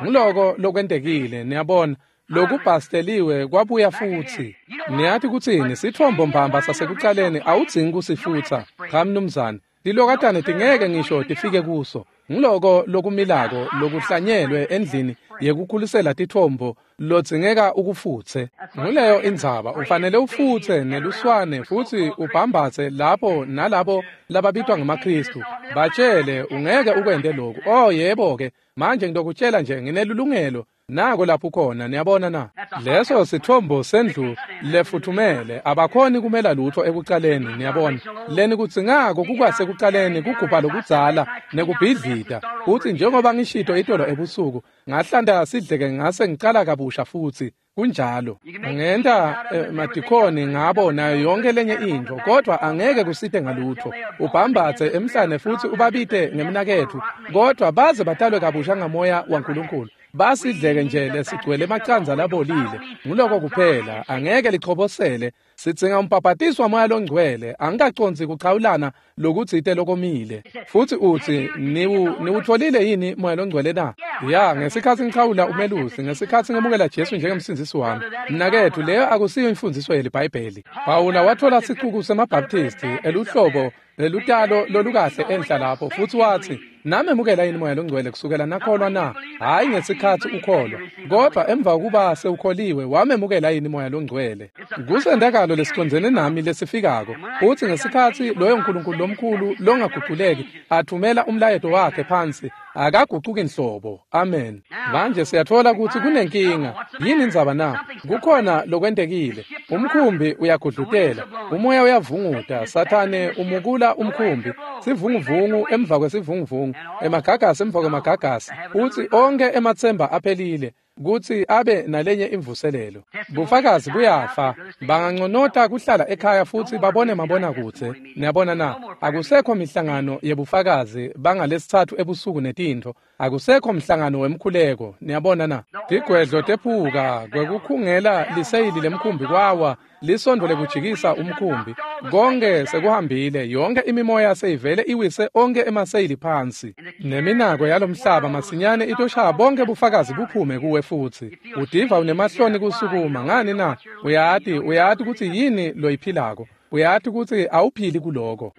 Nguloko lokwentekile, niyabona. Lokubhasteliwe kwabuya futsi. Niyati kutsini, sitfombo mbamba sasekucaleni awudzingi kusifutsa. Cha mnumzane, tilokatane tingeke ngisho tifike kuso. Nguloko lokumilako lokuhlanyelwe endlini yekukhulisela titfombo lodzingeka ukufutse. Nguleyo indzaba, ufanele ufutse neluswane futsi ubhambatse lapho nalabo lababitwa ngemaKristu. Batshele ungeke ukwente lokhu. Oh yebo ke, manje ngitokutshela nje nginelulungelo. Nako lapho khona, niyabona na? Leso sithombo sendlu lefuthumele, abakhoni kumela lutho ekucaleni, niyabona. Leni kudzingako kukwasekucaleni kugubha lokudzala nekubhidlita. Uthi njengoba ngishito itolo ebusuku, ngahlanta sidleke ngase ngicala kabusha futsi. Kunjalo. Ngenta madikhoni ngabo nayo yonke lenye intfo, kodwa angeke kusite ngalutho. Ubhambatse emhlane futsi ubabite ngemnaketfu, kodwa baze batalwe kabusha ngamoya waNkulunkulu. Basidleke nje lesigcwele emacandza labolile. Nguloko kuphela, angeke lichobosele. Sidzinga umbhabhatiswa waMoya loNgcwele. Angikacondzi kuchawulana lokutsite lokomile. Futsi utsi, niwutfolile yini Moya loNgcwele na? Ya, ngesikhatsi ngichawula umelusi, ngesikhatsi ngemukela Jesu njengemsindzisi wami. Mnaketfu, leyo akusiyo imfundziso yeliBhayibheli. Pawula watfola sicuku semaBaptisti eluhlobo lelutalo lolukahle enhla lapho, futsi watsi, namemukela yini Moya loNgcwele kusukela nakholwa na? Hhayi ngesikhatsi ukholwa, kodwa emva kokuba sewukholiwe wamemukela yini Moya loNgcwele? Kusentakalo lesicondzene nami lesifikako. Utsi ngesikhatsi loyo Nkulunkulu lomkhulu longaguculeki athumela umlayeto wakhe phansi, akagucuki nhlobo. Amen. Manje siyatfola kutsi kunenkinga. Yini indzaba na? Kukhona lokwentekile. Umkhumbi uyagudlutela, umoya uyavunguta, Sathane umukula umkhumbi, sivunguvungu emva kwesivunguvungu, emagagasi emva kwemagagasi. Utsi onke ematsemba aphelile. kutsi abe nalenye imvuselelo. Bufakazi buyafa. Banganconota kuhlala ekhaya futsi babone mabonakudze. Niyabona na? Akusekho mihlangano yebufakazi bangalesithathu ebusuku netintfo. Akusekho mhlangano wemkhuleko. Niyabona na? Tigwedlo tephuka kwekukhungela liseyili lemkhumbi kwawa, lisondo lekujikisa umkhumbi. Konke sekuhambile, yonke imimoya seyivele iwise onke emaseyili phansi. Neminako yalomhlaba masinyane itoshaya bonke bufakazi buphume kuwe futsi. Udiva unemahloni kusukuma ngani na? Uyati kutsi yini loyiphilako. Uyati kutsi awuphili kuloko.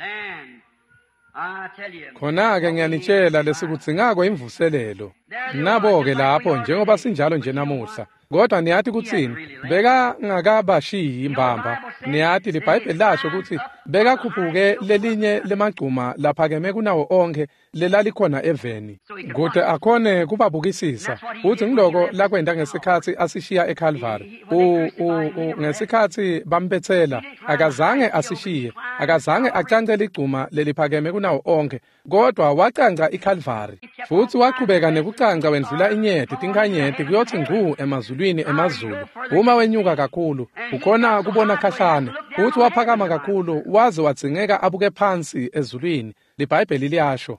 Khona-ke ngiyanitshela lesikudzingako imvuselelo. Nabo-ke lapho njengoba sinjalo nje namuhla. Kodwa niyati kutsini? Bekangakabashiyi mbamba. Niyati liBhayibheli lasho kutsi bekakhuphuke lelinye lemagcuma laphakeme kunawo onkhe lelalikhona eveni, kute akhone kubabukisisa. Futsi ngiloko lakwenta ngesikhatsi asishiya eCalvary. Ngesikhatsi bambetsela, akazange asishiye, akazange acance ligcuma leliphakeme kunawo onkhe, kodwa wacanca iCalvary. Futsi wachubeka nekucanca wendlula inyeti tinkhanyeti kuyotsi ngcu emazulwini emazulu. Uma wenyuka kakhulu, ukhona kubona khashane. Futsi waphakama kakhulu waze wadzingeka abuke phansi ezulwini. LiBhayibheli liyasho.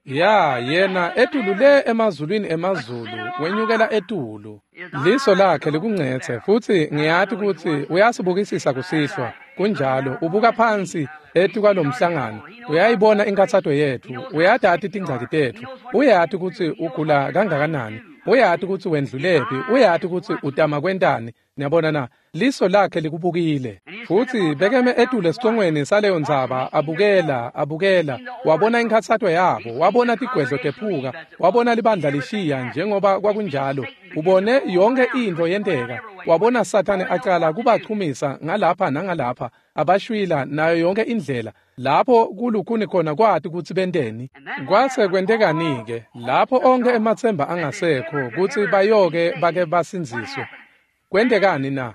Ya, yena etulu le emazulwini emazulu, wenyukela etulu. Liso lakhe likungcetse futsi ngiyati kutsi uyasibukisisa kusihlwa. Kunjalo, ubuka phansi etikwalomhlangano. Uyayibona inkathato yetfu, uyatati tingcaki tetfu, uyati kutsi ugula kangakanani, uyati kutsi wendlulephi, uyati kutsi utama kwentani. Niyabona na? Liso lakhe likubukile. Futsi bekeme etulu esicongweni saleyo ndzaba, abukela, wabona inkhatsato yabo, wabona tigwedlo tephuka, wabona libandla lishiya njengoba kwakunjalo. Ubone yonke intfo yenteka. Wabona Sathane acala kubachumisa ngalapha nangalapha, abashwila nayo yonke indlela. Lapho kulukhuni khona kwati kutsi benteni. Kwase kwentekani-ke lapho onke ematsemba angasekho kutsi bayoke bake basindziswe. Kwentekani na?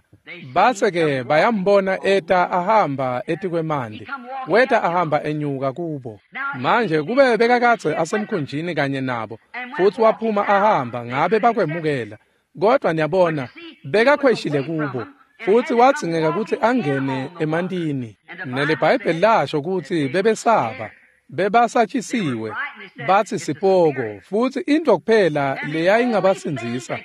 Base-ke bayambona eta ahamba etikwemandi. Weta ahamba enyuka kubo. Manje kube bekakadze asemkhunjini kanye nabo, futsi waphuma ahamba, ngabe bakwemukela. Kodwa niyabona, bekakhweshile kubo, futsi wadzingeka kutsi angene emantini. NeliBhayibheli lasho kutsi bebesaba, bebasatshisiwe, batsi sipoko, futsi intfo kuphela leyayingabasindzisa,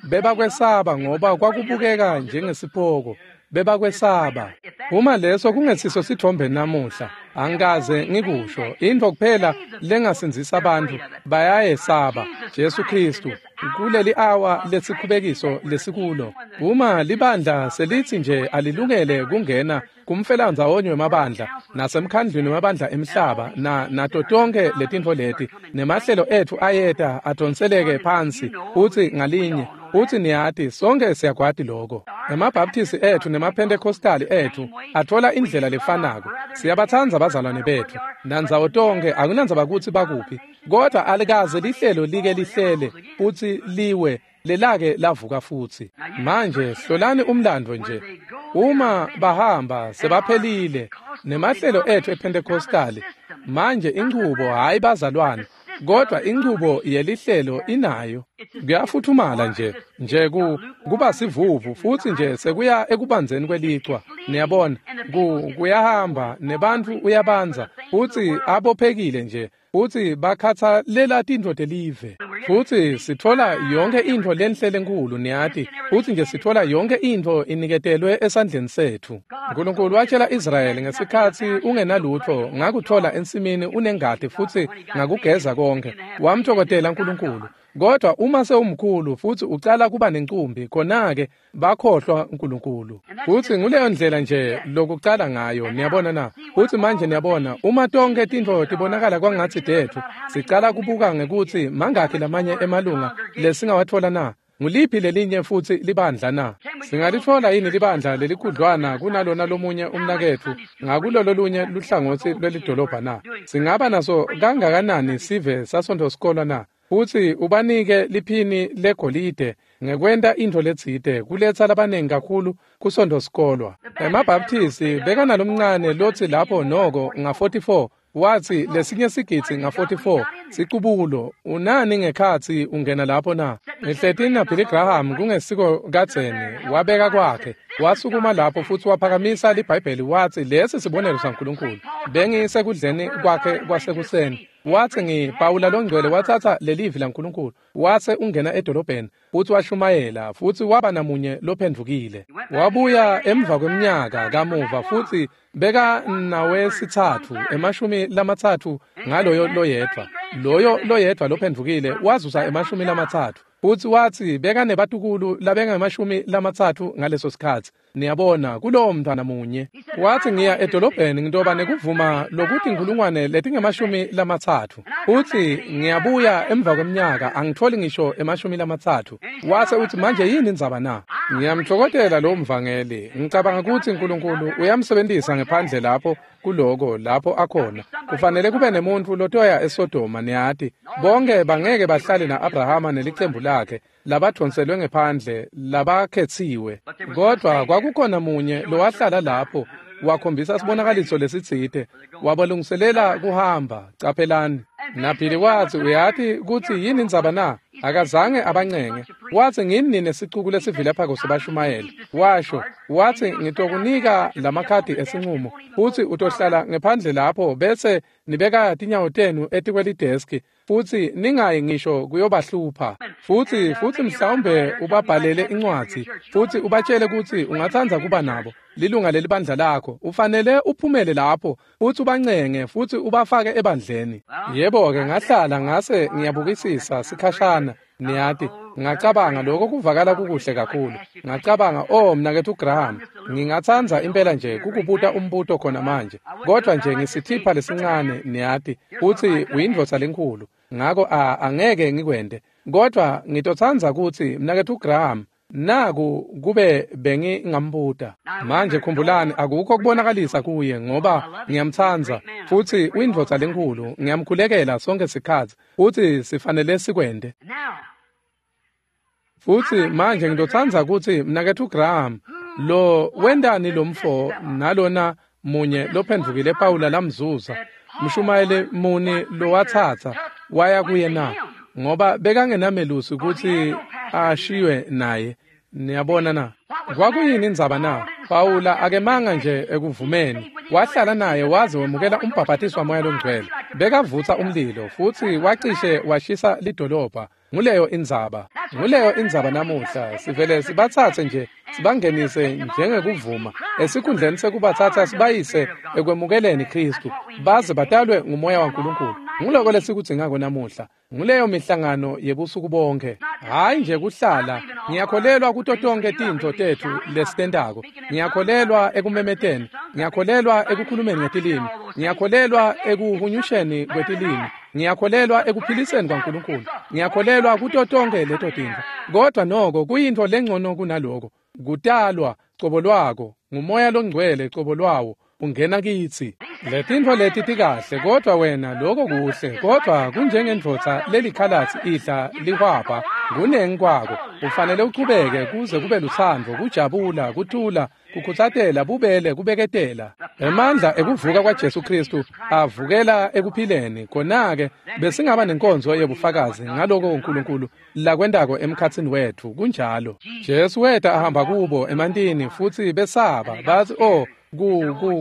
bebakwesaba ngoba kwakubukeka njengesipoko. Bebakwesaba. Uma leso kungesiso sithombe namuhla, angikaze ngikusho. Intfo kuphela lengasindzisa abantu bayayesaba Jesu Kristu kuleli awa lesikhubekiso lesikulo. Uma libandla selitsi nje alilungele kungena kumfelandzawonye wemabandla nasemkhandlwini wemabandla emhlaba na nato tonke letintfo leti, nemahlelo etfu ayeta adonseleke phansi futsi ngalinye. Futsi niyati, sonke siyakwati loko. EmaBaptisti etfu nemaPentecostali etfu atfola indlela lefanako. Siyabatsandza bazalwane betfu nandzawo tonke, akunandzaba kutsi bakuphi, kodwa alikaze lihlelo like lihlele futsi liwe lelake lavuka futsi. Manje hlolani umlando nje. Uma bahamba sebaphelile nemahlelo etfu ePentecostali, manje inchubo hayi bazalwane, kodwa inchubo yelihlelo inayo. Kuyafuthumala nje kuba sivuvu futsi nje sekuya ekubandzeni kwelichwa. Niyabona, kuyahamba nebantfu uyabanza futsi abophekile nje, futsi bakhathalela tintfo telive. Futsi sitfola yonke intfo lenhle lenkulu, niyati, futsi nje sitfola yonke intfo iniketelwe esandleni setfu. Nkulunkulu watshela Israyeli ngesikhatsi ungenalutfo, ngakutfola ensimini unengati futsi ngakugeza konke. Wamtfokotela Nkulunkulu. Kodwa uma sewumkhulu futsi ucala kuba nencumbi, khona-ke bakhohlwa Nkulunkulu. Futsi nguleyo ndlela nje lokucala ngayo, niyabona na? Futsi manje niyabona, uma tonke tintfo tibonakala kwangatsi tetfu, sicala kubuka ngekutsi mangakhi lamanye emalunga lesingawatfola na? Nguliphi lelinye futsi libandla na? Singalitfola yini libandla lelikhudlwana kunalona lomunye umnaketfu ngakulolo lunye luhlangotsi lwelidolobha na? Singaba naso kangakanani sive saSontfo sikolwa na? Futsi ubanike liphini legolide ngekwenta intfo letsite kuletsa labanengi kakhulu kuSontfo sikolwa. EmaBaptisti bekanalomncane lotsi lapho noko nga-44 Watsi lesinye sigidzi nga-44 sicubulo unani ngekhatsi ungena lapho na? Ngihleti naBilly Graham kungesiko kadzeni wabeka kwakhe wasukuma lapho futsi waphakamisa liBhayibheli watsi lesi sibonelo saNkulunkulu. Bengisekudleni kwakhe kwasekuseni. Watsi ngiPawula longcwele watsatsa lelivi laNkulunkulu wase ungena edolobheni futsi washumayela futsi waba namunye lophendvukile. Wabuya emva kweminyaka kamuva futsi beka nawesithathu 30 ngaloyo loyedvwa. Loyo loyedvwa lophendvukile wazuza 30 futsi watsi beka nebatukulu labenga-30 ngaleso sikhatsi. Niyabona kulowo mntwana munye. Watsi ngiya edolobheni ngitoba nekuvuma lokuthi 30,000 futsi ngiyabuya emva kweminyaka angitholi ngisho 30. Wase uthi manje yini indzaba na? Ngiyamthokozela lo mvangeli. Ngicabanga ukuthi uNkulunkulu uyamsebenzisa ngephandle lapho kuloko lapho akhona. Kufanele kube nemuntu lotoya eSodoma niyati. Bonke bangeke bahlale na-Abrahama nelicembu lakhe labadonselwe ngephandle labakhetsiwe. Kodwa kwakukhona munye lowahlala lapho wakhombisa sibonakaliso lesitsite wabalungiselela kuhamba. Caphelani. Naphili watsi uyati kutsi yini indzaba na? Akazange abancenge. Watsi ngini nine sicuku lesivilaphako sebashumayeli. Washo watsi ngitokunika lamakhadi esinqumo futsi utohlala ngephandle lapho bese nibeka tinyawo tenu etikwelideski futsi ningayi ngisho kuyobahlupha. Futsi mhlawumbe ubabhalele incwadzi futsi ubatshele kutsi ungatsandza kuba nabo lilunga lelibandla lakho. Ufanele uphumele lapho futsi ubancenge futsi ubafake ebandleni. Yebo-ke ngahlala ngase ngiyabukisisa sikhashana niyati. Ngacabanga lokho kuvakala kukuhle kakhulu. Ngacabanga oh mnaketfu Graham, ngingatsandza impela nje kukubuta umbuto khona manje, kodwa nje ngisithipha lesincane niyati futsi uyindvodza lenkhulu, ngako angeke ngikwente. Kodwa ngitotsandza kutsi mnaketfu Graham naku kube bengingambuta. Manje khumbulani akukho kubonakalisa kuye ngoba ngiyamtsandza futsi uyindvodza lenkhulu, ngiyamkhulekela sonke sikhatsi futsi sifanele sikwente. Futsi manje ngitotsandza kutsi mnaketfu Graham lo wendani lomfo nalona munye lophendvukile Pawula lamzuza mshumayeli muni lowatsatsa waya kuye na? Ngoba bekangenamelusi kutsi ashiywe naye. Niyabona na? Kwakuyini indzaba na? Pawula akemanga nje ekuvumeni. Wahlala naye waze wemukela umbhabhatiso waMoya loNgcwele. Bekavutsa umlilo futsi wacishe washisa lidolobha. Nguleyo indzaba. Nguleyo indzaba namuhla. Sivele sibatsatse nje sibangenise njengekuvuma esikhundleni sekubatsatsa sibayise ekwemukeleni Kristu baze batalwe ngumoya waNkulunkulu. Nguloko lesikudzingako namuhla. Nguleyo mihlangano yebusuku bonke. Hayi nje kuhlala. Ngiyakholelwa kuto tonke tintfo tetfu lesitentako. Ngiyakholelwa ekumemeteni. Ngiyakholelwa ekukhulumeni ngetilimi. Ngiyakholelwa ekuhunyusheni kwetilimi. Ngiyakholelwa ekuphiliseni kwaNkulunkulu. Ngiyakholelwa kuto tonke leto tintfo. Kodwa noko kuyintfo lengcono kunaloko. Kutalwa cobo lwako ngumoya longcwele cobo lwawo ungena kitsi. Letintfo leti tikahle kodwa wena lokho kuhle kodwa kunjengendvodza lelikhalatsi idla lihwabha kunengi kwako. Ufanele uchubeke kuze kube lutsandvo, kujabula, kuthula, kukhutsatela, bubele, kubeketela. Emandla ekuvuka kwaJesu Kristu avukela ekuphileni. Khona-ke besingaba nenkonzo yebufakazi ngaloko uNkulunkulu lakwentako emkhatsini wetfu. Kunjalo. Jesu weta ahamba kubo emantini futsi besaba batsi oh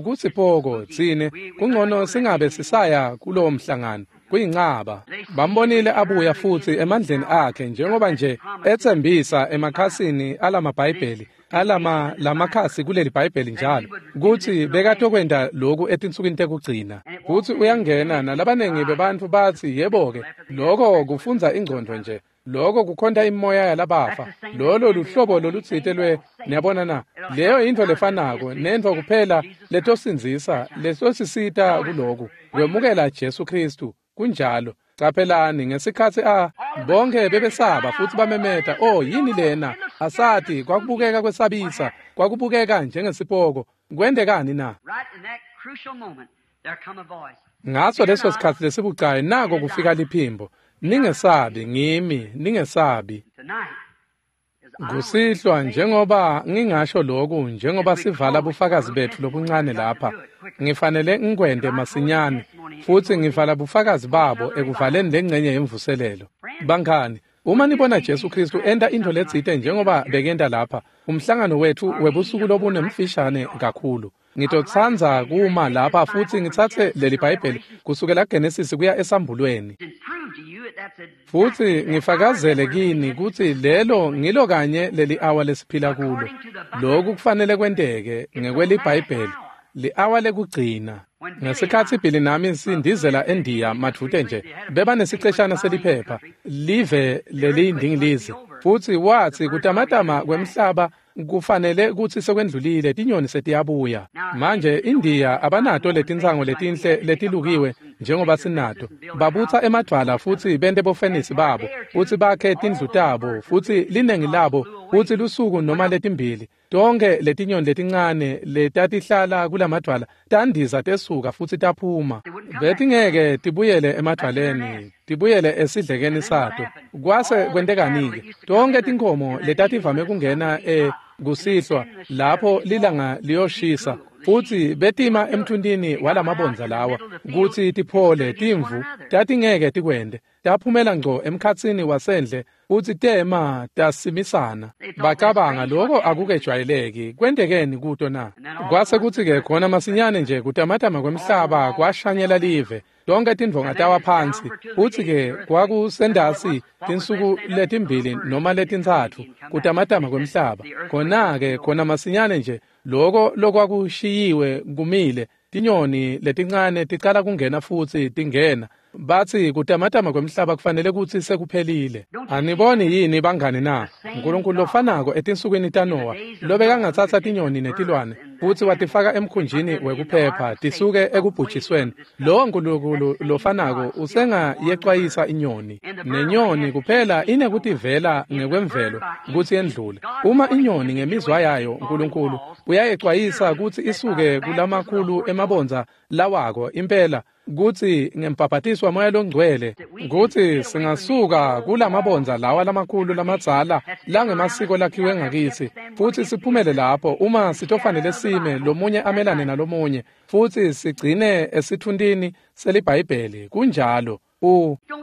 kusipoko tsine kungcono singabe sisaya kulowo mhlangano kuyincaba. Bambonile abuya futsi emandleni akhe njengoba nje etsembisa emakhasini alamabhayibheli alama lamakhasi kuleli bhayibheli njalo kutsi bekatokwenta lokhu etinsukwini tekugcina. Futsi uyangena nalabanengi bebantfu batsi yebo-ke lokho kufundza ingcondvo nje, lokho kukhonta imoya yalabafa, lolo luhlobo lolutsite lwe. Niyabona na? Leyo intfo lefanako nentfo kuphela letosindzisa letosisita kuloku kwemukela Jesu Kristu. Kunjalo. Caphelani ngesikhatsi bonke bebesaba futsi bamemeta oh yini lena? Asati kwakubukeka kwesabisa, kwakubukeka njengesipoko. Kwentekani na? Ngaso leso sikhatsi lesibucayi nako kufika liphimbo. Ningesabi ngimi, ningesabi. Kusihlwa njengoba ngingasho lokhu, njengoba sivala bufakazi bethu lobuncane lapha, ngifanele ngikwente masinyane futsi ngivala bufakazi babo ekuvaleni lengcenye yemvuselelo. Bangani, uma nibona Jesu Kristu enta intfo letsite njengoba bekenta lapha, umhlangano wethu webusuku lobunemfishane kakhulu. Ngitotsandza kuma lapha futsi ngitsatse leli Bhayibheli kusukela Genesis kuya esambulweni. Futsi ngifakazele kini kutsi lelo ngilo kanye leli awa lesiphila kulo. Lokhu kufanele kwenteke ngekweliBhayibheli, li-awa lekugcina. Ngesikhatsi Billy nami sindizela eNdiya madvute nje, bebanesiceshana seliphepha, live leliyindingilizi, futsi watsi kutamatama kwemhlaba kufanele kutsi sekwendlulile, tinyoni setiyabuya. Manje iNdiya abanato letintsango letinhle letilukiwe njengoba sinato. Babutsa emadvwala futsi bente bofenisi babo, futsi bakhe tindlu tabo, futsi linengi labo, futsi lusuku noma letimbili. Tonke letinyoni letincane letatihlala kulamadvwala tandiza tesuka futsi taphuma. Betingeke tibuyele emadvwaleni, tibuyele esidlekeni sato. Kwase kwentekani-ke? Tonke tinkhomo letativame kungena kusihlwa lapho lilanga liyoshisa, futsi betima emthuntini walamabondza lawa kutsi tiphole. Timvu tatingeke tikwente, taphumela ngco emkhatsini wasendle futsi tema tasimisana. Bacabanga lokho akukejwayeleki, kwentekeni kuto na? Kwase kutsi-ke khona masinyane nje kutamatama kwemhlaba kwashanyela live, tonke tindvonga tawa phansi, futsi-ke kwakusendasi tinsuku letimbili noma letintsatfu kutamatama kwemhlaba. Khona-ke khona masinyane nje loko lokwakushiyiwe kumile, tinyoni letincane ticala kungena futsi tingena. Batsi kutamatama kwemhlaba kufanele kutsi sekuphelile. Aniboni yini bangani na? Nkulunkulu lofanako etinsukwini taNowa, lobekangatsatsa tinyoni netilwane futsi watifaka emkhunjini wekuphepha tisuke ekubhujisweni, lowo Nkulunkulu lofanako usengayecwayisa inyoni. Nenyoni kuphela inekutivela ngekwemvelo kutsi yendlule. Uma inyoni ngemizwa yayo, Nkulunkulu uyayecwayisa kutsi isuke kulamakhulu emabondza lawako impela, kutsi ngembhabhatiswa Moya Longcwele kutsi singasuka kulamabondza lawa lamakhulu lamadzala langemasiko lakhiwe ngakitsi, futsi siphumele lapho uma sitofanele sime lomunye amelane nalomunye, futsi sigcine esithuntini seliBhayibheli. Kunjalo.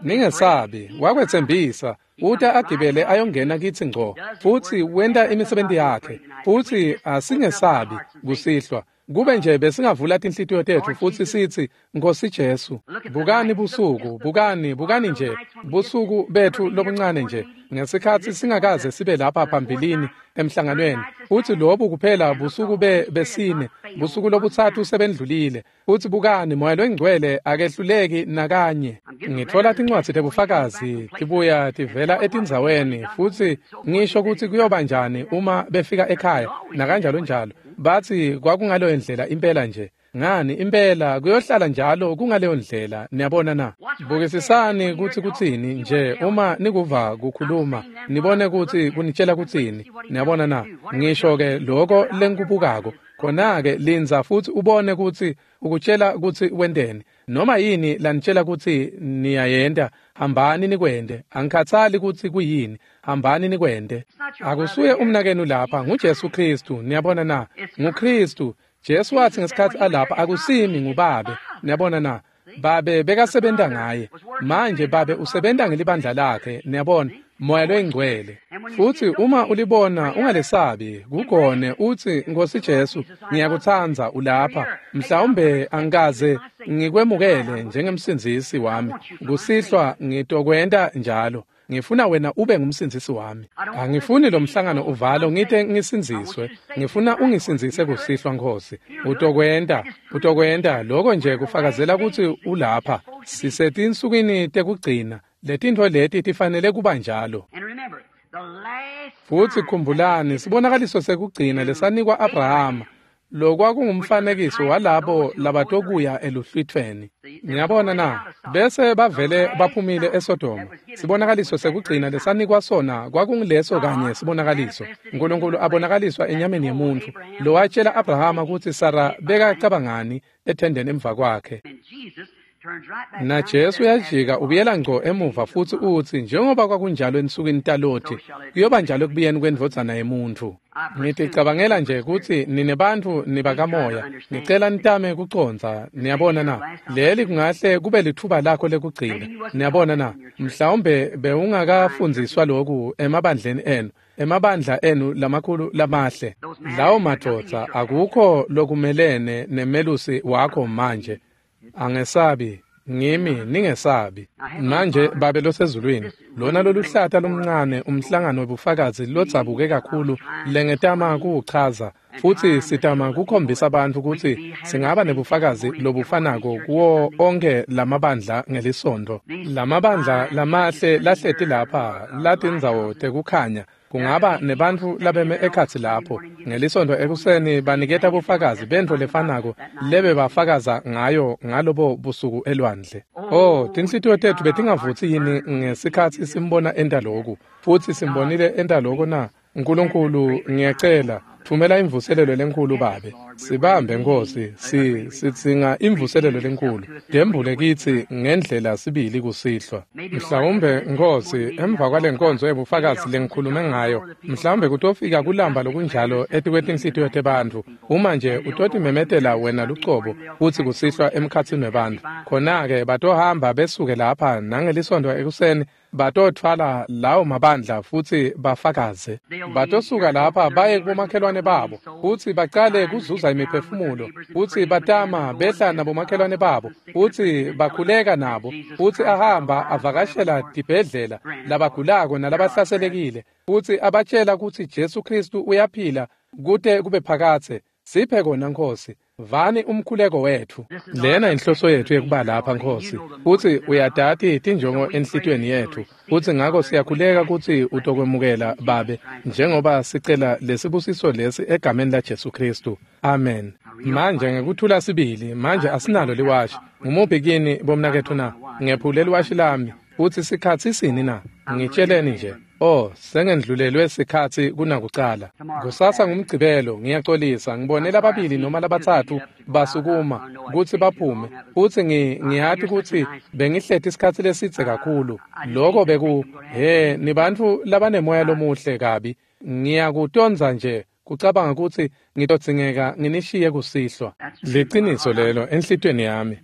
Ningesabi, wakwetsembisa. Uta agibele ayongena kitsi ngco, futsi wenta imisebenti yakhe, futsi asingesabi kusihlwa. Kube nje besingavula tinhlitiyo tetfu futsi sitsi, Nkosi Jesu, bukani busuku, bukani, bukani nje, busuku bethu lobuncane nje, ngesikhatsi singakaze sibe lapha phambilini emhlanganweni, futsi lobu kuphela busuku besine, busuku lobutsatfu sebendlulile, futsi bukani, Moya Longcwele akehluleki nakanye. Ngitfola tincwadzi tebufakazi tibuya tivela etindzaweni, futsi ngisho kutsi kuyoba njani uma befika ekhaya, nakanjalo njalo. Batsi kwakungaleyo ndlela impela nje. Ngani impela kuyohlala njalo kungaleyo ndlela, niyabona na? Bukisisani kutsi kutsini nje uma nikuva kukhuluma, nibone kutsi kunitshela kutsini, niyabona na? Ngisho-ke loko lengikubukako, khona-ke lindza futsi ubone kutsi ukutshela kutsi wenteni. Noma yini lanitshela kutsi niyayenta, hambani nikwente. Angikhatsali kutsi kuyini, hambani nikwente. Akusuye umnakenu lapha, nguJesu Kristu, niyabona na? NguKristu. Jesu wathi ngesikhatsi alapha, akusimi nguBabe, niyabona na? Babe bekasebenta ngaye. Manje Babe usebenta ngelibandla lakhe, niyabona, Moya Longcwele. Futsi uma ulibona ungalesabi, kugone utsi, Nkosi Jesu, ngiyakutsandza ulapha. Mhlawumbe angikaze ngikwemukele njengemsindzisi wami. Kusihlwa ngitokwenta njalo. Ngifuna wena ube ngumsindzisi wami. Angifuni lo mhlangano uvalo ngite ngisindziswe. Ngifuna ungisindzise kusihlwa, Nkosi. Utokwenta, utokwenta lokho nje kufakazela kutsi ulapha. Sisetinsukwini tekugcina. Letintfo leti tifanele kuba njalo. Futsi khumbulani, sibonakaliso sekugcina lesanikwa Abrahama, lokwakungumfanekiso walabo labatokuya eluhlwitfweni. Niyabona na? Bese bavele baphumile eSodoma. Sibonakaliso sekugcina lesanikwa sona kwakunguleso kanye sibonakaliso. Nkulunkulu abonakaliswa enyameni yemuntfu, lowatshela Abrahama kutsi Sara bekacabangani ethendeni emva kwakhe. NaJesu uyajika ubuyela ngco emuva futsi utsi njengoba kwakunjalo ensukwini taLothi, kuyoba njalo ekubuyeni kwendvodzana yemuntfu. Ngiticabangela nje kutsi nine bantfu nibakamoya, ngicela nitame kucondza, niyabona na? Leli kungahle kube litfuba lakho lekugcina, niyabona na? Mhlawumbe bewungakafundziswa loku emabandleni enu, emabandla enu lamakhulu lamahle. Lawo madvodza akukho lokumelene nemelusi wakho manje. Angesabi, ngimi ningesabi. Manje Babe losezulwini, lona loluhlata lomncane umhlangano webufakazi lodzabuke kakhulu lengetama kuwuchaza, futsi sitama kukhombisa bantfu kutsi singaba nebufakazi lobufanako kuwo onke lamabandla ngelisontfo. Lamabandla lamahle lahleti lapha latindzawo tekukhanya, kungaba nebantfu labeme ekhatsi lapho ngelisontfo ekuseni baniketa bufakazi bentfo lefanako lebebafakaza ngayo ngalobo busuku elwandle. Oh, tinhlitiyo tetfu betingavutsi yini ngesikhatsi simbona enta loku, futsi simbonile enta loko na? Nkulunkulu, ngiyacela, thumela imvuselelo lenkhulu Babe. Sibambe Nkosi, sidzinga imvuselelo lenkhulu. Tembule kitsi ngendlela sibili kusihlwa. Mhlawumbe Nkosi, emva kwalenkonzo yebufakazi lengikhulume ngayo, mhlawumbe kutofika kulamba lokunjalo etikwetinhlitiyo tebantfu. Uma nje utotimemetela wena lucobo futsi kusihlwa emkhatsini webantfu, khona-ke batohamba besuke lapha nangelisontfo ekuseni batotfwala lawo mabandla futsi bafakaze. Batosuka lapha baye kubomakhelwane babo futsi bacale kuzuza imiphefumulo, futsi batama behla nabomakhelwane babo futsi bakhuleka nabo, futsi ahamba avakashela tibhedlela labagulako nalabahlaselekile, futsi abatshela kutsi Jesu Khristu uyaphila kute kube phakadze. Siphe kona Nkosi, vani umkhuleko wetfu. Lena inhloso yetfu yekuba lapha Nkosi, futsi uyatati tinjongo enhlitiyweni yetfu, futsi ngako siyakhuleka kutsi utokwemukela Babe njengoba sicela lesibusiso lesi egameni laJesu Khristu. Amen. Manje ngekuthula sibili, manje asinalo liwashi. Ngumuphi kini bomnaketfu na? Ngephule liwashi lami, futsi sikhatsi sini na? Ngitsheleni nje. Oh, sengendlulelwe sikhatsi kunakucala. Kusasa ngumgcibelo, ngiyacolisa, ngibone lababili noma labatsatfu basukuma kutsi baphume, futsi ngiyati kutsi bengihleti isikhatsi lesidze kakhulu. Loko beku, he, nibantfu labanemoya lomuhle kabi. Ngiyakutondza nje kucabanga kutsi ngitodzingeka nginishiye kusihlwa. Liciniso lelo enhlitiyweni yami.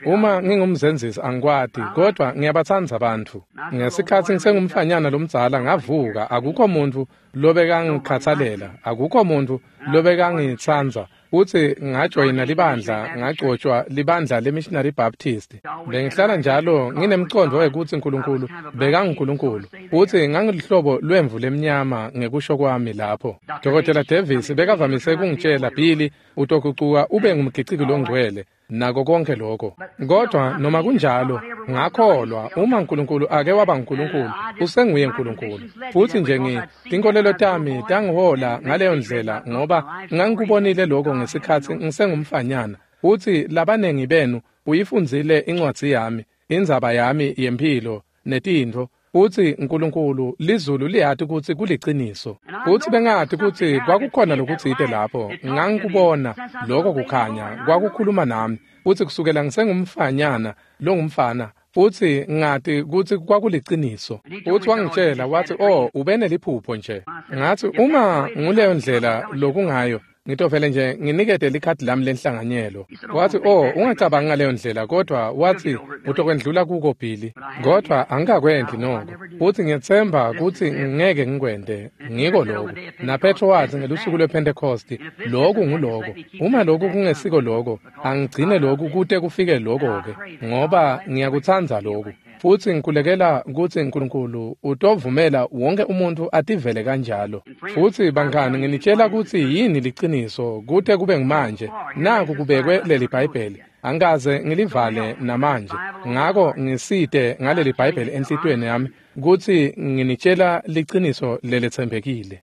Uma ngingumzenzisi angikwati, kodwa ngiyabatsandza bantfu. Ngesikhatsi ngisengumfanyana lomdzala ngavuka, akukho muntfu lobekangikhatsalela, akukho muntfu lobekangitsandza. Futsi ngajoyina libandla, ngagcotshwa libandla leMissionary Baptist. Bengihlala njalo nginemcondvo wekutsi Nkulunkulu bekanguNkulunkulu, futsi ngangilihlobo lwemvu lemnyama ngekusho kwami lapho. Dr. Davis bekavamise kungitshela, Billy, utogucuka ube ngumgiciki longcwele, nako konke lokho. Kodwa noma kunjalo, ngakholwa uma uNkulunkulu ake waba nguNkulunkulu, usenguye uNkulunkulu. Futsi nje tinkolelo tami tangihola ngaleyo ndlela ngoba ngangikubonile lokho ngesikhatsi ngisengumfanyana. Futsi labanengi benu uyifundzile incwadzi yami, indzaba yami yemphilo netintfo. Futsi uNkulunkulu lizulu liyati kutsi kuliciniso. Futsi bengati kutsi kwakukhona lokutsite lapho, ngangikubona lokho kukhanya kwakukhuluma nami. Futsi kusukela ngisengumfanyana longumfana, futsi ngati kutsi kwakuliciniso. Futsi wangitshela wathi, oh, ube neliphupho nje. Ngathi uma nguleyo ndlela lokungayo, ngitovele nje nginikete likhadi lami lenhlanganyelo. Wathi, oh, ungacabangi ngaleyo ndlela, kodwa wathi utokwendlula kuko Billy. Kodwa angikakwenti noko, futsi ngiyetsemba kutsi ngeke ngikwente. Ngiko lokho. NaPetro wathi ngelusuku lwePhentekhosti, lokhu nguloko. Uma lokhu kungesiko lokho, angigcine lokhu kute kufike lokho-ke, ngoba ngiyakutsandza lokhu. Futsi ngikhulekela kutsi uNkulunkulu utovumela wonke umuntu ativele kanjalo. Futsi bangani, nginitshela kutsi yini liciniso kute kube ngimanje. Naku kubekwe leli Bhayibheli, angikaze ngilivale namanje. Ngako ngisite ngaleli Bhayibheli enhlitiyweni yami kutsi nginitshela liciniso leletsembekile.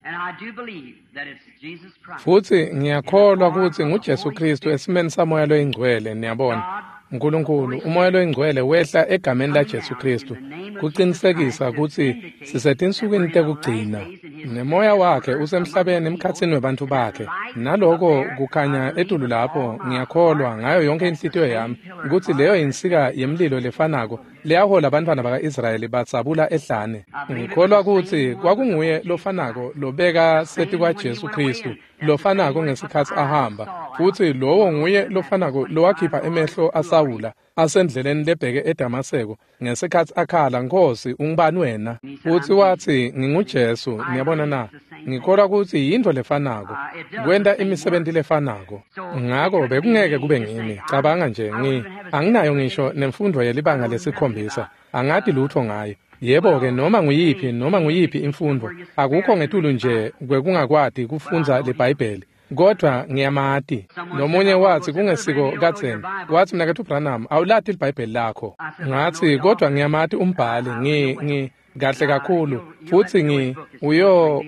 Futsi ngiyakholwa kutsi nguJesu Khristu esimeni saMoya loyiNgcwele, niyabona. Nkulunkulu, uMoya loyiNgcwele wehla egameni laJesu Khristu kucinisekisa kutsi sisetinsukwini tekugcina, nemoya wakhe usemhlabeni emkhatsini webantfu bakhe. Naloko kukhanya etulu lapho, ngiyakholwa ngayo yonke inhlitiyo yami kutsi leyo yinsika yemlilo lefanako leyahola bantfwana baka-Israyeli batsabula ehlane. Ngikholwa kutsi kwakunguye lofanako lobeka setikwaJesu Khristu, lofanako ngesikhatsi ahamba, futsi lowo nguye lofanako lowakhipha emehlo aSawula asendleleni lebheke eDamaseko ngesikhatsi akhala, "Nkhosi, ungubani wena?" Futsi watsi, "NginguJesu." Niyabona na? Ngikholwa kutsi yintfo lefanako, kwenta imisebenti lefanako. Ngako bekungeke kube ngimi. Cabanga nje, anginayo ngisho nemfundvo yelibanga lesikhombisa, angati lutfo ngayo. Yebo-ke, noma nguyiphi imfundvo, akukho ngetulu nje kwekungakwati kufundza liBhayibheli. Kodwa ngiyamati. Nomunye watsi kungesiko kadzeni, watsi, "Mnaketfu Branham, awulati liBhayibheli lakho." Ngatsi, "Kodwa ngiyamati umbhali, ngi kahle kakhulu, futsi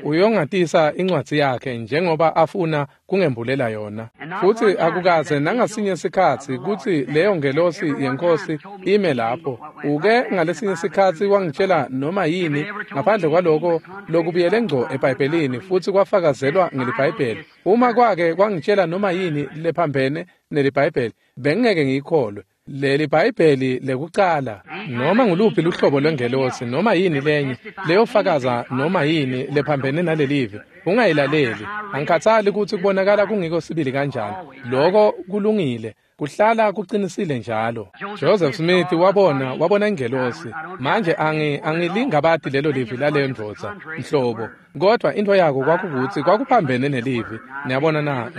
uyongatisa incwadzi yakhe njengoba afuna kungembulela yona." Futsi akukaze nangasinye sikhatsi kutsi leyo ngelosi yeNkhosi ime lapho. Uke ngalesinye sikhatsi wangitshela noma yini ngaphandle kwaloko lokubuyele ngco eBhayibhelini futsi kwafakazelwa ngeliBhayibheli. Uma kwake kwangitshela noma yini lephambene neliBhayibheli, bengingeke ngiyikholwe. Leli Bhayibheli lekucala, noma nguluphi luhlobo lwengelosi, noma yini lenye leyofakaza noma yini lephambene nalelivi, ungayilaleli. Angikhathali kutsi kubonakala kungiko sibili kanjani, loko kulungile, kuhlala kuqinisile njalo. Joseph Smith wabona ingelosi. Manje angilingabati lelo livi laleyo ndvodza nhlobo, kodwa into yako kwakukuthi kwakuphambene nelivi. Niyabona na?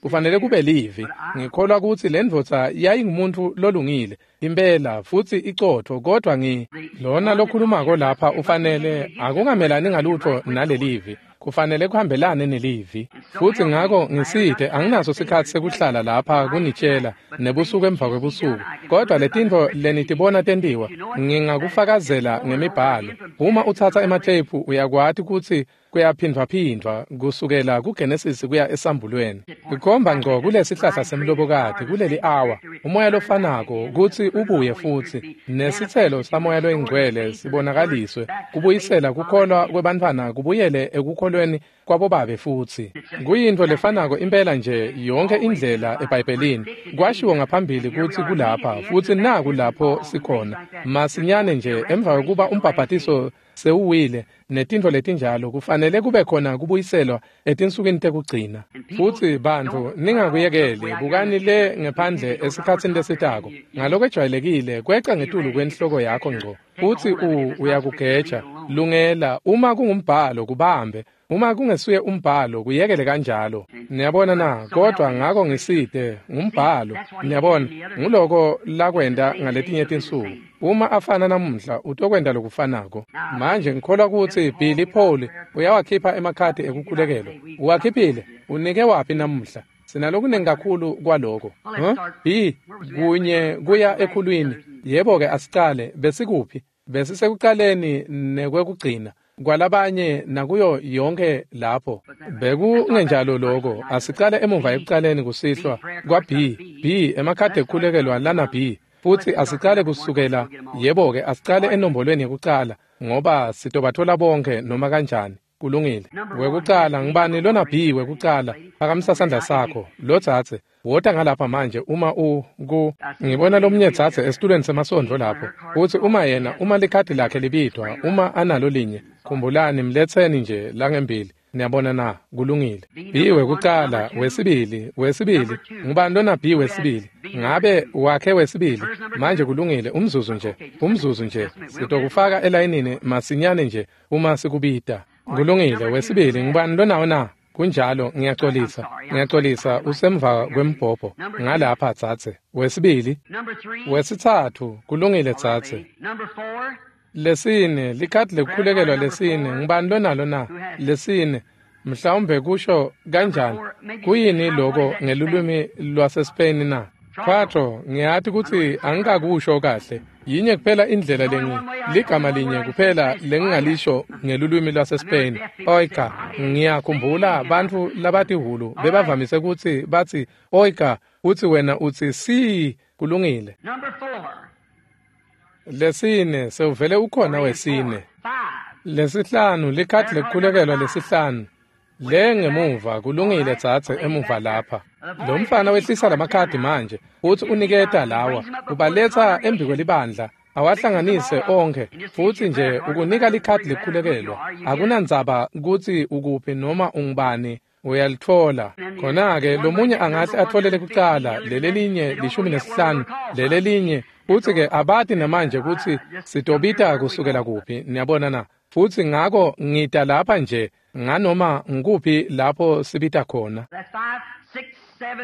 Kufanele kube livi. Ngikholwa kutsi le ndvodza yayingumuntu lolungile impela futsi icotfo, kodwa lona lokhulumako lapha ufanele akungamelani ngalutfo nalelivi, kufanele kuhambelane nelivi. Futsi ngako ngisite, anginaso sikhatsi sekuhlala lapha kunitshela nebusuku emva kwebusuku, kodwa letintfo lenitibona tentiwa ngingakufakazela ngemibhalo. Uma utsatsa ematheyiphu uyakwati kutsi kuyaphindvwaphindvwa kusukela kuGenesis kuya esambulweni. Kukhomba ngco kulesihlahla semlobokati kuleli awa, umoya lofanako kutsi ubuye futsi nesitselo samoya loyingcwele sibonakaliswe, kubuyisela kukholwa kwebantfwana kubuyele ekukholweni kwabobabe futsi. Kuyintfo lefanako impela nje yonke indlela eBhayibhelini. Kwashiwo ngaphambili kutsi kulapha futsi naku lapho sikhona. Masinyane nje emva kokuba umbhabhatiso sewuwile netintfo letinjalo, kufanele kube khona kubuyiselwa etinsukwini tekugcina. Futsi bantfu ningakuyekeli, bukani le ngephandle esikhatsini lesitako. Ngalokwejwayelekile kweca ngetulu kwenhloko yakho ngco, futsi uyakugeja. Lungela, uma kungumbhalo kubambe, uma kungesuye umbhalo kuyekele kanjalo. Niyabona na? Kodwa ngako ngisite ngumbhalo. Niyabona, nguloko lakwenta ngaletinye tinsuku. Uma afana namuhla utokwenta lokufanako. Manje ngikholwa kutsi Billy Paul uyawakhipha emakhadi ekukhulekelwa. Uwakhiphile? Unike waphi namuhla? Sinalokunengi kakhulu kwaloko. B kunye kuya ekhulwini. Yebo-ke, asicale. Besikuphi? Besisekucaleni nekwekugcina kwalabanye nakuyo yonke lapho. Bekungenjalo loko. Asicale emuva ekucaleni kusihlwa kwa B. B emakhadi ekukhulekelwa lana B. Futsi asicale kusukela, yebo-ke, asicale enombolweni yekucala, ngoba sitobathola bonke noma kanjani. Kulungile. Wekucala, ngibani lona B wekucala? Phakamisa sandla sakho. Lo dzadze, wota ngalapha manje uma ngibona lomunye dzadze esitulweni semasondvo lapho. Futsi uma yena, uma likhadi lakhe libitwa, uma analo linye, khumbulani, mletseni nje langembili. Niyabona na? Kulungile. B wekucala, wesibili, ngubani lona B wesibili? Ngabe wakhe wesibili? Manje kulungile, umzuzu nje. Sitokufaka elayinini masinyane nje uma sikubita. Kulungile, wesibili, ngubani lonawo na? Kunjalo, ngiyaxolisa, usemva kwembhobho. Ngalapha dzadze. Wesibili, wesitsatfu, kulungile dzadze. Lesine, likhadi lekukhulekelwa lesine, ngubani lonalo na? Lesine, mhlawumbe kusho kanjani? Kuyini loko ngelulwimi lwaseSpain na? Quatro, ngiyati kutsi angikakusho kahle. Yinye kuphela indlela ligama linye kuphela lengingalisho ngelulwimi lwaseSpain, oiga. Ngiyakhumbula bantfu labatihhulu bebavamise kutsi batsi oiga, utsi wena utsi si, kulungile. Lesine, sewuvele ukhona wesine. Lesihlanu, likhadi lekukhulekelwa lesihlanu. Le ngemuva, kulungile dzadze emuva lapha. Lo mfana wehlisa lamakhadi manje, futsi uniketa lawa, ubaletsa embikwelibandla, awahlanganise onkhe, futsi nje ukunika likhadi lekukhulekelwa. Akunandzaba kutsi ukuphi noma ungubani, uyalitfola. Khona-ke lomunye angahle atfolele kucala, lelelinye 15, lelelinye, futsi-ke abati namanje kutsi sitobita kusukela kuphi, niyabona na. Futsi ngako ngita lapha nje nganoma ngikuphi lapho sibita khona.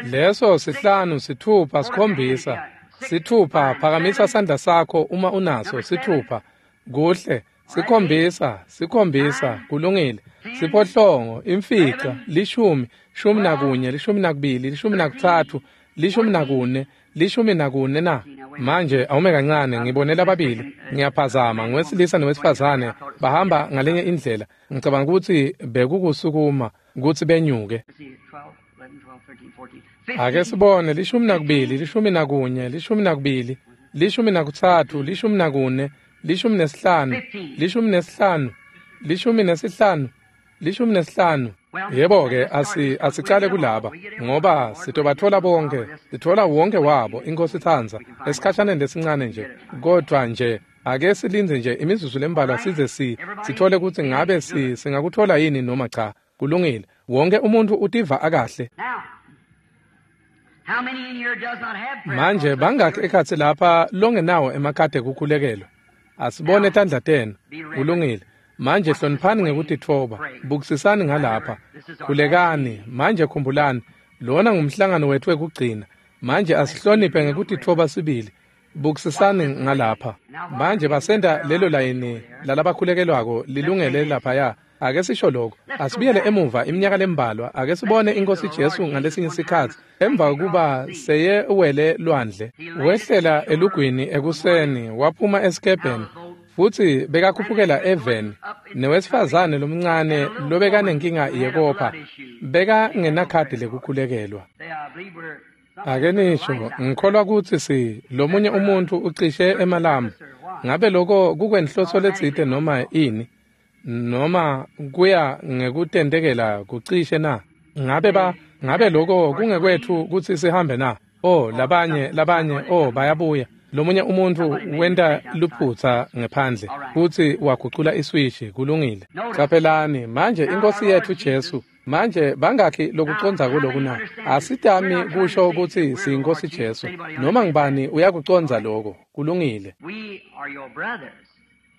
Leso 5, 6, 7, 6. Phakamisa sandla sakho uma unaso. 6, kuhle. 7, 7, kulungile. 8, 5, 10, 11, 12, 13, 14, 14 na. Manje awume kancane, ngibone lababili. Ngiyaphazama, ngiwesilisa nowesifazane bahamba ngalenye indlela. Ngicabanga ukuthi bekukusukuma kutsi benyuke. Ake sibone 12, 11, 12, 13, 14, 15, 15, 15. Yebo-ke, asicale kulaba, ngoba sitobatfola bonke, sitfola wonke wabo, iNkhosi itsandza, esikhashaneni lesincane nje. Kodvwa nje ake silindze nje imizuzu lembalwa size sithole kutsi ngabe singakutfola yini noma cha. Kulungile. Wonke umuntfu utiva akahle. Manje bangakhi ekhatsi lapha longenawo emakhadi ekukhulekelwa? Asibone tandla tenu. Kulungile. Manje hloniphani ngekutitfoba, bukisisani ngalapha, khulekani. Manje khumbulani, lona ngumhlangano wetfu wekugcina. Manje asihloniphe ngekutitfoba sibili. Bukisisani ngalapha. Manje basenta lelo layini lalabakhulekelwako lilungele laphaya. Ake sisho lokho. Asibuyele emuva iminyaka lembalwa. Ake sibone iNkhosi Jesu ngalesinye sikhatsi emva kokuba seye wele lwandle. Wehlela elugwini ekuseni, waphuma esikebheni, futsi bekakhuphukela eveni newesifazane lomncane lobekanenkinga yekopha, bekangenakhadi lekukhulekelwa. Ake nisho, ngikholwa kutsi lomunye umuntfu ucishe emalambu. Ngabe lokho kukwenhloso letsite noma ini? Noma kuya ngekutentekela kucishe na? Ngabe lokho kungekwetfu kutsi sihambe na? Oh, labanye, oh, bayabuya. Lomunye umuntfu wenta luphutsa ngephandle futsi wagucula iswishi. Kulungile. Caphelani manje iNkhosi yetfu Jesu. Manje bangakhi lokucondza kuloku na? Asitami kusho kutsi siyiNkhosi Jesu. Noma ngubani uyakucondza lokho. Kulungile.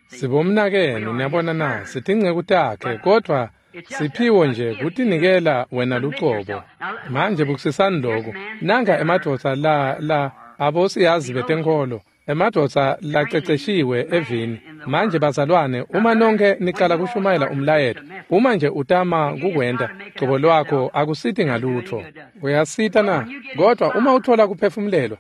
Sibomnakenu, niyabona na, sitinceku takhe, kodvwa siphiwo nje kutinikela wena lucobo. Manje bukisisani lokhu. Nanka emadvodza la abosiyazi betenkholo, emadvodza laceceshiwe evini. Manje bazalwane, uma nonke nicala kushumayela umlayeto, uma nje utama kukwenta cobo lwakho akusiti ngalutho. Uyasita na? Kodwa uma uthola kuphefumulelwa,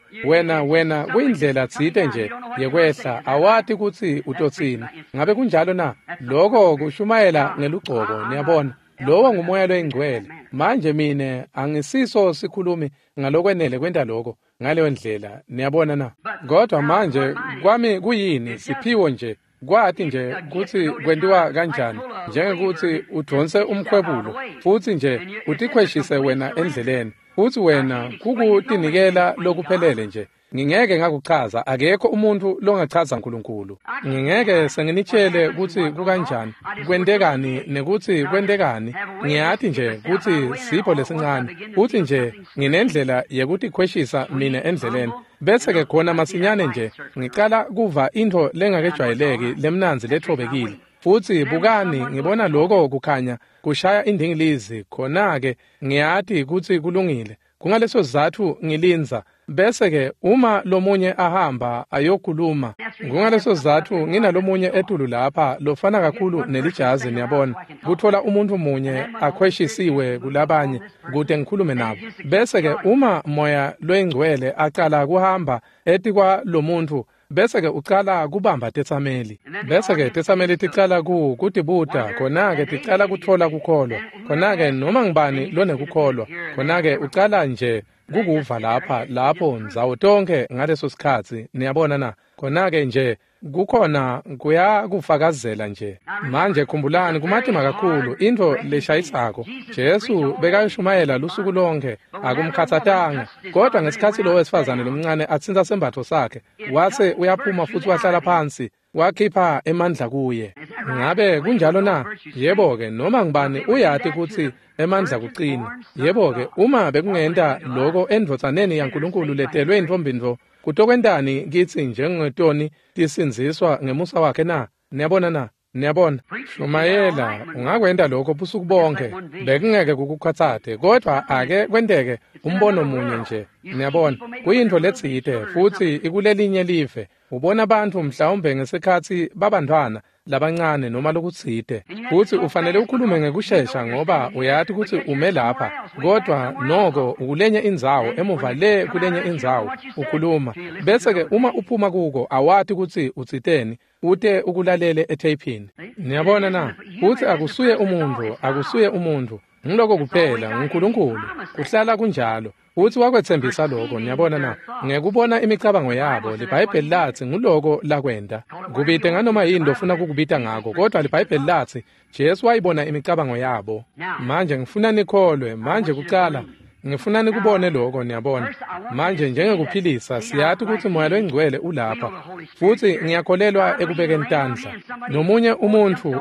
wena kuyindlela tsite nje yekwehla, awati kutsi utotsini. Ngabe kunjalo na? Lokho kushumayela ngelugcobo, niyabona. Lowo ngumoya loyingcwele. Manje mine angisiso sikhulumi ngalokwenele kwenta lokho ngaleyo ndlela, niyabona na. Kodwa manje kwami kuyini? Siphiwo nje kwati nje kutsi kwentiwa kanjani, njengekuthi udvonse umkhwebulo futsi nje utikhweshise wena endleleni, futsi wena kukutinikela lokuphelele nje. Ngingeke ngakuchaza, akekho umuntu longachaza uNkulunkulu. Ngingeke senginitshele kutsi kukanjani, kwentekani nekutsi kwentekani. Ngiyati nje kutsi sipho lesincane, futsi nje nginendlela yekutikhweshisa mina endleleni. Bese ke khona masinyane nje ngicala kuva intfo lengakejwayeleki lemnandzi lethobekile. Futsi bukani, ngibona lokho kukhanya kushaya indingilizi, khona-ke ngiyati kutsi kulungile. Kungaleso sizatfu ngilindza. Bese ke uma lomunye ahamba ayokhuluma, kungaleso sizatfu nginalomunye etulu lapha lofana kakhulu nelijazi, niyabona, kutfola umuntfu munye akhweshisiwe kulabanye kute ngikhulume nabo. Bese ke uma moya loyingcwele acala kuhamba etikwa lomuntfu, Bese-ke ucala kubamba tetsameli. Bese-ke tetsameli ticala kutibuta, khona-ke ticala kutfola kukholwa. Khona-ke noma ngubani lonekukholwa, khona-ke ucala nje kukuva lapha, lapho ndzawo tonkhe ngaleso sikhatsi, niyabona na? Khona-ke nje kukhona kuyakufakazela nje. Manje khumbulani, kumatima kakhulu, intfo leshayisako. Jesu bekashumayela lusuku lonke, akumkhatsatanga. Kodwa ngesikhatsi lo wesifazane lomncane atsintsa sembatfo sakhe, wase uyaphuma futsi wahlala phansi, wakhipha emandla kuye. Ngabe kunjalo na? Yebo-ke, noma ngubani uyati kutsi emandla kucina. Yebo-ke, uma bekungenta loko endvodzaneni yaNkulunkulu letelwe intfombi-ntfo, kutokwentani kitsi njengetoni tisindziswa ngemusa wakhe na? Niyabona na? Niyabona? Shumayela, ungakwenta lokho busuku bonke, bekungeke kukukhatsate, kodvwa ake kwenteke umbono munye nje. Niyabona, kuyintfo letsite futsi ikulelinye live. Ubona bantfu mhlawumbe ngesikhatsi babantfwana labancane noma lokutsite, futsi ufanele ukhulume ngekushesha ngoba uyati kutsi ume lapha, kodvwa noko ukulenye indzawo, emuva le kulenye indzawo ukhuluma. Bese-ke uma uphuma kuko awati kutsi utsiteni, ute ukulalele etheyphini. Niyabona na? Futsi akusuye umuntfu, akusuye umuntfu. Ngiloko kuphela, nguNkulunkulu. Kuhlala kunjalo. Futsi wakwetsembisa lokho, niyabona na? Ngekubona imicabango yabo, liBhayibheli latsi nguloko lakwenta. Kubite nganoma yini lofuna kukubita ngako, kodvwa liBhayibheli latsi Jesu wayibona imicabango yabo. Manje ngifuna nikholwe, manje kucala ngifuna nikubone lokho, niyabona. Manje njengekuphilisa, siyati kutsi Moya loyiNgcwele ulapha. Futsi ngiyakholelwa ekubekeni tandla. Nomunye umuntfu,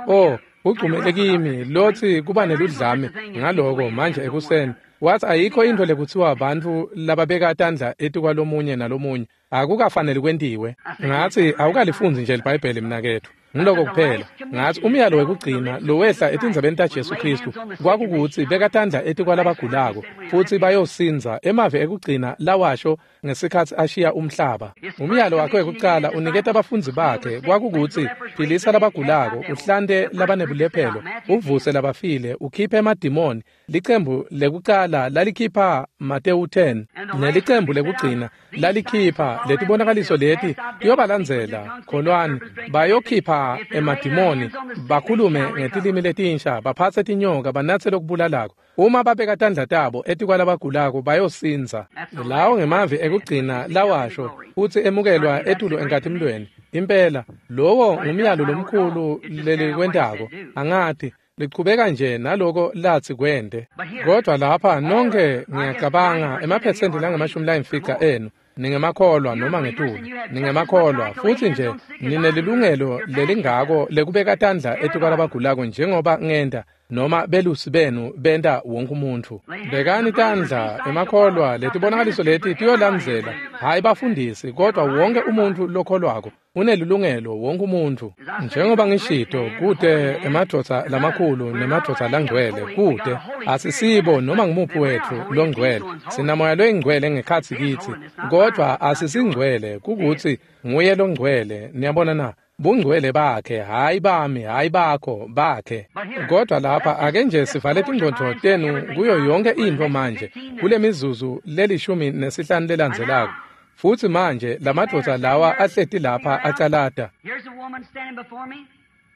ugcumele kimi, lotsi kuba neludlame ngaloko manje ekuseni. Wathi ayikho intfo lekuthiwa bantfu lababeka tandla etikwalomunye nalomunye, akukafaneli kwentiwe. Ngatsi awukalifundzi nje liBhayibheli mnaketfu. Ngiloko kuphela. Ngatsi umyalo wekugcina lowehla etindzabeni taJesu Khristu kwakukutsi beka tandla etikwalabagulako futsi bayosindza, emavi ekugcina lawasho ngesikhatsi ashiya umhlaba. Umyalo wakhe wekucala uniketa abafundzi bakhe kwakukutsi philisa labagulako, uhlante labanebulephelo, uvuse labafile, ukhiphe emadimoni. Licembu lekucala lalikhipha Matewu 10, nelicembu lekugcina lalikhipha letibonakaliso leti tiyobalandzela. Kholwani, bayokhipha emadimoni, bakhulume ngetilimi letinsha, baphatse tinyoka, banatse lokubulalako. Uma babeka tandla tabo etikwalabagulako bayosindza. Lawo ngemavi ekugcina lawasho futsi emukelwa etulu enkatimulweni. Impela, lowo ngumyalo lomkhulu lelikwentako. Angati, lichubeka nje naloko latsi kwente. Kodvwa lapha nonke ngiyacabanga emaphesenti langamashumi enu ningemakholwa noma ngetulu, ningemakholwa futsi nje ninelilungelo lelingako lekubeka tandla etikwalabagulako njengoba ngenta noma belusi benu benta wonke umuntfu. Bekani tandla emakholwa, letibonakaliso leti tiyolandzela, hhayi bafundisi, kodvwa wonke umuntfu lokholwako unelilungelo, wonke umuntfu. Njengoba ngishito, kute emadvodza lamakhulu nemadvodza langcwele, kute asisibo noma ngumuphi wetfu longcwele. Sinamoya loyingcwele ngekhatsi kitsi, kodvwa asisingcwele, kukutsi nguye longcwele. Niyabona na? Bungcwele bakhe, hhayi bami, hhayi bakho, bakhe. Kodwa lapha ake nje sivale tingcondvo tenu kuyo yonke intfo manje kule mizuzu le-15 lelandzelako. Futsi manje lamadvodza lawa ahleti lapha acalata.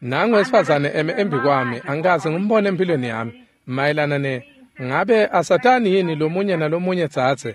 Nangu wesifazane eme embi kwami, angikaze ngimbone empilweni yami. Mayelana ne ngabe asatani yini lomunye nalomunye dzadze?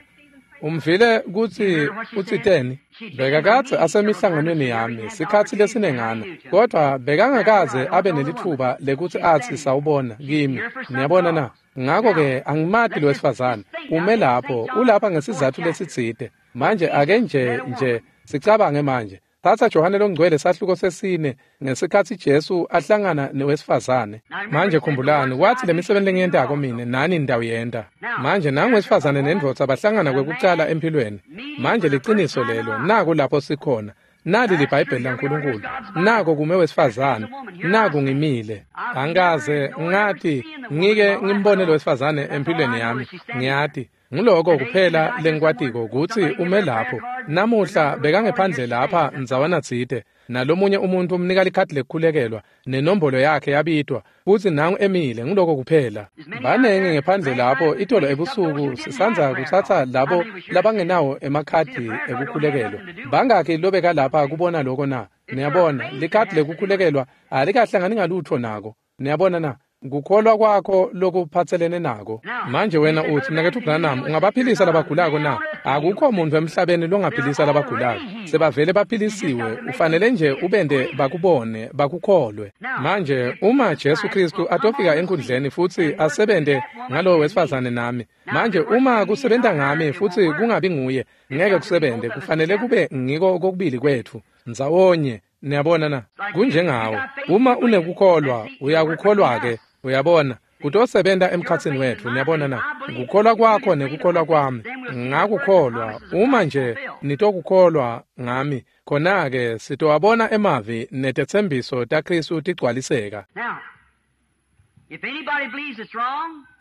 Umvile kutsi utsiteni? Bekakadze asemihlanganweni yami sikhatsi lesinengana, kodvwa bekangakaze abe nelitfuba lekutsi atsi sawubona kimi. Niyabona na? Ngako-ke angimati lo wesifazane. Ume lapho, ulapha ngesizatfu lesitsite. Manje ake nje sicabange manje. Thatha Johane loNgcwele sahluko sesine ngesikhatsi Jesu ahlangana newesifazane. Manje khumbulani, wathi lemisebenti lengiyentako mine nani nitawuyenta. Manje nangu wesifazane nendvodza bahlangana kwekucala empilweni. Manje liciniso lelo, naku lapho sikhona. Nali liBhayibheli laNkulunkulu. Nako kume wesifazane, naku ngimile. Angikaze ngati ngike ngimbone lo wesifazane empilweni yami. Ngiyati. Nguloko kuphela lengikwatiko kutsi ume lapho. Namuhla bekangephandle lapha ndzawana tsite, nalomunye umuntu umnika likhadi lekukhulekelwa, nenombolo yakhe yabitwa, futsi nangu emile. Nguloko kuphela. Banengi ngephandle lapho itolo ebusuku sisandza kutsatsa labo labangenawo emakhadi ekukhulekelwa. Bangakhi lobeka lapha kubona loko na? Niyabona, likhadi lekukhulekelwa alikahlangani ngalutho nako. Niyabona na? Kukholwa kwakho lokuphatselene nako. Manje wena utsi, Mnaketfu Branham, ungabaphilisa labagulako na? Akukho muntfu emhlabeni longaphilisa labagulako. Sebavele baphilisiwe, ufanele nje ubente bakubone, bakukholwe. Manje uma Jesu Kristu atofika enkundleni futsi asebente ngalowo wesifazane nami, manje uma kusebenta ngami futsi kungabi nguye, ngeke kusebente. Kufanele kube ngiko kokubili kwetfu ndzawonye. Niyabona na? Kunjengawo. Uma unekukholwa, uyakukholwa-ke. Uyabona, kutosebenta emkhatsini wetfu. Niyabona na? Kukholwa kwakho nekukholwa kwami. Ngakukholwa. Uma nje nitokukholwa ngami, khona-ke sitowabona emavi netetsembiso taKhristu tigcwaliseka.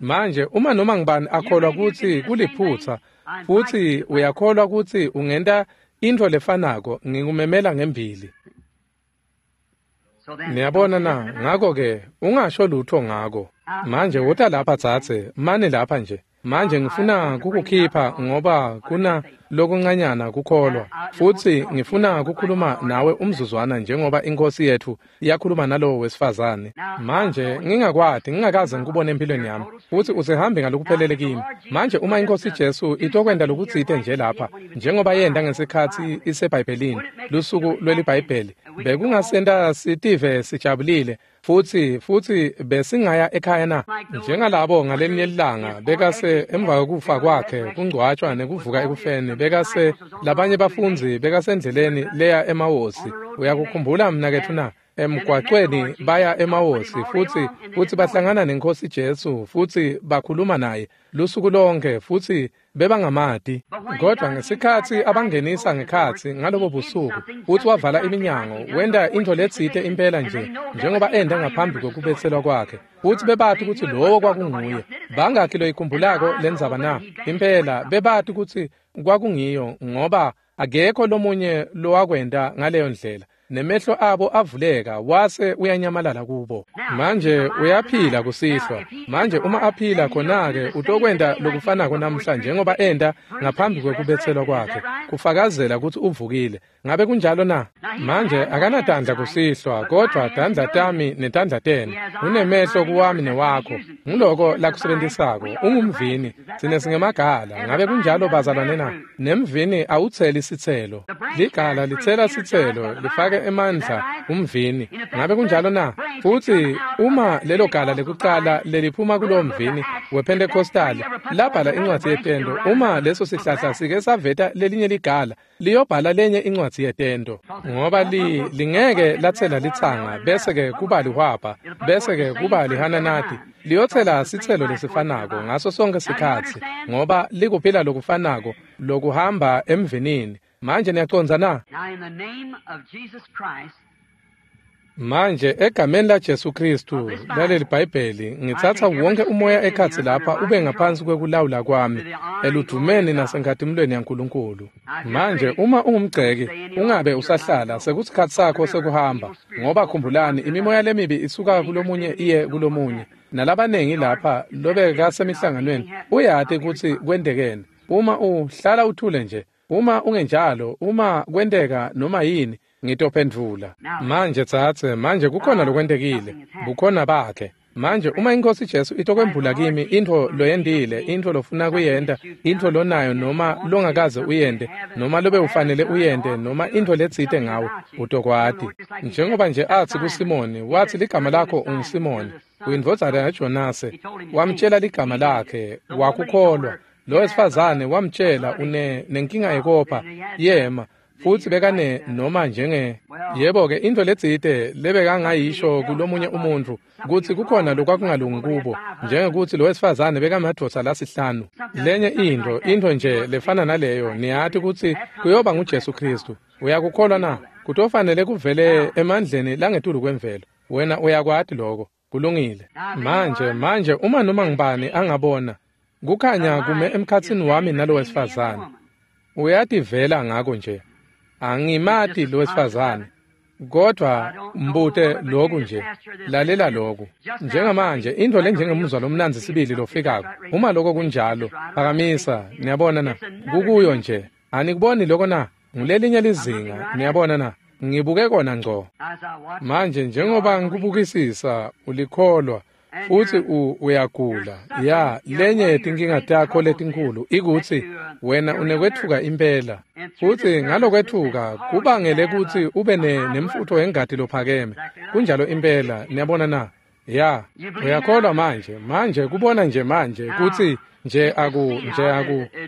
Manje uma noma ngibani akholwa kutsi kuliphutsa, futsi uyakholwa kutsi ungenta intfo lefanako, ngikumemela ngembili. Niyabona na? Ngako-ke ungasho lutho ngako. Manje wota lapha dzadze, mani lapha nje. Manje ngifuna kukukhipha ngoba kuna lokuncanyana kukholwa, futsi ngifuna kukhuluma nawe umzuzwana njengoba iNkhosi yetfu yakhuluma nalowo wesifazane. Manje ngingakwati, ngingakaze ngikubone empilweni yami, futsi usehambe ngalokuphelele kimi. Manje uma iNkhosi Jesu itokwenta lokutsite nje lapha, njengoba yenta ngesikhatsi iseBhayibhelini, lusuku lweliBhayibheli, bekungasenta sitive sijabulile, futsi besingaya ekhaya na? Njengalabo ngalelinye ilanga bekase emva kokufa kwakhe, kungcwatshwa nekuvuka ekufeni, bekase labanye bafundzi bekasendleleni leya eMawosi. Uyakukhumbula mnaketfu na? Emgwacweni baya eMawosi, futsi bahlangana neNkhosi Jesu, futsi bakhuluma naye lusuku lonke, futsi bebangamati. Kodwa ngesikhatsi abangenisa ngekhatsi ngalobo busuku, futsi wavala iminyango, wenta intfo letsite impela nje njengoba enta ngaphambi kokubetselwa kwakhe, futsi bebati kutsi lowo kwakunguye. Bangakhi loyikhumbulako lendzaba na? Impela bebati kutsi kwakungiyo, ngoba akekho lomunye lowakwenta ngaleyo ndlela. Nemehlo abo avuleka, wase uyanyamalala kubo. Manje uyaphila kusihlwa. Manje uma aphila, khona-ke utokwenta lokufanako namhla njengoba enta ngaphambi kwekubetselwa kwakhe, kufakazela kutsi uvukile. Ngabe kunjalo na? Manje akanatandla kusihlwa, kodvwa tandla tami netandla tenu. Unemehlo kuwami newakho. Nguloko lakusebentisako. Ungumvini, tsine singemagala. Ngabe kunjalo bazalwane na? Nemvini awutseli sitselo. Ligala litsela sitselo, lifake emandla umvini. Ngabe kunjalo na? Futsi uma lelo gala lekucala leliphuma kulowo mvini wePentecostal labhala incwadzi yetento, uma leso sihlahla sike saveta lelinye ligala, liyobhala lenye incwadzi yetento, ngoba lingeke latsela litsanga bese-ke kuba lihwabha, bese-ke kuba lihananati. Liyotsela sitselo lesifanako ngaso sonke sikhatsi, ngoba likuphila lokufanako lokuhamba emvinini. Manje niyacondza na? Manje egameni laJesu Kristu laleli Bhayibheli, ngitsatsa wonke umoya ekhatsi lapha ube ngaphansi kwekulawula kwami, eludvumeni nasenkhatimulweni yaNkulunkulu. Manje uma ungumgceki, ungabe usahlala, sekusikhatsi sakho sekuhamba, ngoba khumbulani, imimoya lemibi isuka kulomunye iye kulomunye. Nalabanengi lapha lobekasemihlanganweni uyati kutsi kwentekeni. Uma uhlala uthule nje, uma ungenjalo, uma kwenteka noma yini, ngitophendvula. Manje tsatse, manje kukhona lokwentekile, bukhona bakhe. Manje uma iNkhosi Jesu itokwembula kimi intfo loyentile, intfo lofuna kuyenta, intfo lonayo noma longakaze uyente, noma lobe ufanele uyente, noma intfo letsite ngawe, utokwati. Njengoba nje atsi kuSimoni, watsi ligama lakho unguSimoni, uyindvodzana yaJonase. Wamtjela ligama lakhe, wakukholwa. Lo wesifazane wamtjela une nenkinga yekopha, yema. Futsi bekane noma njenge yebo-ke intfo letsite lebekangayisho kulomunye umuntfu kutsi kukhona lokwakungalungi kubo, njengekutsi lo wesifazane bekamadvodza lasihlanu. Lenye intfo nje lefana naleyo, niyati kutsi kuyoba nguJesu Kristu. Uyakukholwa na? Kutofanele kuvele emandleni langetulu kwemvelo. Wena uyakwati loko. Kulungile. Manje uma noma ngibani angabona. Kukhanya kume emkhatsini wami nalowesifazane. Uyativela ngako nje. Angimati lowesifazane. Kodwa mbute loku nje, lalela loku. Njengamanje intfo lenjengemuzwa lomnandzi sibili lofikako. Uma lokho kunjalo, phakamisa, niyabona na? Kukuyo nje. Anikuboni lokho na? Ngulelinye lizinga, niyabona na? Ngibuke kona ngco. Manje njengoba ngikubukisisa, ulikholwa futhi uyagula. Ya, lenye yetinkinga takho letinkhulu ikutsi wena unekwetfuka impela. Futhi ngalokwetfuka kubangele kutsi ube nemfutfo wengati lophakeme. Kunjalo impela, niyabona na? Ya, uyakholwa manje. Manje kubona nje manje kutsi nje aku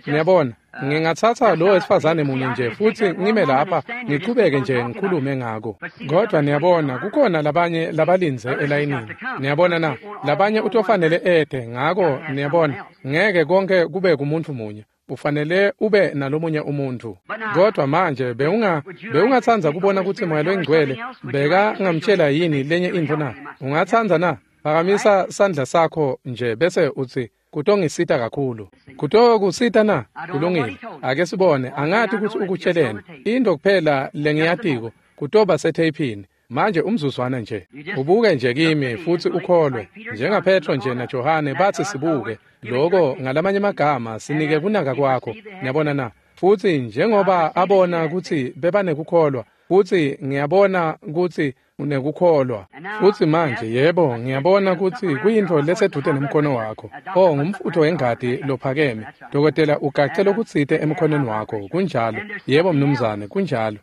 niyabona. Ngingatsatsa lo wesifazane munye nje futhi ngime lapha ngichubeke nje ngikhulume ngako. Kodwa niyabona kukhona labanye labalindze elayinini. Niyabona na? Labanye utofanele ede ngako niyabona ngeke konke kube kumuntu munye. Ufanele ube nalomunye umuntu. Kodwa manje bewungatsandza kubona kutsi Moya loyiNgcwele beka ngamtshela yini lenye intfo na? Ungatsandza na? Phakamisa sandla sakho nje bese utsi kutongisita kakhulu. Kutokusita na? Kulungile. Ake sibone. Angati kutsi ukutsheleni. Into kuphela lengiyatiko kutoba setheyphini. Manje umzuzwana nje. Ubuke nje kimi futhi ukholwe. NjengaPetro nje naJohane bathi sibuke. Lokho ngalamanye amagama sinike kunaka kwakho. Niyabona na? Futhi njengoba abona kutsi bebanekukholwa, futhi ngiyabona kutsi unekukholwa. Futhi manje yebo ngiyabona kutsi kuyintfo lesedvute nemkhono wakho. Oh, ngumfutho wengati lophakeme. Dokotela ugace lokutsite emkhonweni wakho. Kunjalo. Yebo mnumzane, kunjalo.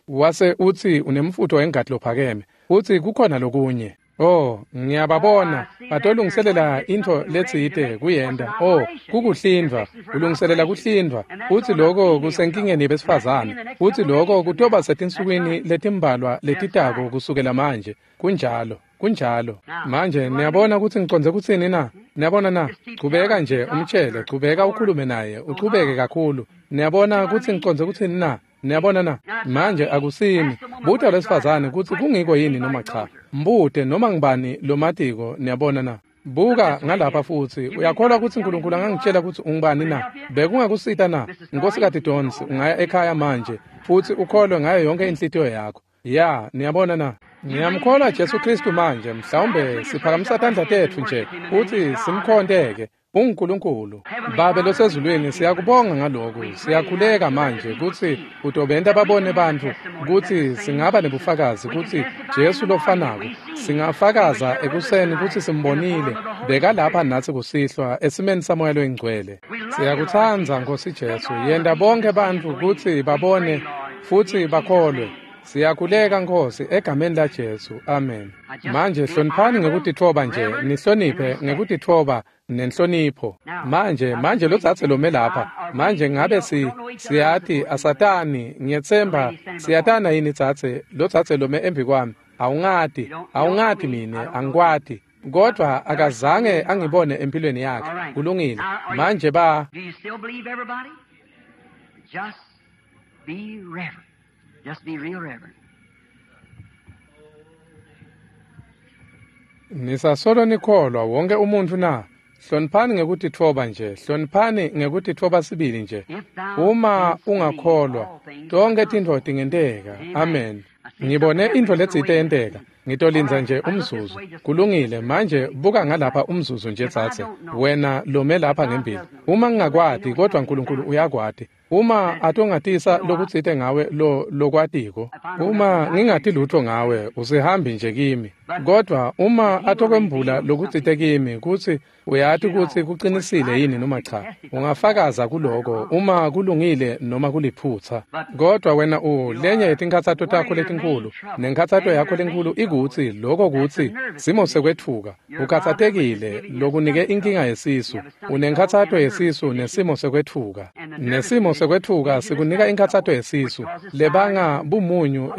Wase utsi unemfutho wengati lophakeme. Futsi kukhona lokunye. Oh, ngiyababona batolungiselela intfo letsite kuyenta. Oh, kukuhlindvwa, ulungiselela kuhlindvwa. Futsi lokho kusenkingeni besifazane. Futsi lokho kutoba setinsukwini letimbalwa letitako kusukela manje. Kunjalo, kunjalo. Manje niyabona kutsi ngicondze kutsini na? Niyabona na? Chubeka nje umtshele, chubeka ukhulume naye, uchubeke kakhulu. Niyabona kutsi ngicondze kutsini na? Niyabona na? Manje akusimi. Buta lwesifazane kutsi kungiko yini noma cha. Mbute noma ngibani lomatiko, niyabona na? Buka ngalapha futsi uyakholwa kutsi uNkulunkulu angangitshela kutsi ungubani na? Bekungakusita na? Nkosikati Donsi, ungaya ekhaya manje futsi ukholwe ngayo yonke inhlitiyo yakho. Ya, niyabona na? Ngiyamkholwa Jesu Kristu manje, mhlawumbe siphakamisa tandla tetfu nje futsi simkhonteke. UNkulunkulu Babe losezulwini, siyakubonga ngaloku. Siyakhuleka manje kutsi utobenta babone bantfu kutsi singaba nebufakazi kutsi Jesu lofanako singafakaza ekuseni kutsi simbonile bekalapha natsi kusihlwa esimeni saMoya loyiNgcwele. Siyakutsandza Nkosi Jesu, yenta bonke bantfu kutsi babone futsi bakholwe. Siyakhuleka Nkosi egameni la Jesu. Amen. Manje hloniphani ngekutitfoba nje, nihloniphe ngekutitfoba nenhlonipho. Manje lotsatse lome lapha. Manje ngabe siyati asatani, ngiyetsemba siyatana yini tsatse, lotsatse lome embi kwami. Awungati mine, angikwati. Kodwa akazange angibone empilweni yakhe. Kulungile. Manje ba Do you still believe, everybody? Just be reverent. Just be real reverent. Nisasolo nikholwa wonke umuntu na? Hloniphani ngekutitfoba nje, hloniphani ngekutitfoba sibili nje. Uma ungakholwa, tonke tintfo tingenteka. Amen. Ngibone intfo letsite yenteka. Ngitolindza nje umzuzu. Kulungile, manje buka ngalapha umzuzu nje tsatse. Wena lome lapha ngembili. Uma ngingakwati kodwa uNkulunkulu uyakwati. Uma atongatisa lokutsite ngawe lo lokwatiko. Uma ngingati lutho ngawe, usihambi nje kimi. Kodwa uma atokwembula lokutsite kimi kutsi uyati kutsi kuqinisile yini noma cha, ungafakaza kuloko uma kulungile noma kuliphutsa. Kodwa wena lenye yetinkhatsato takho letinkulu, nenkhatsato yakho lenkulu ikutsi lokho kutsi simo sekwetfuka. Ukhatsatekile lokunike inkinga yesisu. Unenkhatsato yesisu nesimo sekwetfuka. Nesimo sekwetfuka sikunika inkhatsato yesisu lebanga bumunyu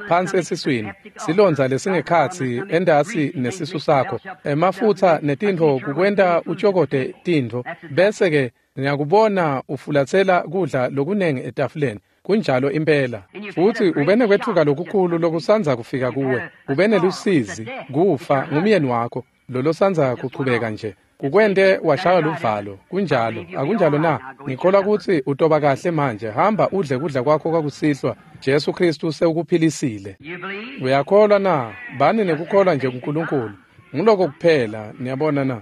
phansi esiswini, silondza lesingekhatsi endasi nesisu sakho, emafutsa netintfo kukwenta utshokote tintfo, bese ke ngiyakubona ufulatsela kudla lokunengi etafuleni. Kunjalo impela. Futhi ubenekwetfuka lokukhulu lokusandza kufika kuwe. Ubenelusizi, kufa ngumyeni wakho. lolosandza kuchubeka nje. Kukwente washaya luvalo. Kunjalo, akunjalo na? Ngikholwa kutsi utoba kahle manje. Hamba udle kudla kwakho kwakusihlwa. Jesu Kristu sewukuphilisile. Uyakholwa na? Bani nekukholwa nje kuNkulunkulu. Nguloko kuphela, niyabona na?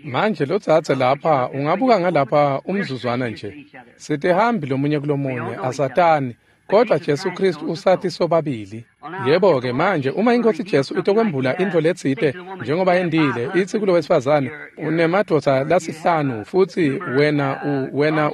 Manje lotsatse lapha, ungabuka ngalapha umzuzwana nje. Sitihambi lomunye kulomunye, asatani. Kodwa Jesu Kristu usathi sobabili. Yebo-ke manje uma iNkosi Jesu itokwembula intfo letsite njengoba yentile, itsi kulo wesifazane, unemadvodza lasihlanu futsi wena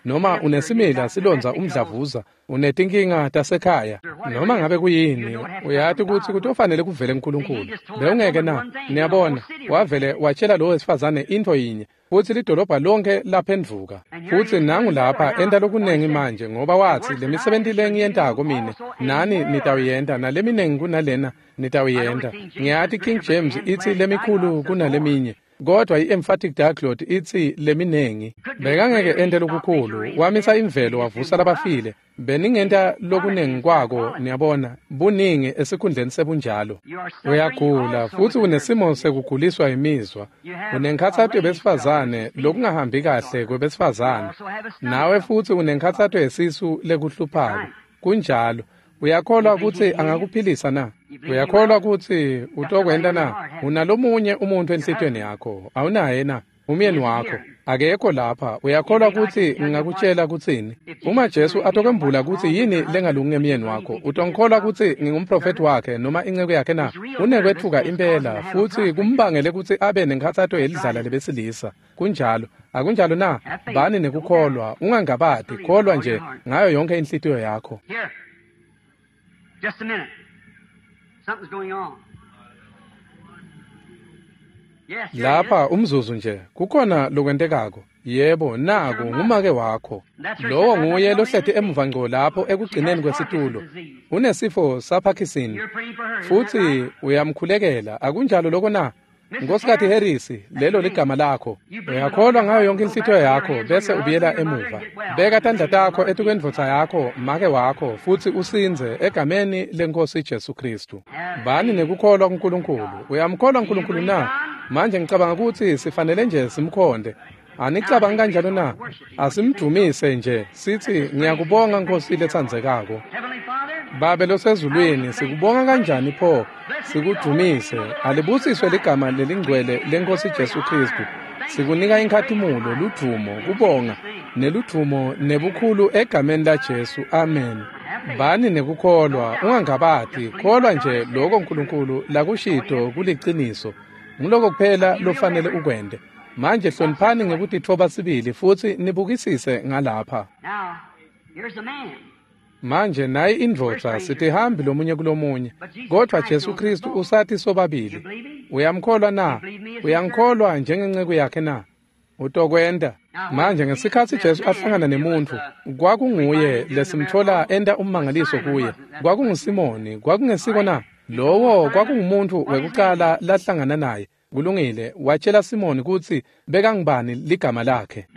noma unesimila silondza umdlavuza, unetinkinga tasekhaya, noma ngabe kuyini, uyati kutsi kutofanele kuvele uNkulunkulu. Bewungeke na? Niyabona, wavele watshela lo wesifazane intfo yinye, futsi lidolobha lonke laphendvuka. Futsi nangu lapha enta lokunengi manje, ngoba watsi lemisebenti lengiyentako mine nani nitawuyenta, naleminengi kunalena nitawuyenta. Ngiyati King James itsi lemikhulu kunaleminye, kodwa i-emphatic diglot itsi leminengi. Bekangeke ente lokukhulu, wamisa imvelo wavusa labafile. Beningenta lokunengi kwako, niyabona, buningi esikhundleni sebunjalo. Uyagula futsi unesimo sekuguliswa imizwa. Unenkhatsato yebesifazane lokungahambi kahle kwebesifazane. Nawe futsi unenkhatsato yesisu lekuhluphako. Kunjalo. Uyakholwa kutsi angakuphilisa na? Uyakholwa kutsi utokwenta na? Unalomunye umuntu enhlitiyweni yakho, awunaye na? Umyeni wakho akekho lapha. Uyakholwa kutsi ngingakutshela kutsini? Uma Jesu atokwembula kutsi yini lengalungi ngemyeni wakho, utongikholwa kutsi ngingumprofethi wakhe noma inceku yakhe na? Unekwetfuka impela futsi kumbangele kutsi abe nenkhatsato yelidlala lebesilisa. Kunjalo, akunjalo na? Bani nekukholwa, ungangabati, kholwa nje ngayo yonke inhlitiyo yakho. Just a minute. Something's going on. Yes, lapha umzuzu nje kukhona lokwentekako. Yebo, naku ngumake wakho. Lowo nguye lohleti emuva ngco lapho ekugcineni kwesitulo. Unesifo saParkinson futsi uyamkhulekela. Akunjalo lokho na? Nkosikazi Harris, lelo ligama lakho. Uyakholwa ngayo yonke inhlitiyo yakho bese ubuyela emuva. Beka tandla takho etukwendvodza yakho, make wakho, futsi usindze egameni leNkosi Jesu Kristu. Bani nekukholwa kuNkulunkulu. Uyamkholwa uNkulunkulu na? Manje ngicabanga kutsi sifanele nje simkhonde. Anicabangi kanjalo na? Asimdumise nje sithi ngiyakubonga Nkosi letsandzekako. Babe losezulwini, sikubonga kanjani pho, sikudumise. Alibusiswe ligama lelingcwele leNkosi Jesu Kristu. Sikunika inkhatimulo, ludvumo, kubonga neludvumo nebukhulu egameni laJesu. Amen. Bani nekukholwa, ungangabati, kholwa nje lokho uNkulunkulu lakushito kuliciniso. Nguloko kuphela lofanele ukwente. Manje hloniphani ngekutitfoba sibili futsi nibukisise ngalapha. Manje nayi indvodza, sitihambi lomunye kulomunye, kodwa Jesu Kristu usathi sobabili. Uyamkholwa na? Uyangikholwa njengenceku yakhe na? Utokwenta. Manje ngesikhatsi Jesu ahlangana nemuntfu, kwakunguye lesimthola enta ummangaliso kuye. KwakunguSimoni, kwakungesiko na? Lowo kwakungumuntfu wekucala lahlangana naye. Kulungile, watshela Simoni kutsi bekangubani ligama lakhe.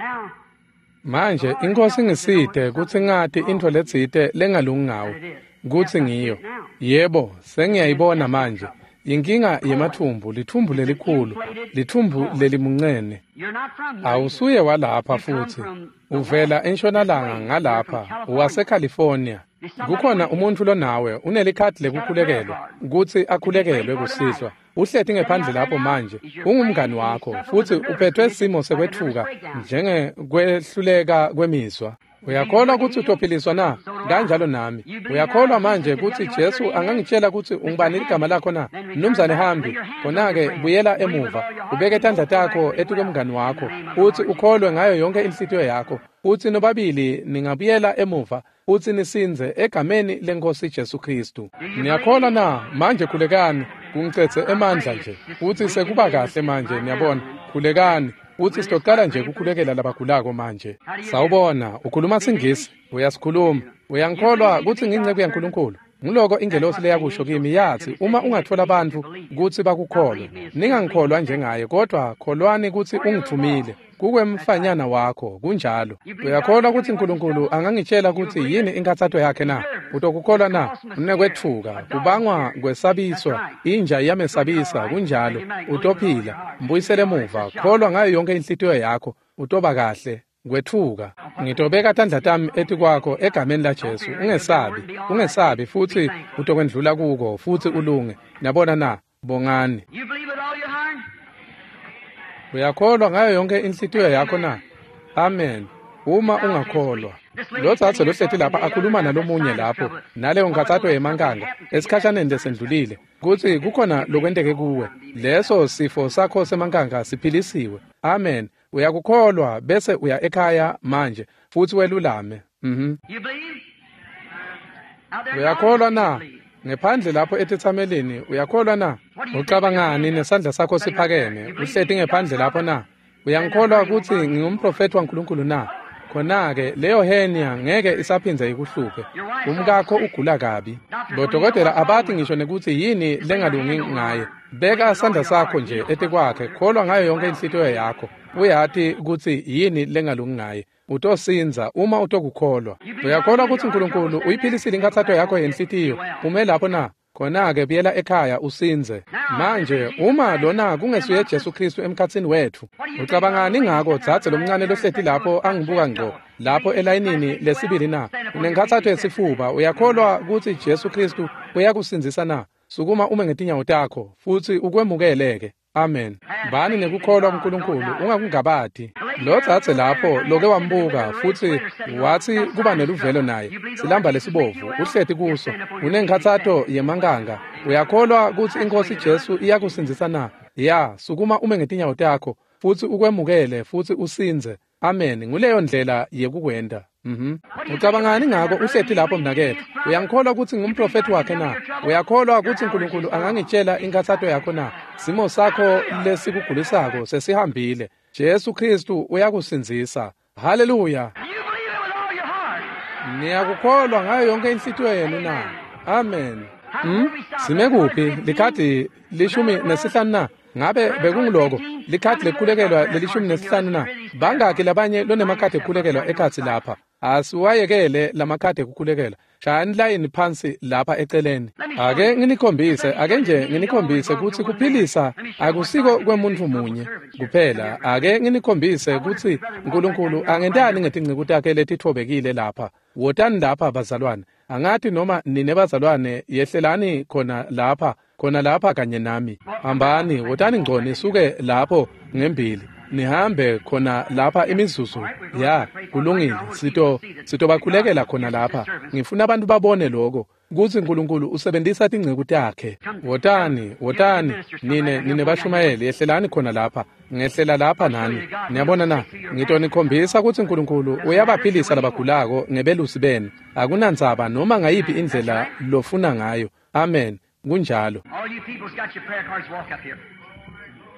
Manje iNkosi ngisite kutsi ngati intfo letsite lengalungi ngawe, kutsi ngiyo. Yebo, sengiyayibona manje. Inkinga yemathumbu, lithumbu lelikhulu, lithumbu lelimuncene. Awusuye walapha futhi. Uvela entshonalanga ngalapha, waseCalifornia. Kukhona umuntfu lonawe unelikhadi lekukhulekelwa, kutsi akhulekelwe kusihlwa. Uhleti ngephandle lapho manje, ungumngani wakho, futsi uphethwe simo sekwetfuka njengekwehluleka kwemizwa. Uyakholwa kutsi utophiliswa na? Kanjalo nami. Uyakholwa manje kutsi Jesu angangitshela kutsi ungubani ligama lakho na? Mnumzane Hambi, khona-ke buyela emuva, ubeke tandla takho etukwemngani wakho, futsi ukholwe ngayo yonke inhlitiyo yakho, futsi nobabili ningabuyela emuva, futsi nisindze egameni leNkosi Jesu Kristu. Niyakholwa na? Manje khulekani, kungicedze emandla nje, futsi sekuba kahle manje, niyabona. Khulekani. Futsi sitoqala nje kukhulekela labagulako manje. Sawubona, ukhuluma siNgisi, uyasikhuluma. Uyangikholwa kutsi ngiyinceku yaNkulunkulu? Nguloko ingelosi leyakusho kimi, yathi uma ungathola bantfu kutsi bakukholwe, ningangikholwa njengaye, kodwa kholwani kutsi ungithumile kukwemfanyana wakho. Kunjalo. Uyakholwa kutsi Nkulunkulu angangitshela kutsi yini inkathato yakhe na? Utokukholwa na? Unekwetfuka, kubangwa kwesabiswa, inja iyamesabisa. Kunjalo. Utophila. Mbuyisele emuva. Kholwa ngayo yonke inhlitiyo yakho, utoba kahle. Kwetfuka. Ngitobeka tandla tami etikwakho egameni laJesu. Ungesabi, ungesabi, futsi utokwendlula kuko futsi ulunge. Niyabona na? Bongani. You believe with all your heart? Uyakholwa ngayo yonke inhlitiyo yakho na? Amen. Uma ungakholwa. Lo dzadze lohleti lapha akhuluma nalomunye lapho, naleyo nkhatsato yemankanga esikhashaneni lesendlulile, kutsi kukhona lokwenteke kuwe. Leso sifo sakho semankanga siphilisiwe. Amen. Uyakukholwa bese uya ekhaya manje futsi welulame. You believe? Out there in the Uyakholwa audience, na? you believe. Ngephandle lapho etetsamelini uyakholwa na? Ucabangani nesandla sakho siphakeme, uhleti ngephandle lapho na? Uyangikholwa kutsi ngingumprofethi waNkulunkulu na? Khona-ke leyo hernia ngeke isaphindze ikuhluphe. Umkakho ugula kabi. Bodokotela abati ngisho nekutsi yini lengalungi ngaye. Beka sandla sakho nje etikwakhe, kholwa ngayo yonke inhlitiyo yakho. Uyati kutsi yini lengalungi ngaye. Utosinza uma utokukholwa. Uyakholwa kutsi Nkulunkulu uyiphilisile inkathato yakho yenhlitiyo. Ume lapho na? Khona-ke buyela ekhaya usinze. Manje uma lona kungesuye Jesu Kristu emkhatsini wetfu, ucabangani ngako dzadze lomncane lohleti lapho angibuka ngco lapho elayinini lesibili na? Unenkhatsato yesifuba. Uyakholwa kutsi Jesu Kristu uyakusindzisa na? Sukuma ume ngetinyawo takho futsi ukwemukele-ke. Amen. Bani nekukholwa kuNkulunkulu, ungakungabati. Lo dzadze lapho loke wambuka futsi watsi kuba neluvelo naye, silamba lesibovu, uhleti kuso, unenkhatsato yemankanga. Uyakholwa kutsi iNkhosi Jesu iyakusindzisa na? Ya, sukuma ume ngetinyawo takho futsi ukwemukele futsi usindze. Amen. Nguleyo ndlela yekukwenta. Ucabangani ngako uhleti lapho mnaketfu? Uyangikholwa kutsi ngumprofethi wakhe na? Uyakholwa kutsi Nkulunkulu angangitshela inkhatsato yakho na? Simo sakho lesikugulisako sesihambile. Jesu Kristu uyakusindzisa. Haleluya. You believe it with all your heart. Niyakukholwa ngayo yonke inhlitiyo yenu na? Amen. Sime kuphi? Likhadi 15 na? Ngabe bekunguloko? Likhadi lekukhulekelwa leli-15 na? Bangaki labanye lonemakhadi ekukhulekelwa ekhatsi lapha? Asiwayekele lamakhadi ekukhulekelwa. Shayani layini phansi lapha eceleni. Ake nginikhombise, ake nje nginikhombise kutsi kuphilisa akusiko kwemuntfu munye kuphela. Ake nginikhombise kutsi Nkulunkulu angentani ngetinceku takhe letitfobekile lapha. Wotani lapha bazalwane. Angati noma nine bazalwane yehlelani khona lapha, khona lapha kanye nami. Hambani, wotani ngco nisuke lapho ngembili. Nihambe khona lapha imizuzu. Ya, kulungile. Sitobakhulekela khona lapha. Ngifuna abantu babone lokho kutsi Nkulunkulu usebentisa tinceku takhe. Wotani, wotani, nine bashumayeli, yehlelani khona lapha. Ngehlela lapha nani. Niyabona na? Ngitonikhombisa kutsi Nkulunkulu uyabaphilisa labagulako ngebelusi benu. Akunandzaba noma ngayiphi indlela lofuna ngayo. Amen. Kunjalo. All you people's got your prayer cards, walk up here.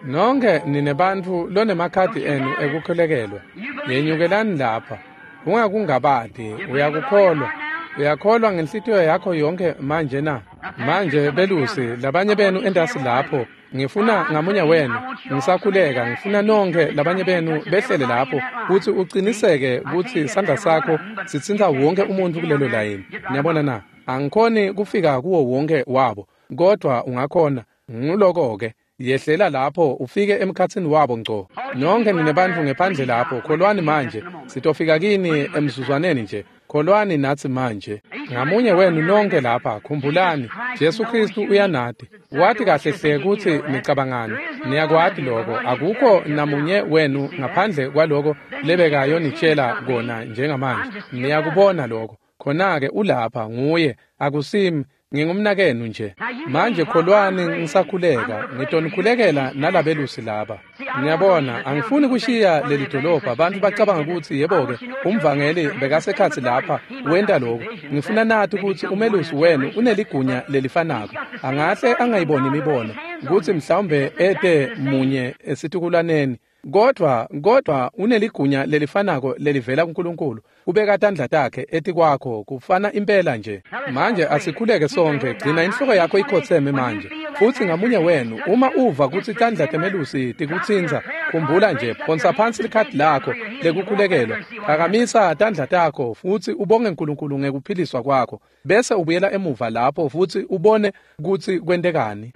Nonke nine bantfu lonemakhadi enu ekukhulekelwa, yenyukelani lapha. Ungakungabati, uyakukholwa. Uyakholwa ngenhlitiyo yakho yonke manje na? Manje belusi, labanye benu entasi lapho, ngifuna ngamunye wenu, ngisakhuleka, ngifuna nonke labanye benu behlele lapho kutsi uciniseke kutsi sandla sakho sitsintsa wonke umuntfu kulelo layini. Niyabona na? Angikhoni kufika kuwo wonke wabo, kodwa ungakhona. Nguloko-ke. Yehlela lapho ufike emkhatsini wabo ngco. Nonke nine bantfu ngephandle lapho, kholwani manje. Sitofika kini emzuzwaneni nje. Kholwani natsi manje. Ngamunye wenu nonke lapha, khumbulani, Jesu Kristu uyanati. Wati kahle hle kutsi nicabangani. Niyakwati lokho. Akukho namunye wenu ngaphandle kwaloko lebekayonitshela kona njengamanje. Niyakubona lokho. Khona-ke ulapha nguye, akusimi. Ngingumnakenu nje. Manje kholwani ngisakhuleka, ngitonikhulekela nalabelusi laba. Niyabona, angifuni kushiya leli dolobha. Abantu bacabanga kutsi yebo-ke umvangeli bekasekhatsi lapha wenta lokhu. Ngifuna nati kutsi umelusi wenu uneligunya lelifanako. Angahle angayiboni imibono, kutsi mhlawumbe ete munye esitukulwaneni. Kodwa uneligunya lelifanako lelivela kuNkulunkulu kubeka tandla takhe etikwakho kufana impela nje. Manje asikhuleke sonke. Gcina inhloko yakho ikhotseme manje. Futhi ngamunye wenu uma uva kutsi tandla temelusi tikutsintsa, khumbula nje, phonsa phansi likhadi lakho lekukhulekelwa, phakamisa tandla takho futsi ubonge uNkulunkulu ngekuphiliswa kwakho, bese ubuyela emuva lapho futsi ubone kutsi kwentekani.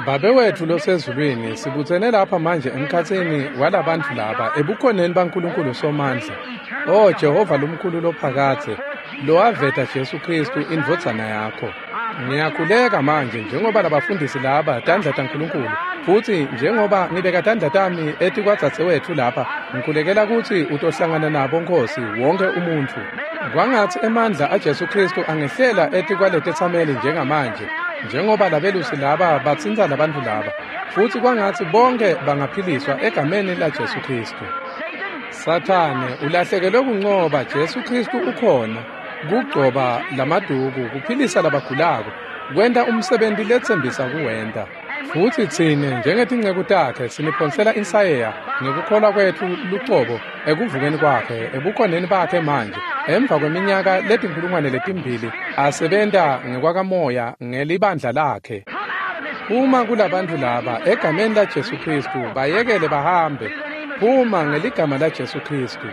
Babe wethu losezulwini, sibutsene lapha manje emkhatsini walabantfu laba ebukhoneni baNkulunkulu Somandla. O Jehova lomkhulu lophakadze, lowaveta Jesu Khristu indvodzana yakho. Ngiyakhuleka manje njengoba labafundisi laba tandla taNkulunkulu, futhi njengoba ngibeka tandla tami etikwadzadzewethu lapha, ngikhulekela kutsi utohlangana nabo Nkosi wonke umuntfu. Kwangatsi emandla aJesu Khristu angehlela etikwaletetsameli njengamanje, njengoba labelusi laba batsintsa labantfu laba, futsi kwangatsi bonke bangaphiliswa egameni laJesu Khristu. Sathane ulahlekelwe kuncoba, Jesu Khristu ukhona kugcoba lamaduku, kuphilisa labagulako, kwenta umsebenti letsembisa kuwenta. Futsi tsine njengetinceku takhe siniphonsela insayeya ngekukholwa kwetfu lucobo ekuvukeni kwakhe, ebukhoneni bakhe manje, emva kweminyaka 2000 asebenta ngekwakamoya ngelibandla lakhe. Phuma kulabantfu laba egameni laJesu Khristu, bayekele bahambe. Phuma ngeligama laJesu Khristu.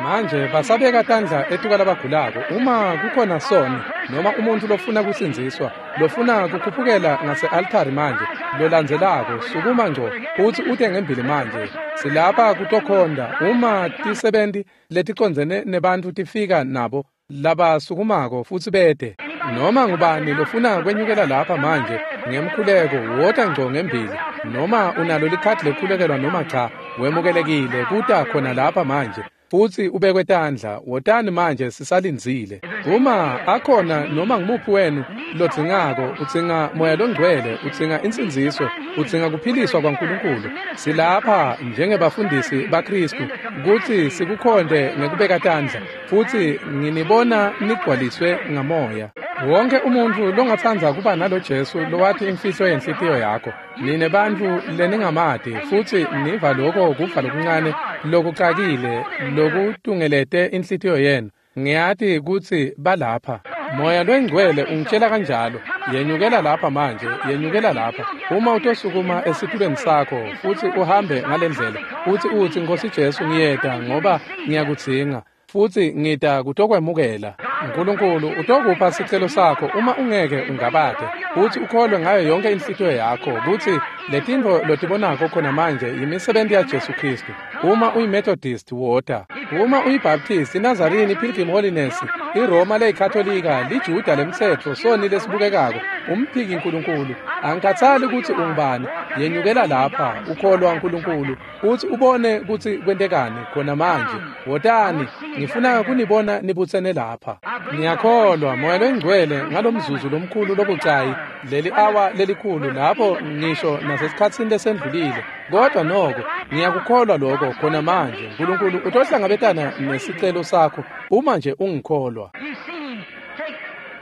Manje basabeka tandla etikwalabagulako. Uma kukhona soni noma umuntfu lofuna kusindziswa, lofuna kukhuphukela ngase-altari manje, lolandzelako, sukuma ngco futsi ute ngembili manje. Silapha kutokhonda. Uma tisebenti leticondzene nebantfu tifika nabo labasukumako futsi bete, noma ngubani lofuna kwenyukela lapha manje ngemkhuleko, wota ngco ngembili. Noma unalo likhadi lekukhulekelwa noma cha, wemukelekile kuta khona lapha manje futsi ubekwe tandla. Wotani manje, sisalindzile. Uma akhona noma ngumuphi wenu lodzingako, udzinga Moya Longcwele, udzinga insindziso, udzinga kuphiliswa kwaNkulunkulu, silapha njengebafundisi baKhristu kutsi sikukhonde ngekubeka tandla, futsi nginibona nigcwaliswe ngamoya. Wonke umuntfu longatsandza kuba nalo Jesu lowati imfihlo yenhlitiyo yakho, nine bantfu leningamati futsi niva loko kufa lokuncane lokucakile lokutungelete inhlitiyo yenu, ngiyati kutsi balapha. Moya Longcwele ungitshela kanjalo. Yenyukela lapha manje, yenyukela lapha. Uma utosukuma esitulweni sakho futsi uhambe ngalendlela, futsi utsi, Nkosi Jesu, ngiyeta ngoba ngiyakudzinga, futsi ngita kutokwemukela. uNkulunkulu utokupha sicelo sakho uma ungeke ungabate, futsi ukholwe ngayo yonke inhlitiyo yakho kutsi letintfo lotibonako khona manje yimisebenti yaJesu Khristu. Uma uyiMethodist, wota. Uma uyiBaptist, iNazarene, iPilgrim Holiness, iRoma leyiKatolika, liJuda lemtsetfo, soni lesibukekako, umphiki uNkulunkulu, angikhathali kutsi ungubani, yenyukela lapha, ukholwa uNkulunkulu, futsi ubone kutsi kwentekani khona manje. Wotani, ngifuna kunibona nibutsene lapha. Ngiyakholwa Moya Longcwele ngalomzuzu lomkhulu lobucayi, leli awa lelikhulu lapho ngisho nasesikhatsini lesendlulile, kodwa noko ngiyakukholwa lokho khona manje. uNkulunkulu utohlangabetana nesicelo sakho uma nje ungikholwa.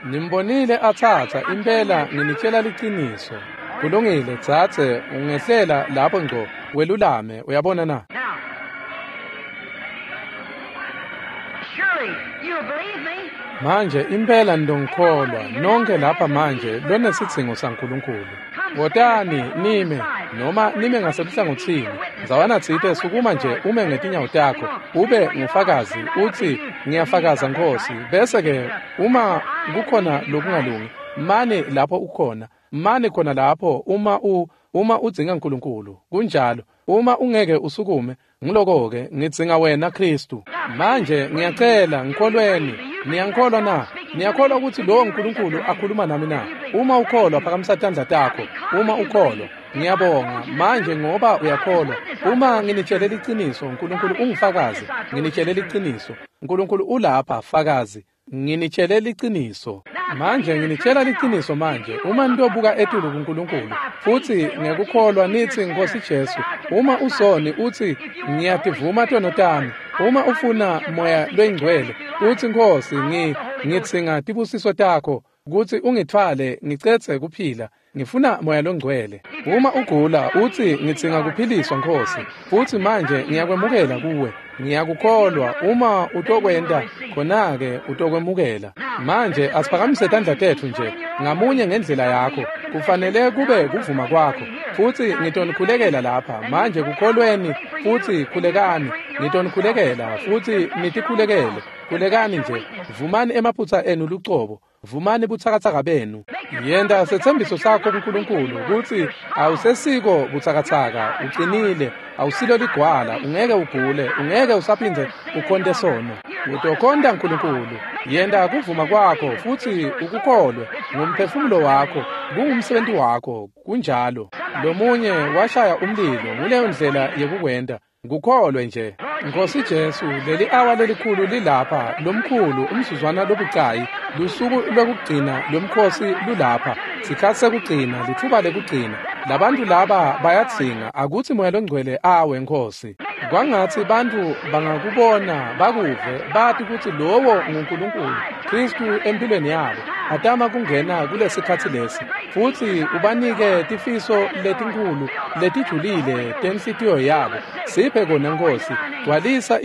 Nimbonile atsatsa, impela nginitshela liciniso. Kulungile dzadze, ungehlela lapho ngco welulame, uyabona na? Manje impela nitongikholwa nonke lapha manje lonesidzingo saNkulunkulu. Wotani nime, noma nime ngaseluhlangotsini. Ndzawana tsite sukuma nje ume ngetinyawo takho, ube ngufakazi, utsi ngiyafakaza Nkosi. Bese ke uma kukhona lokungalungi, mane lapho ukhona, mane khona lapho uma udzinga uNkulunkulu. Kunjalo. Uma ungeke usukume, ngiloko-ke ngidzinga wena Khristu. Manje ngiyacela ngikholweni. Niyangikholwa na? Niyakholwa ukuthi lowo uNkulunkulu akhuluma nami na? Uma ukholwa, phakamisa tandla takho. Uma ukholwa, ngiyabonga manje ngoba uyakholwa. Uma nginitshele liciniso, uNkulunkulu ungifakazi. Nginitshele liciniso. uNkulunkulu ulapha, fakazi. Nginitshele liciniso. Manje nginitshela liciniso manje. Uma nitobuka etulu kuNkulunkulu futsi ngekukholwa nithi Nkosi Jesu, uma usoni uthi ngiyativuma tono tami, uma ufuna Moya Loyingcwele uthi Nkosi ngidzinga tibusiso takho kutsi ungithwale ngicedze kuphila. Ngifuna Moya loNgcwele. Uma ugula utsi ngidzinga kuphiliswa Nkhosi, futsi manje ngiyakwemukela kuwe. Ngiyakukholwa uma utokwenta khona-ke utokwemukela. Manje asiphakamise tandla tetfu nje ngamunye ngendlela yakho. Kufanele kube kuvuma kwakho. Futsi ngitonikhulekela lapha. Manje kukholweni futsi khulekani. Ngitonikhulekela futsi nitikhulekele. Khulekani nje. Vumani emaphutsa enu lucobo. Vumani butsakatsaka benu. Yenta setsembiso sakho kuNkulunkulu kutsi awusesiko butsakatsaka, ucinile, awusilo ligwala, ungeke ugule, ungeke usaphindze ukhonte sono. Utokhonta Nkulunkulu. Yenta kuvuma kwakho futsi ukukholwe ngumphefumulo wakho, kungumsebenti wakho, kunjalo. Lomunye washaya umlilo, nguleyo ndlela yekukwenta. Kukholwe nje. Nkosi Jesu, leli awa lelikhulu lilapha, lomkhulu umzuzwana lobucayi, lusuku lwekugcina lomkhosi lulapha, sikhatsi sekugcina, litfuba lekugcina. Labantu laba bayadzinga akutsi Moya loNgcwele awe Nkhosi. Kwangatsi bantfu bangakubona bakuve bati kutsi lowo nguNkulunkulu Khristu empilweni yabo atama kungena kulesikhatsi lesi futsi ubanike tifiso letinkhulu letijulile tenhlitiyo yabo. Siphe kona Nkhosi, gcwalisa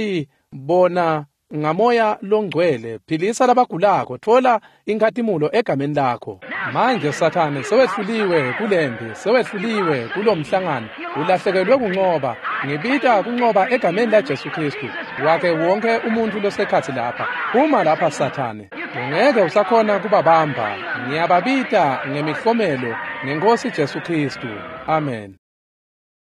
bona ngamoya longcwele, philisa labagulako, tfola inkhatimulo egameni lakho. Manje Sathane sewehluliwe kulempi, sewehluliwe kulomhlangano, ulahlekelwe kuncoba. Ngibita kuncoba egameni la Jesu Khristu wakhe wonke umuntfu losekhatsi lapha. Phuma lapha Sathane, ungeke usakhona kubabamba. Ngiyababita ngemihlomelo ngeNkhosi Jesu Khristu. Amen.